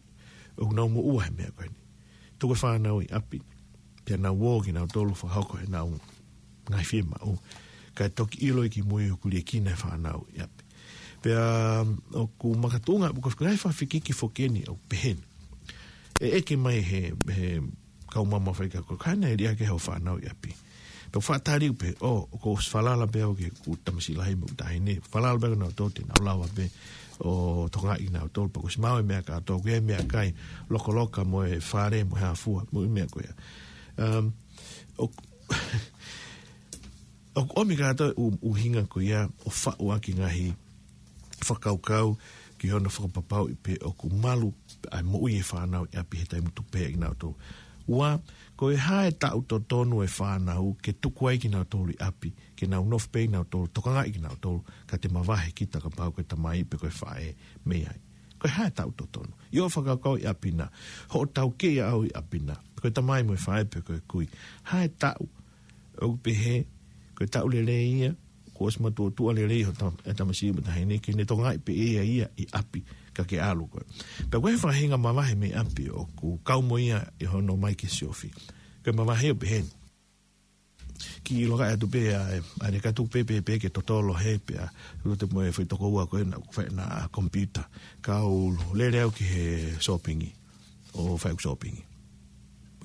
ʻoku nau moʻua he meʻa ko eni. Tuku e fānau ʻi ʻapi, pea nau ō kinautolu fakahoko ʻenau ngaahi fiemaʻu, kae toki ʻiloʻi kimui ʻoku liʻekina e fānau ʻi ʻapi. Pea, um, ʻoku makatuʻunga, ʻoku ʻi ai e ngaahi fakafekiki foki eni ʻoku pehē ni. ʻE ʻeke mai he, he kau maumau mafai kia koe, ko e hā naʻe liʻaki ai hoʻo fānau ʻi ʻapi? Pea ʻoku faʻa tali pē, ʻo, kuo ʻosi falala pē au ki heʻeku tamasiʻi lahi mo ʻeku taʻahine, falala pē kinautolu te nau lava pē ʻo tokangaʻi kinautolu, pea kuo ʻosi maau e meʻa kātoa, ko e meʻakai, lokaloka mo e fale mo e hā fua, mo e meʻa ko ia. Um, ʻo, ʻoku ʻomi kātoa e ʻu-, ʻuhinga ko ia ʻo faʻu ʻaki e ngaahi fakakaukau ki hono fakapapauʻi pe ʻoku malu ʻa e moʻui e fānau ʻi ʻapi he taimi tupu pē kinautolu. Ua, ko e hā e taʻu totonu e fānau ke tuku ai kinautolu ʻi ʻapi, ke nau nofo pē kinautolu, tokangaʻi kinautolu, ka te mavahe kita kapau ko e tamai pe ko e faʻē mei ai. Ko e hā e taʻu totonu? ʻI hoʻo fakakaukau ʻi ʻapi na, hoʻo taukei ʻaʻau ʻi ʻapi na, ko e tamai mo e faʻē pe ko e kui. Hā e taʻu ʻoku pehē ko e taʻu lelei ia, kuo ʻosi matuʻotuʻa lelei hoʻo tam-, e tamasiʻi mo e taʻahine ke ne tokangaʻi pē ʻe ia ia ʻi ʻapi ka ke ʻalu koe. Pea ko e faʻahinga mavahe mei ʻapi ʻoku kau mo ia ʻi hono ō mai ki he siofi. Ko e mavahe ʻoku pehē ni. Kiʻi loka atu pē ʻa e, ʻa e katu pē pē pē ke totolo he pea, lote mo e foʻi tokoua ko ē naʻa ku fai ʻena computer. Kau lele au ki he sōpingi, ʻo fai ʻeku sōpingi.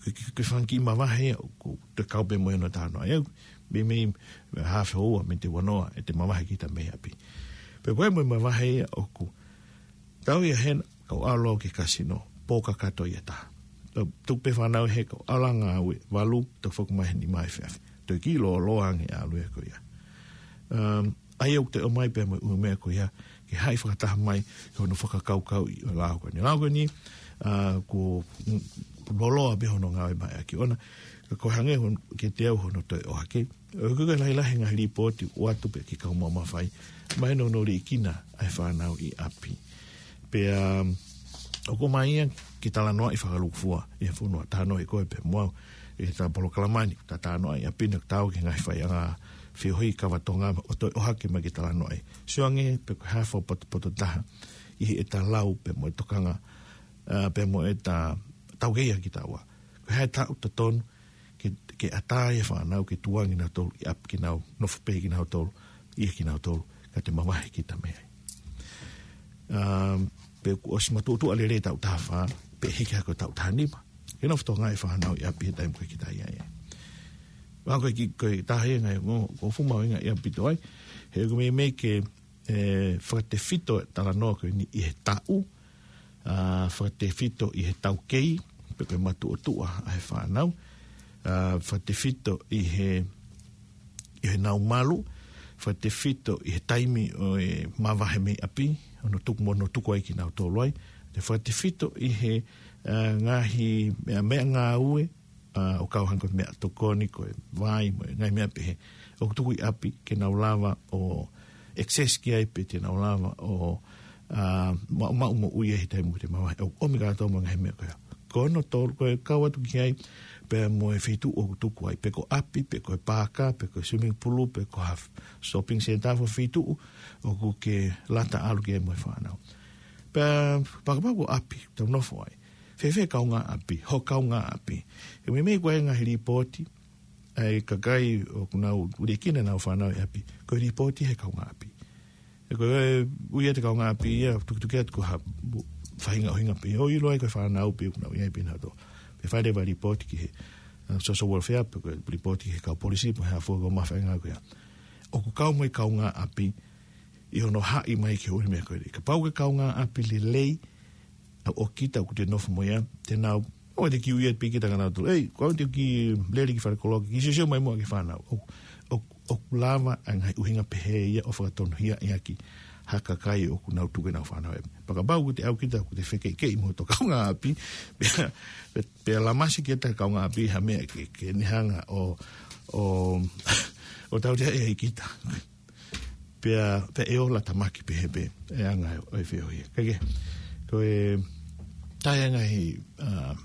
Ke, ke, ke fanga kiʻi mavahe, ʻoku te kau pē mo ʻena tano. ʻA ia, Meimei, haafe houa mei he ua noa ʻete mavahe kita mei ʻapi. Pea ko e meʻa mavahe ia ʻoku tau ia hena, kau ʻalu au ki he kasino, pō kakato ia taha. Tau, tuku pē fānau he kau ʻalu ʻo ngāue, valu, tau foki mai he nima efiafi. Toe kiʻi lōloa ange ʻalu ia ko ia. Um, ʻa ia ʻoku te ʻomai pē mo e ʻū meʻa ko ia, ke haʻi fakataha mai, ki hono fakakaukauʻi ʻo e lao ko eni. Lao ko eni, uh, ko, mm, lōloa pē hono ngāue mai ʻaki ʻona, ka ko e hangē hon-, kiate au hono toe ʻohake. ʻOku ʻikai ke lahilahi e ngaahi lipooti ʻoatu pē ki he kau mamafa. Mahino hono liʻekina ʻa e fānau ʻi ʻapi. Pea, um, ʻoku ʻomai ia ke talanoaʻi fakalūkufua ʻi he fonua, talanoaʻi koe pea mo au ʻi he polokalama ni, ta talanoaʻi ʻapi na tau ki he ngaahi faiʻanga feohi kava Tonga ʻo toe ʻohake mai ke talanoaʻi. Sio ange pe ko e hā e fakapotopoto taha ʻi heʻeta lau pea mo e tokanga, uh, pea mo ʻeta taukei ʻaki kitaua. Ko e hā e taʻu totonu ke, ke ʻatā ai e fānau ke tuʻunga kinautolu ʻi ʻapi, ke nau nofo pē kinautolu, ʻi kinautolu, ka te mavahe kita mei ai. Um, pe kuo ʻosi matuʻotuʻa lelei taʻu taha fā, pe hiki hake taʻu taha nima. Ke nofo Tonga e fānau ʻi ʻapi he taimi ko ē kita ʻi ai. Pea ko e kiʻi, ko e taha ia e ngaahi, ʻoku, ʻoku fuʻu mahuʻinga ia ʻaupito ai, he ʻoku meimei ke, e, fakatefito e talanoa ko eni ʻi he taʻu, a, fakatefito ʻi he taukei, pe ko e matuʻotuʻa ʻa e fānau, a, fakatefito ʻi he, ʻi heʻenau malu, fakatefito ʻi he taimi ʻo e mavahe mei ʻapi, hono tuku mo hono tuku ai kinautolu ai, pea fakatefito ʻi he, a, ngaahi meʻa, meʻangāue, a, ʻo kau hangē ko e meʻatokoni, ko e vai, mo e ngaahi meʻa pehē, ʻoku tuku ʻi ʻapi ke nau lava ʻo access ki ai pe te nau lava ʻo, a, ma-, maʻu moʻui ai he taimi ʻoku te mavahe. ʻOku ʻomi kātoa mo e ngaahi meʻa ko ia. Ko hono tolu, ko e kau atu ki ai, pea mo e feituʻu ʻoku tuku ai, pe ko ʻapi, pe ko e paaka, pe ko e swimming pool, pe ko ha shopping centre, ha feituʻu ʻoku ke lata ʻalu ki ai mo e fānau. Pea, kapau ko ʻapi, tau nofo ai. Fēfē kaungāʻapi, ho kaungāʻapi. He meimei ko e ngaahi lipooti, ʻa e kakai ʻoku nau liʻekina ʻenau fānau ʻi ʻapi, ko e lipooti he kaungāʻapi. He ko e ui atu e kaungāʻapi ia, tukituki atu ko ha faʻahinga ʻuhinga pē, ʻo ʻilo ai ko e fānau pē ʻoku nau ʻi ai pē nautolu. Pea fai leva lipooti ki he, uh, social welfare, pe ko e lipooti ki he kau polisi, pe ko e hā fua e kau mafai ngā ko ia. ʻOku kau mai kaungāʻapi, ʻi hono haʻi mai ki he ʻū meʻa ko eni. Kapau ko e kaungāʻapi lelei, ʻa ʻo kita ʻoku te nofo mo ia, te nau, ʻoua te ke ui atu pē kita kinautolu. Ei, ko au te u kiʻi lele ki falekoloa, kiʻi siosio mai muʻa ki he fānau. ʻO, ʻo, ʻoku lava ʻa e ngaahi ʻuhinga pehē ia ʻo fakatonuhiaʻi ʻaki ha kakai ʻoku nau tuku ʻenau fānau ʻi ʻapi. Pea kapau ʻoku te ʻalu kita, ʻoku te fekeʻikeʻi mo ho kaungāʻapi, pea, pea, pea lamasi kita kaungāʻapi ha meʻa ke, ke ne hanga ʻo, ʻo, ʻo tautea ʻe kita. Pea, pea ʻe ola tamaki pehē pē e anga ʻo e feohi. Kae kehe, ko e taha e ngaahi, a,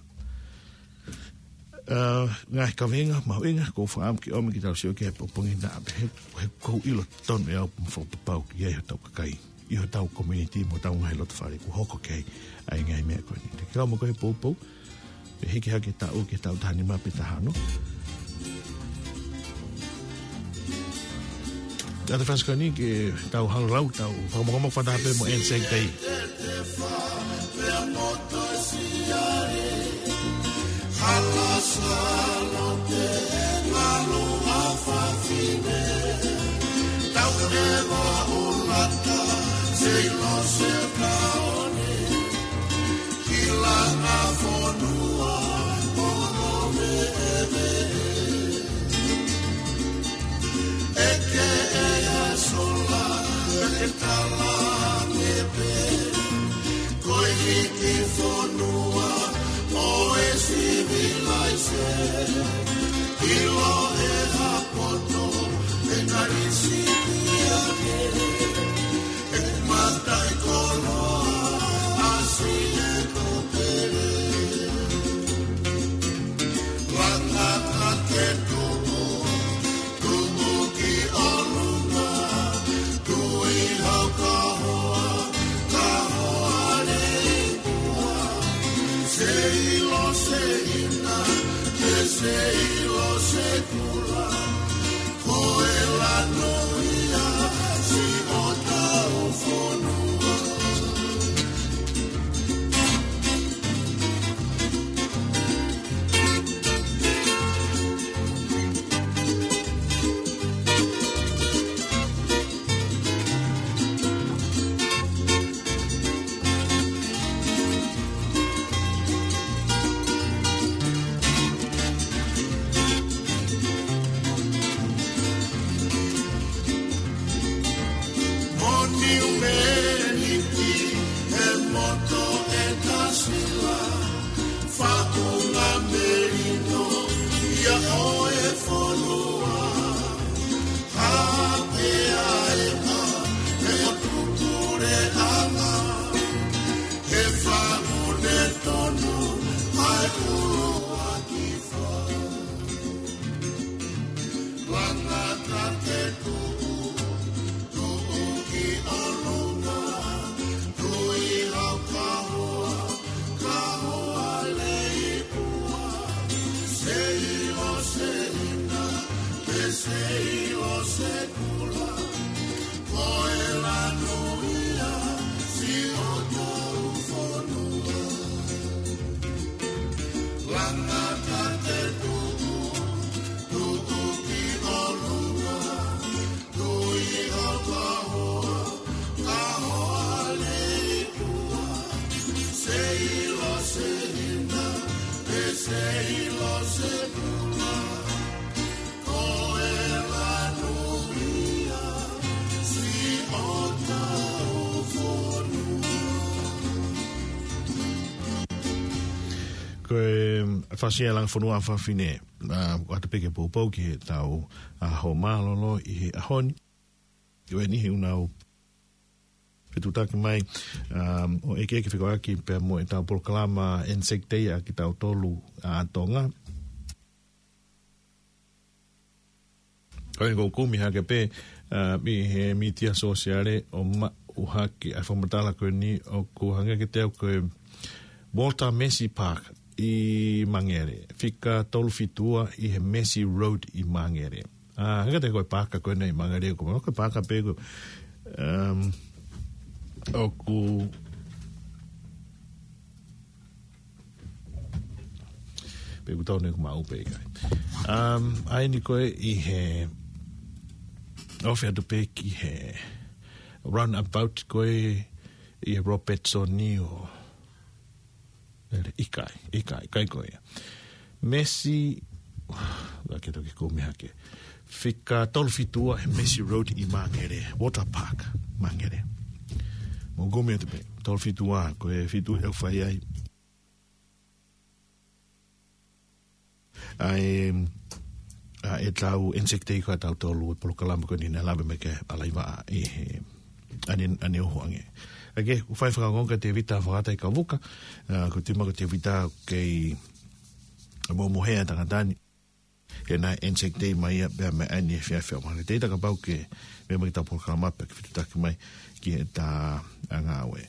a, ngaahi kaveinga mahuʻinga ʻoku ou fakaʻamu ke ʻomi ke tau sio ki ai he pongipongi na, pehē, he ʻoku ou ʻilo tonu ʻe au mo fakapapau ki ai hotau kakai ʻi hotau community mo hotau ngaahi lotofale kuo hoko ki ai ʻa e ngaahi meʻa ko eni. Te ke kau mo koe he poupou, pea hiki hake taʻu ki he taʻu taha nima pe taha ono. Ka te fasikani ke tau hanga lau, tau fakamokamoko fakataha pē mo N Z K. Ko e hiki fonua ʻo e civilization. Fasi e langa fonua fafine, ʻa, ʻoatu pē ke poupou ki heʻetau, ʻa, ʻaho mālōlō ʻi he ʻaho ni. Ko eni he ʻoku nau fetuʻutaki mai, um, ʻo ʻeke ke fekauʻaki pea mo ʻetau polokalama Anzac Day ʻa kitautolu ʻa Tonga. Ko e ʻoku kumi hake pē, uh, ʻi he mītia sōsiale ʻo maʻu hake ʻa e fakamatala ko eni ʻoku hangē kiate au ko e Walter Massey Park ʻi Mangere. Fika tolu fitu ua ʻi he Massey Road ʻi Mangere. ʻA, hangē kiate au ko e paaka ko eni ʻi Mangere ko, ko e paaka pē ko, um, ʻoku, pē ʻoku tau ne ʻoku maʻu pē ʻikai. Um, ʻa eni ko e ʻi he, ofi atu pē ki he roundabout ko e ʻi he Robertson ni ʻo, ʻikai, ʻikai, ʻikai ko ia. Massey, ʻa ke toki kumi hake. Fika tolu fitu ua he Massey Road ʻi Mangere, Walter Park, Mangere. Mou kumi atu pē, tolu fitu ua, ko e fitu ʻe fai ai. ʻA e, ʻa ʻetau Anzac Day ko ē ʻa tautolu e polokalama ko eni naʻe lave mai ki ai ʻa Laiva ʻi he ʻaneafi ʻoku hangē. ʻA ke, ʻoku fai fakaongoongo kia Tevita Fakata ʻi Kavuka, ʻa, ko e timi ko Tevita kei momohea tangata ni. Ke na Anzac Day mai ia pea mei ʻaneafi ʻo aʻu mai ki he taimi kapau ke meʻa mai ki heʻetau polokalama pea ke fetuʻutaki mai ki heʻeta ngāue.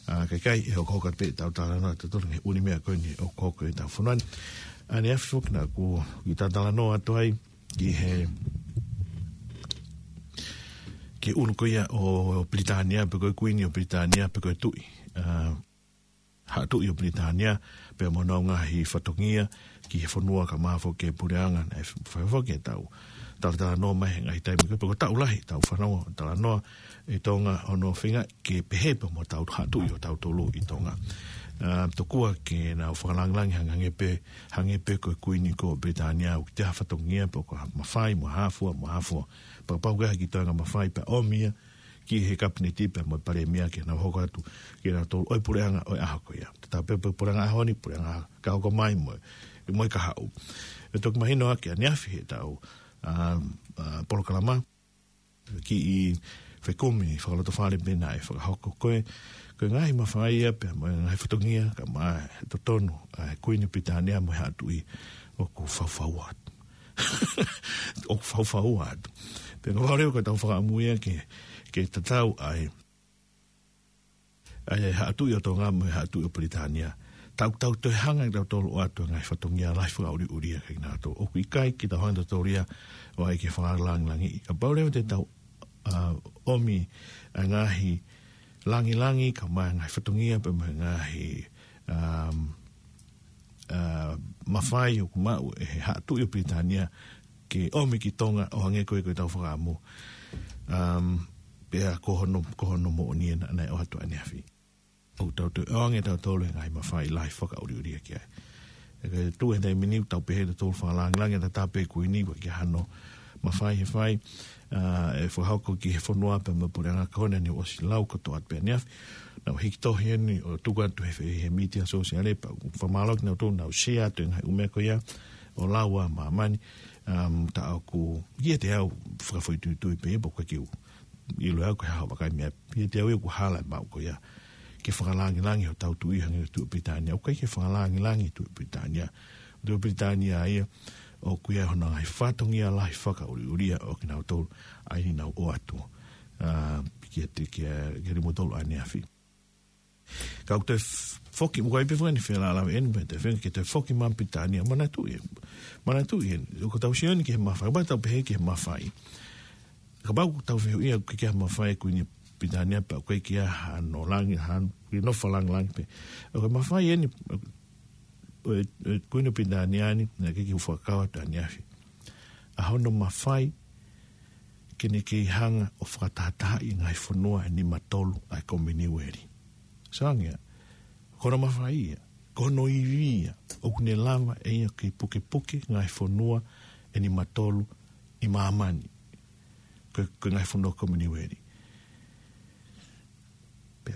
ʻA, kae kehe ʻe hokohoko pē ʻetau talanoa ʻatautolu he ʻū meʻa ko eni ʻoku hoko ʻi heʻetau fonua ni. ʻAneafi foki naʻa ku ʻi heʻeta talanoa atu ai ki he, ki he ʻunu ko ia ʻo Pilitānia, pe ko e Kuini ʻo Pilitānia, pe ko e tuʻi. ʻA, Haʻa Tuʻi ʻo Pilitānia, pea mo honau ngaahi fatongia ki he fonua kae ʻumaʻā foki e puleʻanga naʻe fai foki ʻetau talatalanoa mai he ngaahi taimi ko ē, pe ko e taʻu lahi ʻetau fanongo talanoa ʻi Tonga, hono feinga ke pehē pē mo hotau Haʻa Tuʻi ʻo tautolu ʻi Tonga. ʻA, tokua ke nau fakalāngilangi hangē pē, hangē pē ko e Kuini ko ē ʻo Pilitānia, ʻoku ʻikai ha fatongia pe ko ha mafai mo ha fua, mo ha fua. Pea kapau ʻoku ʻi ai ha kiʻi toenga mafai pea ʻomi ia ki he Kapineti pea mo e Palēmia ke nau hoko atu ke nau tolu ʻo e puleʻanga ʻo e ʻaho ko ia. Tatau pē pe puleʻanga ʻaho ni, puleʻanga ka hoko mai mo e, mo e kahaʻu. ʻE toki mahino ʻaki ʻaneafi heʻetau, ʻa, ʻa, polokalama, kiʻi fekumi fakalotofale pē naʻe fakahoko ko e, ko e ngaahi mafai ia pea mo e ngaahi fatongia kae ʻumaʻā e totonu ʻa e Kuini ʻo Pilitānia mo e Haʻa Tuʻi ʻoku faufaua atu. ʻOku faufaua atu. Pea kapau leva ko ʻetau fakaʻamu ia ke, ke tatau ai ʻa e Haʻa Tuʻi ʻo Tonga mo e Haʻa Tuʻi ʻo Pilitānia. Tau, tau toe hanga ʻe tautolu ʻo ʻoatu e ngaahi fatongia lahi fakaʻuliʻulia kia kinautolu. ʻOku ʻikai ke tau hanga ʻe tautolu ia ʻo ʻai ke fakalāngilangiʻi. Kapau leva te tau, ʻa, ʻomi ʻa e ngaahi lāngilangi kae ʻumaʻā e ngaahi fatongia pea mo e ngaahi, um, ʻa, mafai ʻoku maʻu ʻe he Haʻa Tuʻi ʻo Pilitānia ke ʻomi ki Tonga ʻo hangē ko e, ko ʻetau fakaʻamu. Um, pea ko hono, ko hono moʻoni ē naʻa, naʻe ʻoatu ʻaneafi. ʻOku tau toe ʻoange ʻe tautolu e ngaahi mafai lahi fakaʻuliʻulia ki ai. ʻE ke tuʻu he taimi ni ʻoku tau pehē ʻe tautolu fakalāngilangi ʻa e tatau pē Kuini, ʻoku ʻikai ke ʻi ai hano mafai ʻe fai, ʻa, ʻe fakahoko ki he fonua pea mo e puleʻanga ko eni naʻe ʻosi lau kotoa pē ʻaneafi. Naʻa ku hiki tohi eni ʻo tuku atu he, he, he mītia sōsiale pea ʻoku fakamālō kinautolu naʻa nau share atu e ngaahi ʻū meʻa ko ia ʻo lau ʻa māmani, um, tā ʻoku kiate au fakafoʻituitui pē ia pe ʻoku ʻikai ke u ʻilo ʻe au ko e hā hono vakai meʻa. Kiate au ia ʻoku hala e maʻu ko ia ke fakalāngilangi hotau Tuʻi hangē ko e Tuʻi ʻo Pilitānia. ʻOku ʻikai ke fakalāngilangi e Tuʻi ʻo Pilitānia. Tuʻi ʻo Pilitānia ia ʻoku ʻi ai hono ngaahi fatongia lahi fakaʻuliʻulia ʻo kinautolu ʻa eni naʻa nau ʻoatu, ʻa, kiate, kia, kia kimoutolu ʻaneafi. Ka ʻoku toe f-, foki, ʻoku ʻi ai pē fanga kiʻi fealālāveʻi eni, pea toe feinga ke toe foki mai Pilitānia, manatuʻi, manatuʻi eni, ʻoku tau sio eni ki he mafai, kapau te tau pehē ki he mafai. Kapau ʻoku tau fehuʻia ʻoku ʻikai ke ʻi ai ha mafai e Kuini ʻo Pilitānia pea ʻoku ʻikai ke ʻi ai hano lāngi, hano, ke nofo fakalāngilangi pē. ʻOku ʻi ai e mafai eni, ʻo e, ʻo e Kuini ʻo Pilitānia ni, naʻe ʻikai ke u fakakau atu ʻaneafi. ʻA hono mafai ke ne kei hanga ʻo fakatahatahaʻi e ngaahi fonua ʻe nima tolu ʻa e Kominiueli. Sio ange, ko hono mafai ia, ko hono ivi ia, ʻoku ne lava ʻe ia ke pukepuke ngaahi fonua ʻe nima tolu ʻi māmani. Ko e, ko e ngaahi fonua Kominiueli.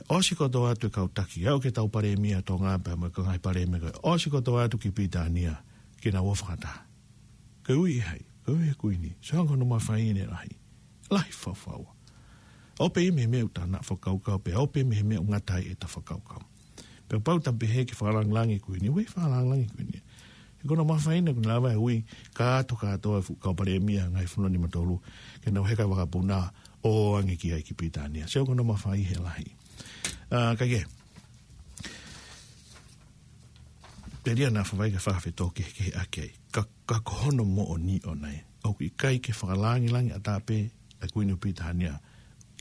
ʻOsi kotoa atu e kau taki, aʻu ki he tau palēmia Tonga pea mo e kau ngaahi palēmia ko ē. ʻOsi kotoa atu ki Pilitānia, ke nau ō fakataha. Ko e ui ʻe hai, ko e ui ʻe he Kuini. Sio ange hono mafai ʻene lahi. Lahi faufaua. ʻOku pehē mei he meʻa ʻoku ta na fakakaukau, pea ʻoku pehē mei he meʻa ʻoku ngata ai ʻeta fakakaukau. Pea kapau ta pehē ke fakalāngilangi e Kuini, ʻoku ʻikai fakalāngilangi e Kuini. He ko hono mafai ʻena kuo ne lava e ui, kātoa kātoa e fuʻu kau palēmia, ngaahi fonua nimatolu, ke nau heka vakapuna, ʻo ange ki ai ki Pilitānia. Sio ko hono mafai he lahi. ʻA, ka ke. Pea ʻoku ʻi ai ʻena fai ke fakafetōkehekeheʻaki ai. Ka, ka ko hono moʻoni ʻoʻona ē. ʻOku ʻikai ke fakalāngilangi ʻatā pē ʻa e Kuini ʻo Pilitānia.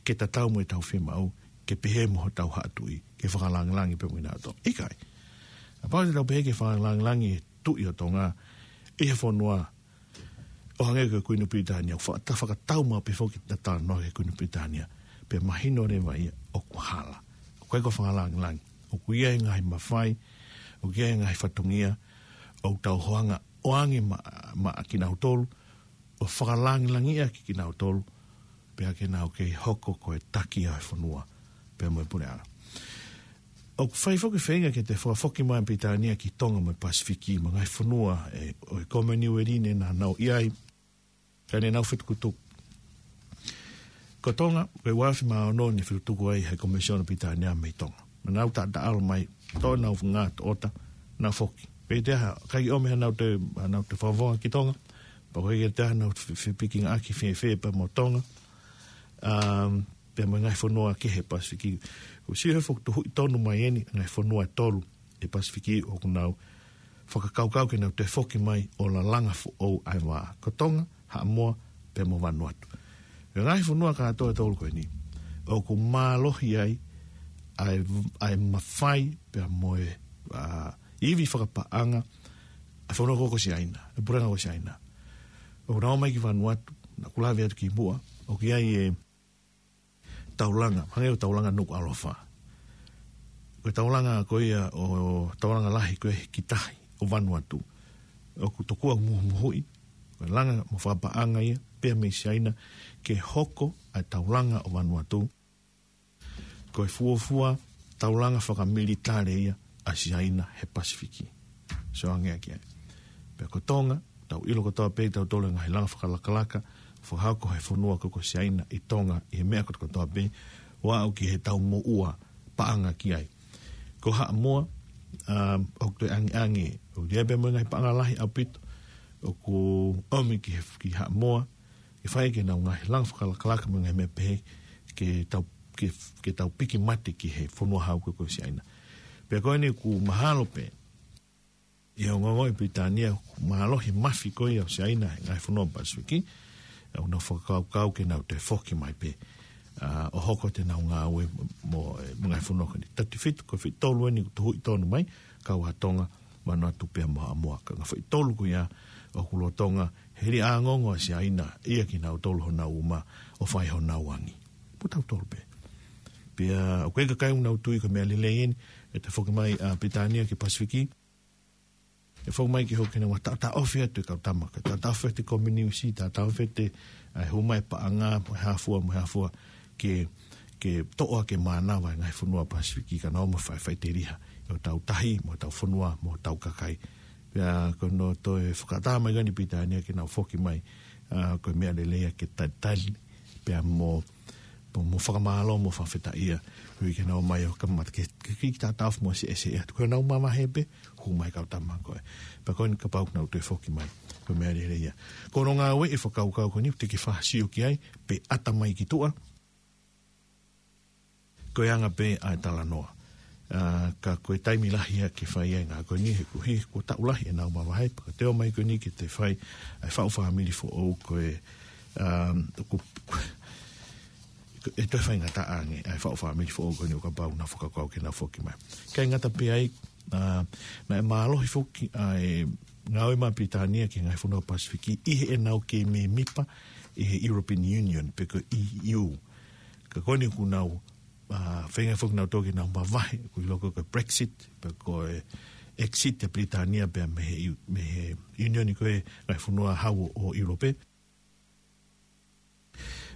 Ke tatau mo ʻetau fiemaʻu, ke pehē mo hotau haʻa tuʻi, ke fakalāngilangi pē mo kinautolu. ʻIkai. Kapau te tau pehē ke fakalāngilangi e Tuʻi ʻo Tonga, ʻi he fonua, ʻo hangē ko e Kuini ʻo Pilitānia, ʻoku fa-, ta fakatau maʻu pē foki ʻeta talanoa ki he Kuini ʻo Pilitānia. Pea mahino leva ia ʻoku hala. ʻOku ʻikai ko e fakalāngilangi. ʻOku ʻi ai e ngaahi mafai, ʻoku ʻi ai e ngaahi fatongia, ʻoku tau hoanga ʻo ange maʻa, maʻa kinautolu, ʻo fakalāngilangiʻaki kinautolu, pea ke nau kei hoko ko e taki ʻa e fonua, pea mo e puleʻanga. ʻOku fai foki e feinga ke toe fakafoki mai ʻa Pilitānia ki Tonga mo e Pasifiki, mo e ngaahi fonua ʻe, ʻo e Kominiueli ni naʻa nau ʻi ai, ka ne nau fetukutuku. Ko Tonga, ko e ua afe mā ono ne fetukutuku ai ʻe he Komisiona Pilitānia mei Tonga. Naʻa nau taʻataʻalo mai, toʻo ʻenau ngaahi toʻota, nau foki. Pea ʻikai toe ʻomi hanau toe, hanau toe fakavonga ki Tonga, pea ʻikai toe hanau fe-, fepikingaʻaki fēfē pea mo Tonga. Um, pea mo e ngaahi fonua kehe Pasifiki. Ko e sio he fokotuʻu tonu mai eni, ngaahi fonua ʻe tolu ʻi he Pasifiki ʻoku nau fakakaukau ke nau toe foki mai ʻo lalanga foʻou ʻa e vā. Ko Tonga, Haʻamoa, pea mo Vanuatu. Ko e ngaahi fonua kātoa ʻe tolu ko eni, ʻoku mālohi ai ʻa e, ʻa e mafai, pea mo e, ʻa, ivi fakapaʻanga ʻa e fonua ko ē ko Siaina, e puleʻanga ko Siaina. ʻOku nau ō mai ki Vanuatu, naʻa ku lave atu kimuʻa, ʻoku ʻi ai e taulanga, hangē ko e taulanga Nukuʻalofa. Ko e taulanga ko ia ʻo, taulanga lahi ko ē ki tahi ʻo Vanuatu. ʻOku tokua muhumuhuʻi, ko e langa mo fakapaʻanga ia, pea mei Siaina, ke hoko ʻa e taulanga ʻo Vanuatu ko e fuofua taulanga fakamilitale ia ʻa Siaina he Pasifiki. Sio ange ki ai. Pea ko Tonga, tau ʻilo kotoa pē ʻe tautolu e ngaahi langa fakalakalaka, fakahoko ʻe he fonua ko ē ko Siaina ʻi Tonga, ʻi he meʻa kotokotoa pē, ʻo aʻu ki he tau moʻua paʻanga ki ai. Ko Haʻamoa, um, ʻoku toe angiangi, ʻoku ʻi ai pē mo e ngaahi paʻanga lahi ʻaupito, ʻoku ʻomi ki he, ki Haʻamoa, ke fai ki heʻenau ngaahi langa fakalakalaka mo e ngaahi meʻa pehē, ke tau, ke, ke tau piki mate ki he fonua hau ko ē ko Siaina. Pea ko eni ʻoku mahalo pē, ʻi he ongoongo ʻa Pilitānia, ʻoku mālohi e mafi ko ia ʻo Siaina he ngaahi fonua Pasifiki, ʻoku nau fakakaukau ke nau toe foki mai pē, ʻa, ʻo hoko atu ʻenau ngāue mo, mo e, mo e ngaahi fonua ko eni. Thirty-five, ko e fitu tolu eni ʻoku tuʻu tonu mai, kau ai Tonga, Vanuatu pea mo Haʻamoa. Ka ko e ngaahi foʻi tolu ko ia ʻoku lolotonga hili ʻa e ongoongo ʻa Siaina, ʻia kinautolu honau uma, ʻo fai honau angi. Mo tautolu pē. Pea, ʻoku ʻikai ke u tui ko e meʻa lelei eni, ʻe toe foki mai ʻa Pilitānia ki Pasifiki, ʻe foki mai ke hoko ʻene ua taʻotaʻofi atu e kau tama, ke taʻotaʻofi atu e Kominiusi, taʻotaʻofi atu ʻa e hū mai e paʻanga, mo e hā fua, mo e hā fua, ke, ke toʻo ʻaki e mānava e ngaahi fonua Pasifiki ka nau ō mai ʻo fai, faʻiteliha ʻi hotau tahi, mo hotau fonua, mo hotau kakai. Pea ko hono toe fakaʻatā mai ko eni ʻa Pilitānia ke nau foki mai, ʻa, ko e meʻa lelei ia ke talitali, pea mo, mo, mo fakamālō, mo fakafetaʻia, koeʻuhi ke nau ō mai ʻo kamata ke, ke, ke taʻotaʻofi mo seʻeseʻe atu. Ko ʻenau mavahe pē, hū mai e kau tama ko ē. Pea ko eni kapau ʻoku nau toe foki mai, ko e meʻa lelei ia. Ko hono ngāue e fakakaukau ko eni, te ke fakasio ki ai, pea ʻata mai ki tuʻa, ko e anga pē ʻa e talanoa. ʻA, ka ko e taimi lahi ia ke fai ai e ngāue ko eni he kuo hiki, kuo taʻu lahi ʻenau mavahe, pea ka te ō mai ko eni ke te fai ʻa e faʻu fāmili foʻou ko e, um, ko, ʻe toe faingataʻa ange ʻa e faʻu fāmili foʻou ko eni ʻo kapau naʻa nau fakakaukau ke nau foki mai. ʻIkai ngata pē ai, ʻa, naʻe mālohi foki ʻa e ngāue mai ʻa Pilitānia ki he ngaahi fonua Pasifiki ʻi heʻenau kei mēmipa ʻi he European Union, pe ko e E U. Ka ko eni ʻoku nau, ʻa, feinga foki ke nau toki nau mavahe, ʻoku ʻilo ko e Brexit, pe ko e exit ʻa Pilitānia pea mei he, mei he Union ko ē ngaahi fonua hau ʻo, ʻo ʻIulope.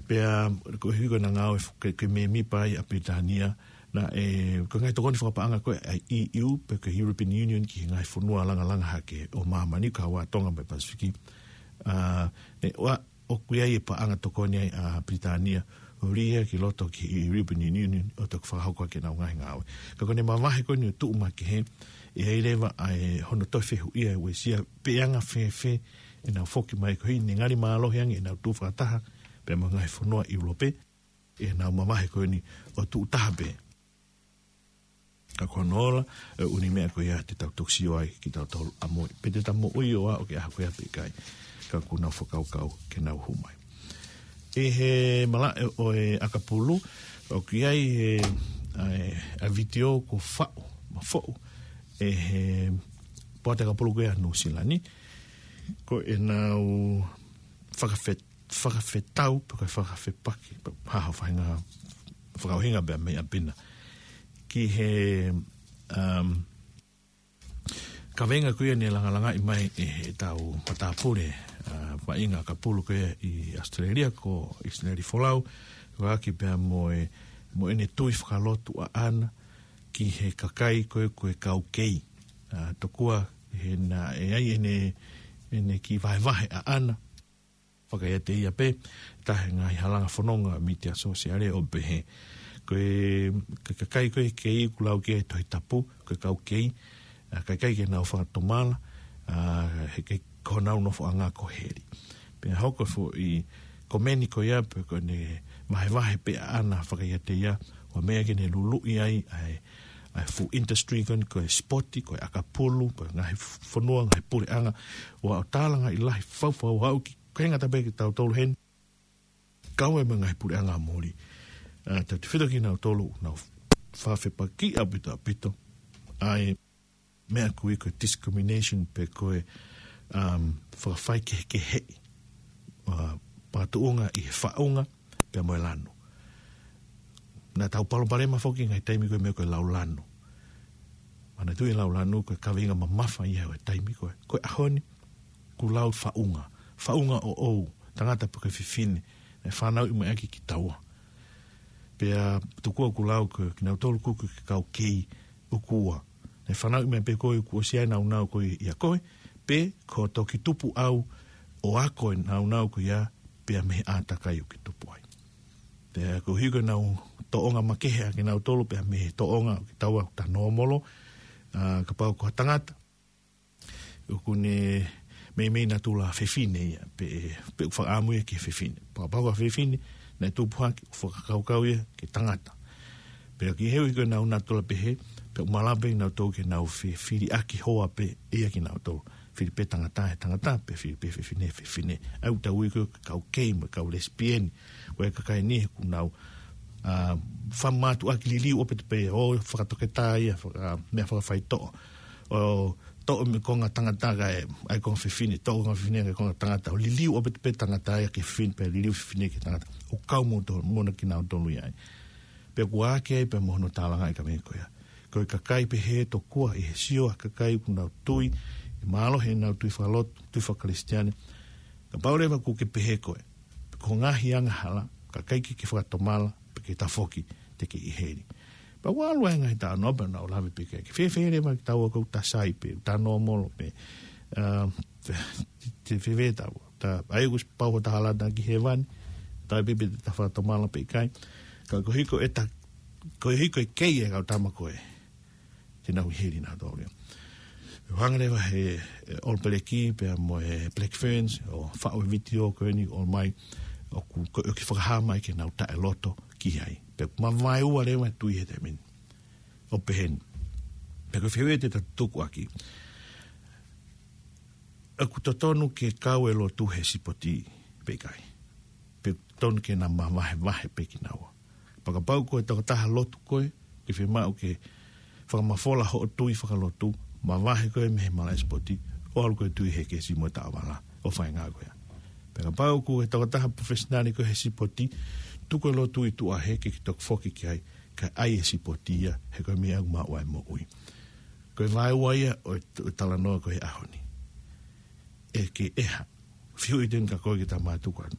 Pea, koeʻuhi ko ʻena ngāue fo-, ke, ke mēmipa ai ʻa Pilitānia, Naʻe, ko e ngaahi tokoni fakapaʻanga ko ē ʻa e E U, pe ko e European Union ki he ngaahi fonua langalanga hake ʻo māmani, kau ai Tonga mo e Pasifiki. ʻA, ne ʻoa, ʻoku ʻi ai e paʻanga tokoni ai ʻa Pilitānia, ʻo lī ia ki loto ki he European Union, ʻo toki fakahoko ʻaki ʻenau ngaahi ngāue. Ka ko ʻene mavahe ko eni ʻo tuʻu makehe, ʻe ʻi ai leva ʻa e hono toe fehuʻia ʻe Uesia, pe ʻe anga fēfē ʻenau foki mai ko eni, ngali mālohi ange ʻenau tuʻu fakataha pea mo e ngaahi fonua ʻIulope, ʻenau mavahe ko eni ʻo tuʻu taha pē. Ka ko hono ola, ʻe ʻuni meʻa ko ia te tau toki sio ai kitautolu ʻamui. Pe te tau moʻui ʻo aʻu ki he ʻaho ko ia pe ʻikai. Ka ʻoku nau fakakaukau ke nau hū mai. ʻI he malaʻe ʻo e ʻakapulu, ʻoku ʻi ai e, ʻa e, ʻa e vitiō kuo faʻu, mafoʻu, ʻe he poate ʻakapulu ko ia Nuʻu Sila ni. Ko ʻenau fakafet-, fakafetau, pe ko e fakafepaki, pe ko e hā hono faʻahinga fakaʻuhinga pea mei ʻapi na. Ki he, um, kaveinga ko ia ne langalangaʻi mai ʻe heʻetau matāpule, uh, vaʻinga ʻakapulu ko ia ʻi ʻAositelēlia ko ʻIsileli Folau, ʻo ʻaki pea mo e, mo ʻene tui fakalotu ʻaʻana ki he kakai ko ē ko e kau kei. Uh, tokua he naʻe ʻi ai ʻene, ʻene kiʻi vahevahe ʻaʻana, fakaiate ia pē, taha e ngaahi halanga fononga mītia sōsiale ʻo pehē. Ko e, ka-, kakai ko ē kei ʻoku lau ki ai e Tohi Tapu, ko e kau kei, ʻa, ʻikai ke nau fakatomala, ʻa, he ʻikai ko honau nofoʻanga ko heli. Pea hoko e foʻi komeni ko ia, pe ko ʻene vahevahe pē ʻaʻana fakaiate ia, ʻo meʻa ke ne luluʻi ai, ʻa e, ʻa e fuʻu industry ko eni, ko e sipoti, ko e ʻakapulu, ko e ngaahi fonua, ngaahi puleʻanga, ʻo aʻu ʻo tālangaʻi lahi faufau aʻu ki kāinga tapu kitautolu heni. Kau ai mo e ngaahi puleʻanga muli. ʻA, tautefito kinautolu, nau fakafepakiʻi ʻaupito ʻaupito. ʻA e meʻa ʻoku ui ko e discrimination pe ko e, um, fakafaikehekeheʻi. ʻA, patuʻunga ʻi he faʻunga, pea mo e lanu. Naʻa tau palopalema foki ngaahi taimi ko e meʻa ko e lau lanu. Manatuʻi e lau lanu ko e kaveinga mamafa ia ʻo e taimi ko ē. Ko e ʻaho ni, ʻoku lau faʻunga. Faʻunga ʻoʻou, tangata pe ko e fefine, ʻe fanauʻi mai ʻaki kitaua. Pea tokua ʻoku lau ko kinautolu ʻoku ui ko e kau kei ʻoku ua. ʻE fanauʻi mai pē koe kuo ʻosi ʻi ai e nāunau ko ia ʻia koe, pe ko e toki tupu ʻau ʻo ako e nāunau ko ia pea mei he ʻātakai ʻoku ke tupu ai. Pea koeʻuhi ko ʻenau tōʻonga makehe ʻa kinautolu pea mei he tōʻonga ʻo kitaua ʻoku ta nōmolo, ʻa, kapau ko ha tangata, ʻoku ne meimei natula fefine ia, pe, pe ʻoku fakaʻamu ia ki he fefine. Pea kapau ko ha fefine, naʻe tupu hake, ʻoku fakakaukau ia ki he tangata. Pea koeʻuhi ko ʻenau natula pehē, pea ʻoku malava pē kinautolu ke nau fe-, fili ʻaki hoa pē ia kinautolu. Fili pē tangata he tangata, pe fili pē fefine he fefine. ʻA ia ʻoku tau ui ko e kau kei mo e kau lesipieni. Ko e kakai ni he ʻoku nau, ʻa, fakamātuʻaki liliu ʻaupito pē, ʻo fakatoketā ia, faka-, meʻa fakafaitoʻo. ʻO toʻo mei he konga tangata kae ʻai konga fefine, toʻo konga fefine kae konga tangata, ʻo liliu ʻaupito pē tangata ia ki he fefine, pea liliu fefine ki he tangata. ʻOku kau mo to-, mo na kinautolu ia ai. Pea ʻoku ʻā hake ai pea mo hono tālangaʻi e kaveinga ko ia. Ko e kakai pehē tokua ʻi he sio ʻa e kakai ʻoku nau tui, ʻe mālohi ʻenau tui fakalotu, tui fakakalisitiane. Kapau leva ʻoku ke pehē koe, ko e ngaahi angahala, ka ʻikai ke ke fakatomala, pe ke tafoki, te ke ʻi heli. Pea ʻoku ʻalu ai e ngaahi talanoa pea nau lave pē ki ai. Ke fēfē leva kitaua ʻoku ta sai pē, ta nōmolo pē. ʻA, te, te fēfē taua. Ta, ʻa ia ʻoku ʻosi pau hoʻo ta hala atu ki hēvani, ta pē pe te ta fakatomala pe ʻikai. Ka koeʻuhi ko e ta, koeʻuhi ko e kei e kau tama ko ē, te nau ʻi heli nautolu ia. ʻO hanga leva he, e, All Black pea mo e Black Ferns, ʻo faʻu e vitiō ko eni ʻo ʻomai, ʻoku, ko, ʻoku fakahā mai ke nau taʻeloto ki ai. Pea mavaeua leva e tui he taimi ni. ʻO pehē ni. Pea ko e fehuʻi ia te ta tuku ʻaki. ʻOku totonu ke kau e lotu he sipoti pe ʻikai. Pe tonu ke na mavahevahe pē kinaua. Pea kapau ko e tokotaha lotu koe, ke fiemaʻu ke fakamafola hoʻo tui fakalotu, mavahe koe mei he malaʻe sipoti, ʻo ʻalu koe ʻo tui he kesi mo e taʻovala, ʻo fai e ngāue ko ia. Pea kapau ko e tokotaha professional koe he sipoti, tuku e lotu ʻi tuʻa hē ke ke toki foki ki ai, kae ʻai e sipoti ia, he ko e meʻa ʻoku maʻu ai e moʻui. Ko e vaeua ia ʻo e t-, ʻo e talanoa ko e ʻaho ni. ʻE ke ʻeha, fehuʻi atu eni kia koe ke ta mātuku atu.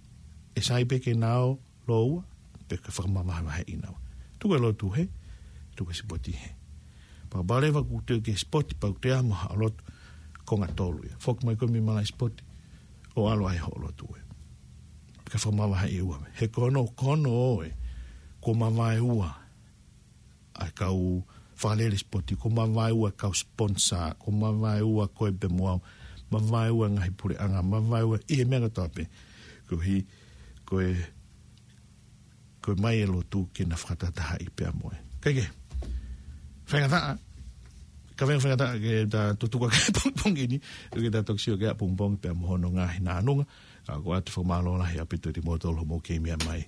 ʻE sai pē ke na ō lōua, pe ke fakamavahevaheʻi kinaua. Tuku e lotu hē, Tuku e sipoti hē. Pea kapau leva ʻoku toe ki he sipoti, pea ʻoku toe ʻi ai mo haʻo lotu, konga tolu ia. Foki mai koe mei malaʻe sipoti, ʻo ʻalu ai hoʻo lotu ē. Kae fakamavaheʻi ua. He ko hono, ko hono ʻoe, kuo mavaeua ʻa e kau fakalele sipoti, kuo mavaeua ʻa e kau sponsor, kuo mavaeua koe pea mo au, mavaeua e ngaahi puleʻanga, mavaeua ʻi he meʻa kotoa pē. Koeʻuhi, ko e, ko e ʻomai e lotu ke na fakatahatahaʻi pea mo e. Kae kehe, faingataʻa, ka faingataʻa ke ta tutuku ki he pongipongi ni, ke ta toki sio ki he ʻapongipongi pea mo hono ngaahi nānunga. ʻA, ʻoku ʻoatu e fakamālō lahi ʻaupito kiate kimoutolu hoʻomou kei meʻa mai.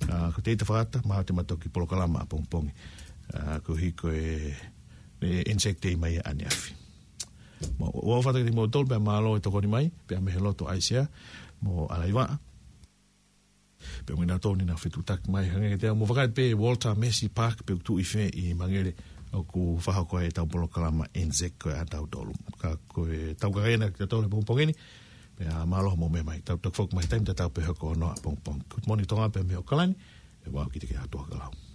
ʻA, ko Teita Fakata, maʻa te ma toki polokalama ʻapongipongi. ʻA, koeʻuhi ko e, e Anzac Day mai ʻaneafi. Mo, ʻoatu kiate kimoutolu pea mālō e tokoni mai, pea mei he lotu ʻa ʻAisea mo ʻAlaiva. Pea mo kinautolu naʻa nau fetuʻutaki mai, hangē kiate au, mou vakai pē Walter Massey Park, pe ʻoku tuʻu ʻi fē ʻi Mangere, ʻoku fakahoko ai ʻetau polokalama Anzac ko ia ʻatautolu. Ka ko e tau kakai ena kiate kimoutolu he pongipongi ni, pea mālō hoʻomou meʻa mai, tau toki foki mai he taimi tatau pē he houa hono ʻapongipongi. Good morning Tonga pea mei ʻAokalani, ʻe ʻoua ʻe kite ke ʻatu ʻa e kalau.